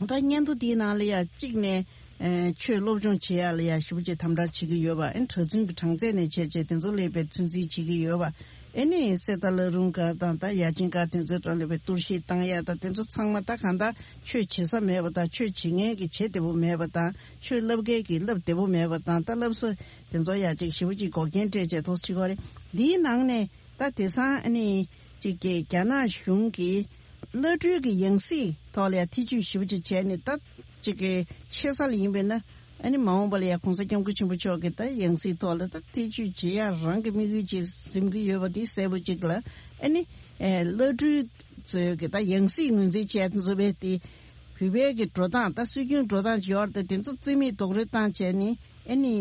ད་སྙན་ཐོ་འདིའི་ནང་ལ་ཡ་གཅིག་ནས་ཨེ་ཆོས་སློབ་སྦྱོང་བྱེད་ཡ་ལ་ཡ་ཞེ་པོ་ཅིག་དམ་དྲག་བྱེད་ཀྱི་ཡོད་པ། ཨེ་གྲྭ་བཙུན་གྱི་གྲངས་ཚད་ནས་བྱས་བྱས་དེ་ཚོ་སླེབས་པའི་ཚོད་འཛིན་བྱེད་ཀྱི་ཡོད་པ། ཨེ་ནི་གསེར་རྟ་བླ་རུང་སྒར་དང་ད་ཡ་ཆེན་སྒར་དེ་ཚོའི་གྲས་སླེབས་པའི་གཏོར་བཤིག་བཏང་ཡ་དང་། དེ་ཚོ་ཚང་མ་ད་གང་ལྟར་ཆོས་བྱེད་ས་མེད་པ་དང་། ཆོས་བྱེད་མཁན་གྱི་བྱེད་བདེ་པོ་མེད་པ་དང་། ཆོས་བསླབ་མཁན་གྱི་བསླབ་བདེ་པོ་མེད་པ་དང་། ད་བསླབ་ས་དེ་ཚོ་ཡ་ཅིག་ཞེ་པོ་ཅིག་འགོག་རྐྱེན་སྤྲད་བྱས་ཐོག་ཅིག་གོ་རེད། འདིའི་ནང་ནས། ད་དེང་སང་ཨ་ནི་གཅིག་གི་རྒྱ་ནག་གཞུང་གིས་བླ་སྤྲུལ་གྱི་ཡང་སྲིད་ཐོག་ལ་ཡང་ཐེ་ཇུས་ཞེ་པོ་ཅིག་བྱས་ནས། ད་གཅིག་གི་ཆེ་ས་ལ་ཡིན་པས་ན་ཨ་ནི་མ་འོངས་པ་ལ་ཡང་གོང་ས་སྐྱབས་མགོན་ཆེན་པོ་མཆོག་གི་ད་ཡང་སྲིད་ཐོག་ལ་ད་ཐེ་ཇུས་བྱེད་ཡ་རང་གི་དམིགས་ཡུལ་ཅིག་འཛིན་གྱི་ཡོད་པ་དེ་གསལ་པོ་ཅིག་ལ། ཨ་ནི་ཨེ་བླ་སྤྲུལ་ཚོའི་གི་ད་ཡང་སྲིད་ངོས་འཛིན་བྱས་ཚུལ་བས་དེ་བོད་པའི་གི་འགྲོ་སྟངས་ད་སྲོལ་རྒྱུན་འགྲོ་སྟངས་ཅིག་ཡོད་རེད། ད་དེ་ཚོ་རྩིས་མེད་རྡོག་རོལ་བཏང་བྱས་ནས་ཨ་ནི།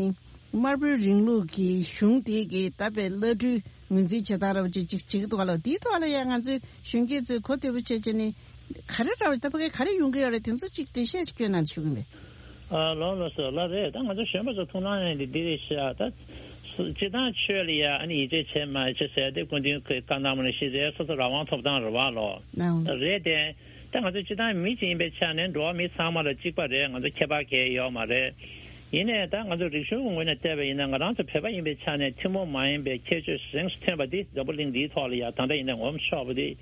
དམར་པོའི་རིང་ལུགས་ཀྱི་གཞུང་དེ་གིས་ད་དཔེ་བླ་སྤྲུལ་ངོས་འཛིན་བྱེད་སྟངས་རབ་ཅིག་ཅིག་བྱེད་ཀྱི་འདུག་ག་ལ། དེའི་ཐོག་ལ་ཡང་ང་ཚོའི་གཞོན་སྐྱེས་ཚོས་གོ་བདེ་པོ་བྱས་བྱས་ནས་ག་རེ་རབ་ད་ཕ་གི་ག་རེ་ཡོང་གི་ཡོད་རེད། དེ་ཚོ་ཅིག་འགྲེལ་བཤད་ཅིག་སྐྱོན་གནང་ཞུ་གི་མེད། ཨ་ལགས་ལགས་སོ་ལགས་རེད། ད་ང་ཚོ་གཞོན་པ་ཚོ་ཐུགས་སྣང་ཡང་འདི་འདི་རེད་ཤག་ད་སྤྱི་བཏང་ཆོས་ལ་ཡ་ཨ་ནི་ཡིད་ཆེས་བྱེད་མ་བྱེད་ཟེར་དེ་སྐུ་མདུན་གྱིས་བཀའ་གནང་བ་ནང་བཞིན་རེད། སོ་སོ་རང་དབང་ཐོབ་ཐང་རེད་བ་ལོ། རེད་དེ། ད་ང་ཚོ་སྤྱི་བཏང་མི་གཅིག་ཡིན་པའི་ཆ་ནས་འགྲོ་བ་མི་ཚང་མ་ལ་གཅིག་པ་རེད། ང་ཚོ་ཁྱད་པར་གང་ཡང་ཡོད་མ་རེད། ཡིན་ནའི་ད་ང་ཚོ་རིག་གཞུང་གི་ངོས་ནས་བལྟས་པ་ཡིན་ན། ང་རང་ཚོ་བོད་པ་ཡིན་པའི་ཆ་ནས་ཐུན་མོང་མ་ཡིན་པའི་ཁྱད་ཆོས་རིང་སུ་ཐོན་པ་འདི་འཛམ་བུ་གླིང་འདིའི་ཐོག་ལ་ཡ་ད་ལྟ་ཡིན་ན་ངོམ་ཆོག་པ་འདི།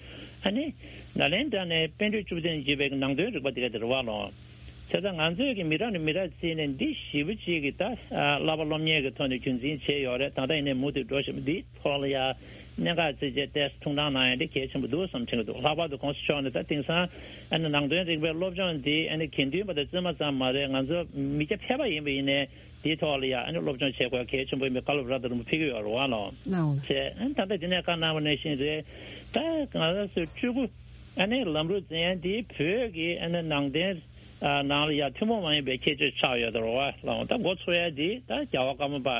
ཨ་ནི་ནཱ་ལེནྡྲ་ནས་པཎ་གྲུབ་བཅུ་བདུན་བརྒྱུད་པའི་ནང་དོན་རིག་པ་འདི་ག་དེ་རེད་བ་ལོ། བྱས་ཙང་ང་ཚོས་ཀྱི་མི་རབས་ནས་མི་རབས་བརྩིས་ནས་འདི་ཞེ་པོ་ཅིག་གི་ད་བསླབ་པ་སློབ་གཉེར་གྱི་ཐོག་ནས་རྒྱུན་འཛིན་བྱས་ཡོད་རེད། ད་ལྟ་ཡིན་ནའི་མུ་མཐུད་འགྲོ་བཞིན་པ་འདི་ཐོག་ལ་ཡ་གནད་འགག་བརྩིས་བྱས་ཏོག་ཙམ་ཐུགས་སྣང་གནང་ཡ་འདི་གལ་ཆེན་པོ་འདུག་བསམ་དྲན་གྱི་འདུག་ལྷག་པར་དུ་གོང་ས་མཆོག་ནས་ད་དེང་སང་ཨ་ནི་ནང་དོན་རིག་པའི་སློབ་སྦྱོང་འདི་ཨ་ནི་དགེ་འདུན་པ་དང་བཙུན་མ་ཙམ་མ་རེད། ང་ཚོ་མི་སྐྱ་ཕལ་པ་ཡིན་པ་ཡིན་ནའི་འདིའི་ཐོག་ལ་ཡ་ཨ་ནི་སློབ་སྦྱོང་བྱེད་དགོས་གལ་ཆེན་པོ་ཡིན་པའི་བཀའ་སློབ་རབ་དང་རིམ་པ་ཕེབས་ཀྱི་ཡོད་རེད་བ་ལོ། ལའོ། བྱས་ཨ་ནི་ད་ལྟ་འདི་ནས་བཀའ་གནང་བ་ནང་བཞིན་རེད། ད་ང་རང་ཚོའི་སྤྲུལ་སྐུ་ཨ་ནི་ལམ་ལུགས་འཛིན་ཡ་འདི་བོད་ཀྱི་ཨ་ནི་ནང་བསྟན་ནང་ལ་ཡ་ཐུན་མོང་མ་ཡིན་པའི་ཁྱད་ཆོས་ཆགས་ཡོད་རེད་བ་ལོ། ད་འགོ་ཚུགས་ཡ་འདི་ད་རྒྱལ་བ་ཀརྨ་པ་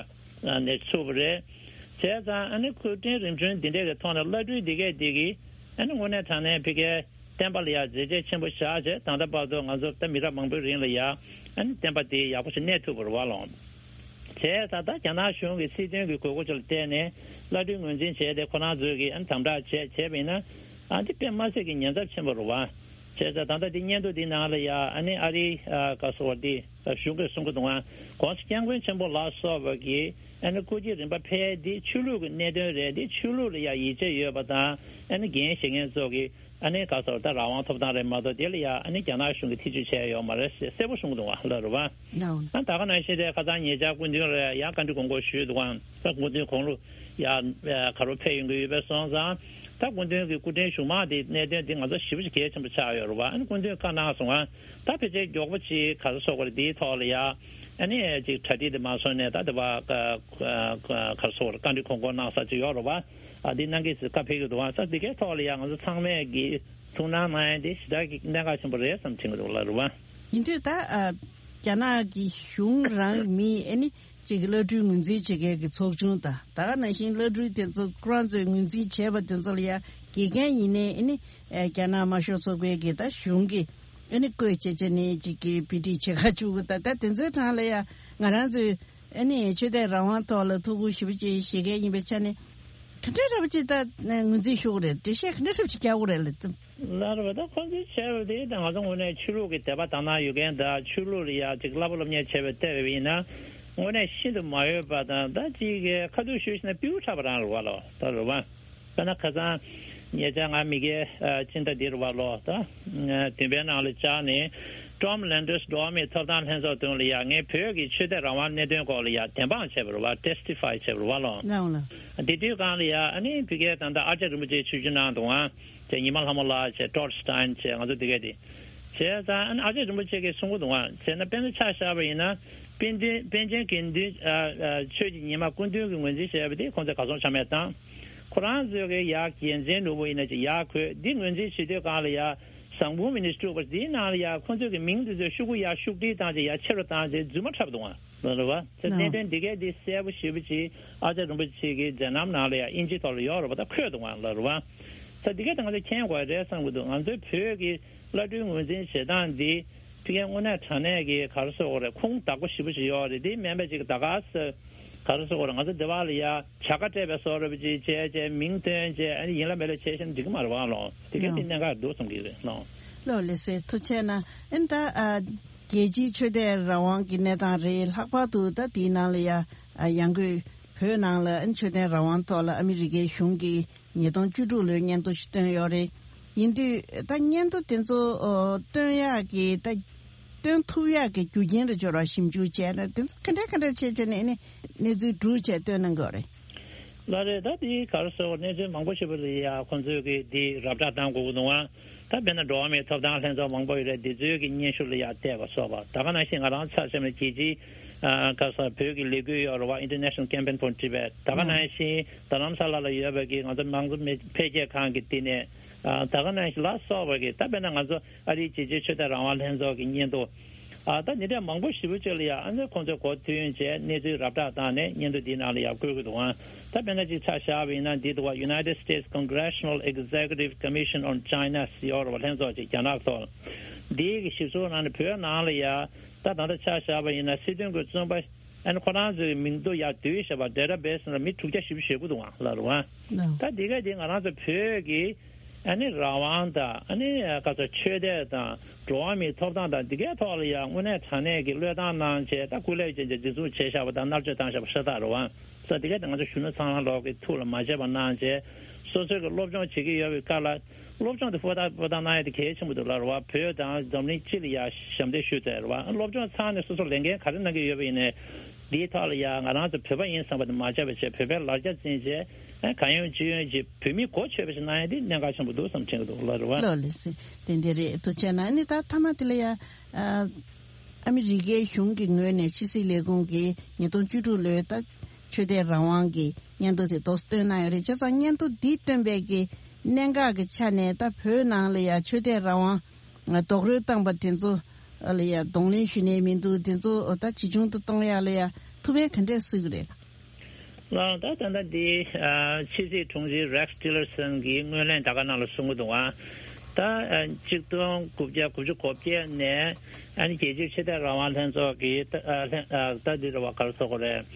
ནས་ཚུགས་པ་རེད། བྱས་ཙང་ཨ་ནི་སྐུ་ཕྲེང་རིམ་བྱོན་འདི་འདྲའི་གི་ཐོག་ནས་བླ་སྤྲུལ་འདི་གས་འདི་གིས་ཨ་ནི་དངོས་གནས་དྲང་གནས་ཕ་གིའི་ བསྟན་པ་ལ་ཡ་མཛད་རྗེས་ཆེན་པོ་བཞག་བྱས་ད་ལྟ་བར་དུ་ང་ཚོ་ད་མི་རབས་མང་པོའི་རིང་ལ་ཡ་ཨ་ནི་བསྟན་པ་དེ་ཡག་པོ་ཞིག་གནས་ཐུབ་པ་རེད་བ་ལོ། བྱས་ཙང་ད་རྒྱ་ནག་གཞུང་གི་སྲིད་དོན་གྱི་དགོས་མཁོ་ཅིག་ལ་བརྟེན་ནས་བླ་སྤྲུལ་ངོས་འཛིན་བྱས་ཏེ་ཁོ་རང་ཚོས་ཀྱི་ཨ་ནི་དམ་དྲག་བྱས་བྱས་པ་ཡིན་ན་ཨ་འདི་དཔེ་མ་སྲིད་ཀྱི་ཉེན་ཚབས་ཆེན་པོ་རེད་བ། བྱས་ཙང་ད་ལྟ་འདི་སྙན་ཐོ་འདི་ནང་ལ་ཡ་ཨ་ནི་ཨ་རིའི་ཨ་ག་སོ་བ་འདི་གཞུང་གིས་གསུང་གི་འདུག་ཨ་༸གོང་ས་༸སྐྱབས་མགོན་ཆེན་པོ་ལ་སོགས་པ་གིས་ཨ་ནི་སྐུ་སྐྱེ་རིམ་པ་ཕེབས་འདི་ཆོས་ལུགས་ཀྱི་གནད་དོན་རེད། འདི་ཆོས་ལུགས་ལ་ཡ་ཡིད་ཆེས་ཡོད་པ་དང་ཨ་ནི་འགན་བཞེས་མཁན་ཚོ་གིས་ཨ་ནི་ག་སོ་ད་རང་དབང་ཐོབ་ཐང་རེད་མ་གཏོགས་དེ་ལ་ཡ་ཨ་ནི་རྒྱ་ནག་གཞུང་གིས་ཐེ་བྱུས་བྱས་ཡོད་མ་རེད་ཟེར་གསལ་པོ་གསུང་གི་འདུག་ཨ་ལ་རུ་བ། ཨ་ད་ག་ནང་བཞིན་དེ་ཁ་སང་ཉེ་ཆར་སྐུ་མདུན་ལ་ཡང་བཀའ་འདྲི་དགོངས་སྐོར་ཞུས་འདུག་ཨང་། ད་སྐུ་མདུན་དགུང་ལོ་ཡ་ག་རོ་ཕེབས་ཡོང་གི་ཡོད་པས་སོང་ཙང་། ད་སྐུ་མདུན་གྱི་སྐུ་ཕྲེང་གཞུང་མང་དེ་གནད་དོན་དེ་ང་ཚོ་ཞེ་པོ་ཅིག་གལ་ཆེན་པོ་ཆགས་ཡོད་རེད་བ། ཨ་ནི་སྐུ་མདུན་བཀའ་གནང་སོང་ཨང་། ད་ཕལ་ཆེར་མགྱོགས་པོ་ཅིག་ག་རེ་ཟེར་དགོས་རེད། དེའི་ཐོག་ལ་ཡ་ཨ་ནི་ཅིག་གྲ་སྒྲིག་དེ་མ་སོང་ནས་ད་དེ་བ་ག་ག་ག་རེ་ཟེར་དགོས་རེད། བཀའ་འདྲི་དགོངས་སྐོར་གནང་ས་ཅིག་ཡོད་རེད་བ། ཨ་འདི་གནང་གི་ཟེར་བཀའ་ཕེབས་ཀྱི་འདུག་ཨང་། ས་འདི་གའི་ཐོག་ལ་ཡ་ང་ཚོ་ཚང་མས་ཀྱི་ཐུགས་སྣང་གནང་ཡ་འདི་ཞེ་དྲག་གི་གནད་འགག་ཆེན་པོ་རེད་བསམ་དྲན་གྱི་འདུག་ལ་རུ་བ། ཡིན་དུས་ད་ཨ་རྒྱ་ནག་གི་གཞུང་རང་མི་ཨ་ནི་གཅིག་གི་བླ་སྤྲུལ་ངོས་འཛིན་བྱེད་མཁན་གྱི་ཚོགས་ཆུང་དང་ད་ག་ནང་བཞིན་བླ་སྤྲུལ་དེ་ཚོ་ཁོ་རང་ཚོས་ངོས་འཛིན་བྱས་པ་དེ་ཚོ་ལ་ཡ་དགེ་རྒན་ཡིན་ནའི་ཨ་ནི་ཨ་རྒྱ་ནག་དམར་ཤོག་ཚོགས་པའི་གི་ད་གཞུང་གི་ཨ་ནི་བསྐོས་བྱས་བྱས་ནས་གཅིག་གི་བི་ཏི་བྱེད་ག་བཅུག་གི་ད་ད་དེ་ཚོའི་གྲས་ལ་ཡ་ང་རང་ཚོས་ཨ་ནི་ཆོས་དད་རང་དབང་ཐོག་ལ་ཐུགས་ཁུར་ཞེ་པོ་ཅིག་བཞེས་མཁན་ཡིན་པའི་ཆ་ནས་ག་འདྲ་འདྲ་པོ་ཅིག་ད་ངོས་འཛིན་ཞུ་གི་རེད། འགྲེལ་བཤད་ག་འདྲ་འདྲ་པོ་ཅིག་རྒྱག་དགོས་རེད་ལ། ལར་བ་ད་ཁོང་ཚོས་བྱས་པ་དེ་ད་ང་ཚོ་དངོས་གནས་ཆོས་ལུགས་ཀྱི་དད་པ་དག་སྣང་ཡོད་མཁན་དང་ཆོས་ལུགས་ལ་ཡ་ཅིག་བསླབ་པ་སློབ་གཉེར་བྱས་པའི་ལྟ་བ་ཡིན་ན་དངོས་གནས་ཤིན་ཏུ་མ་འོས་པ་དང་ད་ཅིག་གི་ཁ་ཐུག་ཞུས་ཤིག་ན་སྤྲེའུ་ཁྲག་པ་རང་རེད་བ་ལོ། ད་རེད་བ། དཔེར་ན་ཁ་སང་ཉེ་ཆར་ང་མི་སྒེར་ཨ་སྤྱི་ཟླ་འདིར་བ་ལོ་ད་ཨ་བདུན་པའི་ནང་ལ་བཅར་ནས་Tom Landers་འགྲོ་བ་མིའི་ཐོབ་ཐང་ལྷན་ཚོགས་དོན་ལ་ཡ་ངས་བོད་ཀྱི་ཆོས་དད་རང་དབང་གནད་དོན་སྐོར་ལ་ཡ་བདེན་དཔང་བྱས་པ་རེད་བ། Testify་བྱས་པ་རེད་བ་ལོ། ལའང་ལ། དེ་དུས་སྒང་ལ་ཡ་ཨ་ནི་ཕ་གིའི་ད་ལྟ་ཨ་ཅག་རིན་པོ་ཆེ་ཆིབས་བསྒྱུར་གནང་འདུག་ཨང་། བྱས་ཉི་མ་ལྷ་མོ་ལགས་བྱས་Todd Stein་བྱས་ང་ཚོ་དེ་གས་དེ། བྱས་ཙང་ཨ་ནི་ཨ་ཅག་རིན་པོ་ཆེ་གིས་གསུང་གི་འདུག་ཨང་། བྱས་ན་དཔེར་ན་ཆ་བཞག་པ་ཡིན་ན་པཎ་ཆེན་པཎ་ཆེན་དགེ་འདུན་ཨ་ཨ་ཆོས་ཀྱི་ཉི་མ་སྐུ་མདུན་གྱི་ངོས་འཛིན་བྱས་པ་དེ་ཁོང་ཚོས་གར་སོང་ཆ་མེད་བཏང་། ཁོ་རང་ཚོས་ཀྱི་ཡ་རྒྱལ་མཚན་ནོར་བུ་ཡིན་ན་ཅིག་ཡར་འཁོད་འདི་ངོས་འཛིན་བྱེད་དུས་སྒང་ལ་ཡ་བཟང་པོ་མི་ནི་སྤྲུག་པ་འདིའི་ནང་ལ་ཡ་ཁོང་ཚོས་ཀྱི་མིང་འདི་ཚོ་ཤོག་གུ་ཡ་ཤུགས་སྒྲིལ་བཏང་ཅིག་ཡ་ཆེ་རུ་བཏང་ཅིག་རྫུན་མ་འཁྲབ་འདུག་ཨང་། ལ་རེད་བ། ད་གནད་དོན་འདི་གས་འདི་གསལ་པོ་ཞེ་པོ་ཅིག་ཨ་ཅག་རིན་པོ་ཆེ་གི་མཛད་རྣམ་ནང་ལ་ཡང་དབྱིན་ཇིའི་ཐོག་ལ་ཡོད་རེད་བ། ད་འཁོད་འདུག་ཨང་ལ་རེད་བ། ད་འདི་གས་ད་ང་ཚོས་མཁྱེན་དགོས་རེད་བསམ་གྱི་འདུག་ང་ཚོའི་བོད་ཀྱི་བླ་སྤྲུལ་ངོས་འཛིན་བྱེད་སྟངས་འདི་ཕ་གིའི་དངོས་གནས་དྲང་གནས་ཀྱི་ག་རེ་ཟེར་དགོས་རེད། ཁུངས་དག་པོ་ཞེ་པོ་ཅིག་ཡོད་རེད། འདི་མིན་པ་ཅིག་ད་ག་ས་ག་རེ་ཟེར་དགོས་རེད། ང་ཚོ་འདི་བ་ལ་ཡ་བྱ་དགའ་སྤྲད་པའི་བཟོ་འདྲ་པོ་ཅིག་བྱས་བྱས་མིང་བཏོན་བྱས་ཨ་ནི་ཡིན་ལ་མེད་ལ་བྱས་བཞག་ན་འགྲིག་གི་མ་རེད་བ་ལོ། འདི་གས་འདི་གནད་འགག་འདུག་བསམ་གྱི་རེད་ལོ། ལོ་ལེ་སེ་ཐུགས་ཆེ་གནང་། ཨ་ནི་ད་ཨ། རྒྱལ་སྤྱིའི་ཆོས་དད་རང་དབང་གི་གནས་སྟངས་རེད། ལྷག་པར་དུ་ད་དེའི་ནང་ལ་ཡ་ཡང་སྒོས་བོད་ནང་ལ་ཆོས་དད་རང་དབང་ཐོག་ལ་ཨ་མི་རི་ཀའི་གཞུང་གིས་ཉིས་སྟོང་བཅུ་དྲུག་ལོའི་སྙན་ཐོ་ཞིག་བཏོན་ཡོད་རེད། ཡིན་དུས་ད་སྙན་ཐོ་དེ་ཚོ་བཏོན་ཡག་གི་ད་བཏོན་ཐུབ་ཡག་གི་རྒྱུ་རྐྱེན་རེ་འབྱོར་བ་ཞིབ་འཇུག་བྱས་ན་དེ་ཚོ་ག་འདྲ་ག་འདྲ་བྱས་བྱས་ནས་ནི་གནས་ཚུལ་སྒྲུག་བྱས་བཏོན་གནང་གི་ཡོད་རེད། ལགས་རེད། ད་དེ་ག་རེ་ཟེར་བ་གནས་ཚུལ་མང་པོ་ཞིག་པ་རེད་ཡ། ཁོང་ཚོས་ཀྱི་དེ་ར་སྤྲོད་བཏང་དགོས་ཀྱི་འདུག་ཨ། ད་དཔེར་ན་འགྲོ་བ་མིའི་ཐོབ་ཐང་ལྷན་ཚོགས་མང་པོ་ཡོད་རེད། འདི་ཚོའི་གི་སྙན་ཞུ་ལ་ཡ་བལྟས་པ་སོགས་པ། ད་ག་ནང་བཞིན་ང་རང་ཚ་ཆེན་ལ་རྒྱལ་སྤྱིའི་ཨ་ག་ས་བོད་ཀྱི་ལས་འགུལ་ཡོད་རེད་བ། International Campaign for Tibet། ད་ག་ནང་བཞིན་རྡ་རམ་ས་ལ་ལ་ཡོད་པའི་གི་ང་ཚོ་མང་གཙོ་མི་འཕེལ་རྒྱས་ཁང་གི་དེ་ནས་ཨ་ད་ག་ནང་བཞིན་ལ་སོགས་པ་གི་ད་དཔེར་ན་ང་ཚོ་ཨ་རིའི་རྒྱལ་སྤྱིའི་ཆོས་དད་རང་དབང་ལྷན་ཚོགས་ཀྱི་སྙན་ཐོ། ཨ་ད་འདི་འདྲ་མང་པོ་ཞེ་པོ་ཅིག་ལ་ཡ་ཨ་ནི་ཁོང་ཚོས་གོ་ཐོས་བྱས་གནས་ཚུལ་ར་སྤྲོད་བཏང་ནས་སྙན་ཐོ་འདིའི་ནང་ལ་ཡ་བཀོད་ཀྱི་འདུག་ཨ། ད་དཔེར་ན་ཅིག་ཆ་བཞག་པ་ཡིན་ན་འདི་འདུག་བ། United States Congressional Executive Commission on China་ཟེར་ཡོད་རེད་བ། ལྷན་ཚོགས་ཅིག་རྒྱ་ནག་ཐོག་འདིའི་གི་ཞིབ་འཚོལ་ནང་ནས་བོད་ནང་ལ་ཡ་ད་ད་ལྟ་ཆ་བཞག་པ་ཡིན་ན་སྲིད་དོན་གྱི་བཙོན་པ་ཨ་ནི་ཁོ་རང་ཚོའི་མིང་ཐོ་ཡ་བསྡུས་བཞག་པ་database་ནང་ལ་མི་དྲུག་བརྒྱ་བཞི་བཅུ་ཞེ་དགུ་འདུག་ཨ་ལ་རེད་བ། ད་འདི་ག་འདི་ང་རང་ཚོ་བོད་ཀྱི་ཨ་ནི་རང་དབང་དང་ཨ་ནི་ག་ཚོད་ཆོས་དད་དང་འགྲོ་བ་མིའི་ཐོབ་ཐང་དང་འདི་གའི་ཐོག་ལ་ཡང་དངོས་གནས་དྲང་གནས་ཀྱི་བློས་བཏང་གནང་བྱས་ད་སྐུ་ལས་ཅན་གྱི་འཛིན་བཟུང་བྱས་བཞག་པ་དང་མནར་གཅོད་བཏང་བཞག་པ་ཤ་སྟག་རེད་བ། ས་འདི་གའི་ང་ཚོ་གཞོན་ནུ་ཚང་ལོག་གི་ཐུགས་ལ་མ་བརྗེད་པ་གནང་བྱས་སོ་སོའི་གི་སློབ་སྦྱོང་བྱེད་ཀྱི་ཡོད་པའི་སྐབས་ལ་སློབ་སྦྱོང་དེ་ཧུར་ཐག་ཧུར་ཐག་གནང་ཡ་དེ་གལ་ཆེན་པོ་འདུག་ལ་རེད་བ། བོད་དང་འཛམ་གླིང་སྤྱི་ལ་ཡང་ཞབས་འདེགས་ཞུ་ཐུབ་ཡ་རེད་བ། སློབ་སྦྱོང་ཚར་ནས་སོ་སོ་ལས་འགན་ག་རེ་གནང་གི་ཡོད་པ་ཡིན་ནའི་འདིའི་ཐོག་ལ་ཡང་ང་རང་ཚོ་བོད་པ་ཡིན་བསམ་པ་དེ་མ་བརྗེད་པ་བྱས་བོད་པའི་ལ་རྒྱ་འཛིན་བྱས་གང་ཡོང་ཅི་ཡོང་གིས་བོད་མིའི་གོ་ཆོད་པ་ཞིག་གནང་ཡ་དེ་གནད་འགག་ཆེན་པོ་འདུག་བསམ་དྲན་གྱི་འདུག་ལ་རེད་བ། ལགས་ལགས་སེ། དེ་འདྲ་རེད། ཐུགས་རྗེ་གནང་། ཨ་ནི་ད་མཐའ་མ་དེ་ལ་ཡ་ཨ་ཨ་མི་རི་ཀའི་གཞུང་གི་ངོས་ནས་ཕྱི་སྲིད་ལས་ཁུངས་ཀྱིས་ཉིས་སྟོང་བཅུ་དྲུག་ལོའི་ད་ཆོས་དད་རང་དབང་གི་སྙན་ཐོ་དེ་འདུག་སེ་བཏོན་གནང་ཡོད་རེད། བྱས་ཙང་སྙན་ཐོ་འདི་བཏོན་པའི་གི་གནད་འགག་གི་ཆ་ནས་ད་བོད་ནང་ལ་ཡ་ཆོས་དད་རང་དབང་རྡོག་རོལ་བཏང་པ་དེ་ཚོ་ལ་ཡ་གདོང་ལེན་ཞུ་ནས་མི་འདུག་དེ་ཚོ་ད་ཇི་བྱུང་དུ་གཏོང་ཡ་ལ་ཡ་ཐུགས་ཕན་ག་འདྲས་གསོས་ཀྱི་རེད། ལགས། ད་ད་ལྟ་འདི་ཨ་ཕྱི་སྲིད་དྲུང་ཆེ་Rex Tillerson་གྱིས་སྔོན་གླེང་ད་ག་ནང་ལ་གསུང་གི་འདུག་ཨ། ད་ཨ་གཅིག་སྟོང་དགུ་བརྒྱ་དགུ་བཅུ་གོ་བརྒྱད་ནས་ཨ་ནི་རྒྱལ་སྤྱིའི་ཆོས་དད་རང་དབང་ལྷན་ཚོགས་ཀྱིས་ད་ཨ་ལྷན་ཨ་ད་འདི་རེད་བ། ག་རེ་ཟེར་དགོས་རེད།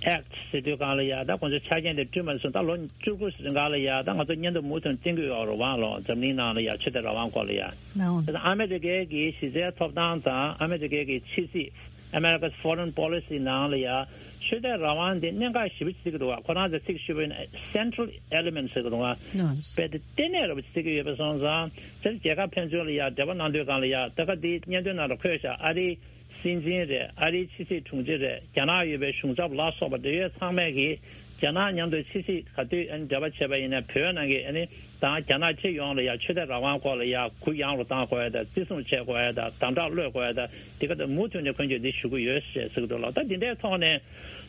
ཨེཀྚ་ཟེར་དུས་སྒང་ལ་ཡ་ད་ཁོང་ཚོའི་ཆ་རྐྱེན་དེ་བསྐྲུན་པ་ནས་བཟུང་ད་ལོ་བཅུ་དགུ་རིང་ག་ལ་ཡ་ད་ང་ཚོ་མཉམ་དུ་མུ་མཐུད་བསྟེན་གྱི་ཡོད་རེད་བ་ལོ། འཛམ་གླིང་ནང་ལ་ཡ་ཆོས་དད་རང་དབང་སྐོར་ལ་ཡ། ལའོ། དེ་ད་ཨ་མི་རི་ཀའི་གི་གཞི་རྩའི་ཐོབ་ཐང་དང་ཨ་མི་རི་ཀའི་གི་ཕྱི་སྲིད། America's Foreign Policy ནང་ལ་ཡ་ཆོས་དད་རང་དབང་འདི་གནད་འགག་ཞེ་པོ་ཅིག་བརྩི་གི་འདུག་བ། ཁོ་རང་ཚོ་ཚིག་ཞུས་པ་ཡིན་ན་central element ཟེར་གི་འདུག་བ། ལའོ། དཔེ་དེ་ལྟེ་གནས་རེད་པ་བརྩི་གི་ཡོད་པ་སོང་ཙང་དེར་རྒྱལ་ཁབ་ཕན་ཚུན་ལ་ཡ་འབྲེལ་བ་གནང་དུས་སྒང་ལ་ཡ་ད་ག་འདི་སྙན་ཐོའི་ནང་ལ་འཁོད་བཞག་ཨ་རིའི་སྲིད་འཛིན་རེད། ཨ་རིའི་ཕྱི་སྲིད་དྲུང་ཆེ་རེད། རྒྱ་ནག་ཡོད་པའི་གཞུང་ཚབ་ལ་སོགས་པ་འབྲེལ་ཡོད་ཚང་མས་ཀྱིས་རྒྱ་ནག་མཉམ་དུ་ཕྱི་སྲིད་ག་དུས་ཨ་ནི་འབྲེལ་བ་བྱས་པ་ཡིན་ན་བོད་ནང་གི་ཨ་ནི་དང་རྒྱ་ནག་སྤྱི་ཡོངས་ལ་ཡ་ཆོས་དད་རང་དབང་སྐོར་ལ་ཡ་གུ་ཡངས་རུ་གཏང་དགོས་ཡ་དང་བརྩི་སྲུང་བྱེད་དགོས་ཡ་དང་དམ་དྲག་གློད་དགོས་ཡ་དང་དེ་ག་དང་མུ་མཐུད་ནས་ཁོང་ཚོས་འདི་ཞུ་གི་ཡོད་ཞེས་ཟེར་གི་འདུག་ལ། ད་འདི་འདྲའི་ཐོག་ནས་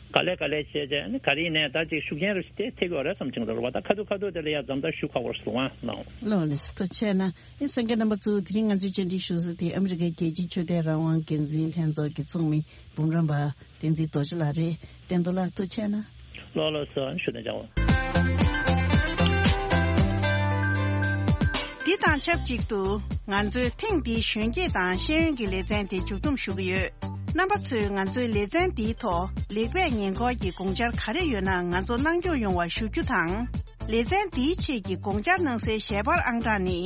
ག་ལེ་ག་ལེ་བྱས་བྱས་ཨ་ནི་ག་རེ་ཡིན་ནའི་ད་ཅིག་ཤུགས་རྐྱེན་རུ་ཞིག་དེ་ཐེབས་ཀྱི་ཡོད་རེད་བསམ་བྱུང་འདུག་ལ། ད་ཁ་ཐུག་ཁ་ཐུག་དེ་ལ་ཡ་འཛོམས་ད་ཞུ་ཁག་པོ་རེད་སོང་ཨ་ནའོ། ལའོ་ལགས་ཐུགས་རྗེ་ཆེ་གནང་། ཨེ་གསན་མཁན་རྣམ་པ་ཚོ་དེ་རིང་ང་ཚོའི་བཅར་འདྲི་ཞུ་ས་དེ་ཨ་མི་རི་ཀའི་རྒྱལ་སྤྱིའི་ཆོས་དད་རང་དབང་འགན་འཛིན་ལྷན་ཚོགས་ཀྱི་ཚོགས་མི་འབུམ་རམས་པ་བསྟན་འཛིན་རྡོ་རྗེ་ལགས་རེད། བསྟན་རྡོར་ལགས་ཐུགས་རྗེ་ཆེ་གནང་། ལོ་ལོ་སོ་ཞུ་དང་ཅང་བ། འདི་དང་ཆབས་ཅིག་ཏུ་ང་ཚོའི་ཐེངས་འདིའི་གཞོན་སྐྱེས་དང་ཤེས་ཡོན་གྱི་ལེ་ཚན་དེ་མཇུག་བསྡོམས་ཞུ་གི་ཡོད། རྣམ་པ་ཚོས་ང་ཚོའི་ལེ་ཚན་འདིའི་ཐོག་ལེགས་སྤེལ་ཉེས་འཁོར་གྱི་དགོངས་འཆར་ག་རེ་ཡོད་ན་ང་ཚོ་གནང་སྐྱོང་ཡོང་བ་ཞུ་རྒྱུ་དང་། ལེ་ཚན་འདིའི་ཆེད་ཀྱི་དགོངས་འཆར་གནང་སའི་ཞལ་པར་ཨང་གྲངས་ནི།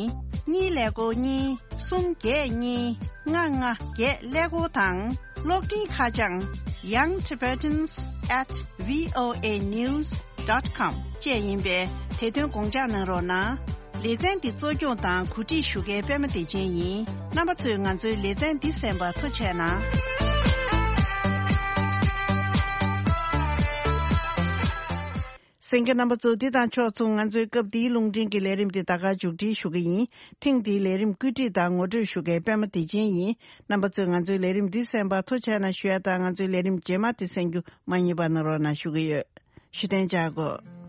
གཉིས་ཀླད་ཀོར་གཉིས། གསུམ་བརྒྱད་གཉིས། ལྔ་ལྔ་བརྒྱད་ཀླད་ཀོར་དང་། གློག་འཕྲིན་ཁ་བྱང་young tibetans at voa news dot com བཅས་ཡིན་པས་དེ་དོན་དགོངས་འཇགས་གནང་རོགས་གནང་། ལེ་ཚན་འདི་གཙོ་སྐྱོང་དང་གོ་སྒྲིག་ཞུ་མཁན་པད་མ་བདེ་ཆེན་ཡིན། རྣམ་པ་ཚོས་ང་ཚོའི་ལེ་ཚན་འདི་གསན་པར་ཐུགས་རྗེ་གནང་། གསན་མཁན་རྣམ་པ་ཚོ་འདི་དང་ཕྱོགས་མཚུངས་ང་ཚོའི་སྐབས་འདིའི་རླུང་འཕྲིན་གྱི་ལས་རིམ་འདི་ད་ག་མཇུག་སྒྲིལ་ཞུ་གི་ཡིན། ཐེངས་འདིའི་ལས་རིམ་བཀོད་སྒྲིག་དང་ངོ་སྤྲོད་ཞུ་མཁན་པད་མ་བདེ་ཆེན་ཡིན། རྣམ་པ་ཚོས་ང་ཚོའི་ལས་རིམ་འདི་གསན་པར་ཐུགས་རྗེ་གནང་ཞུ་ཡ་དང་ང་ཚོའི་ལས་རིམ་རྗེས་མ་དེ་གསན་རྒྱུ་མ་བསྙེལ་བ་གནང་རོགས་གནང་ཞུ་གི་ཡོད། ཞུ་གཏན་འཇགས་གོ།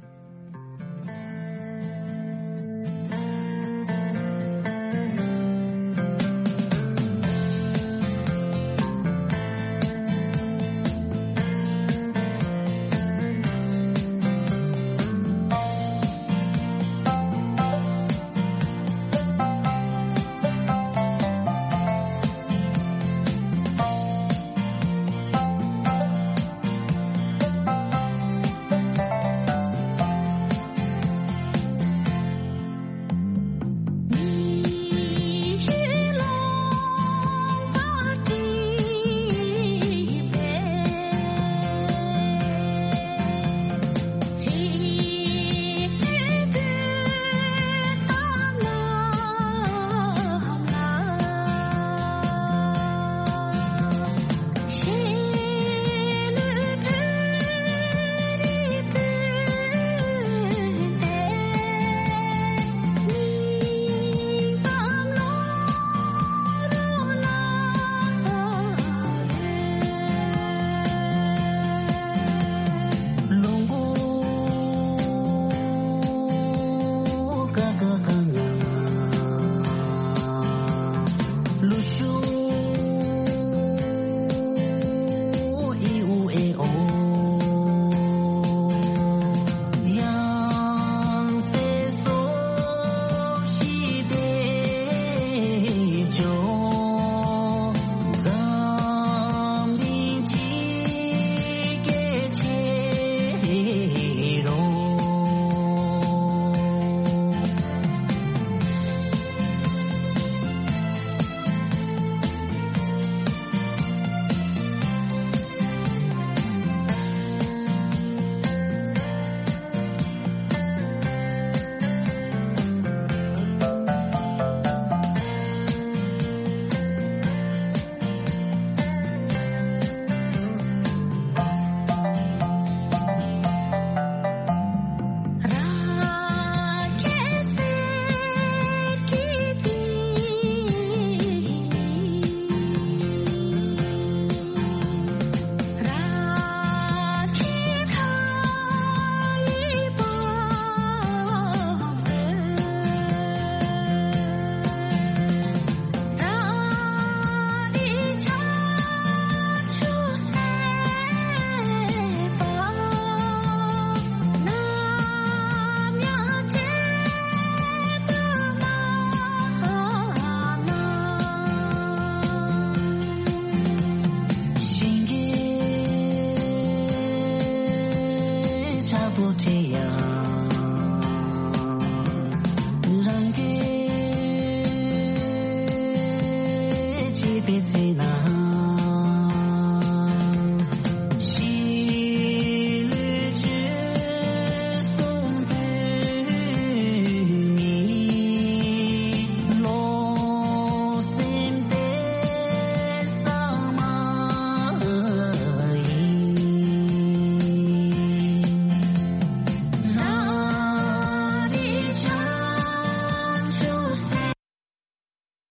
པའི་རྩིས་ན།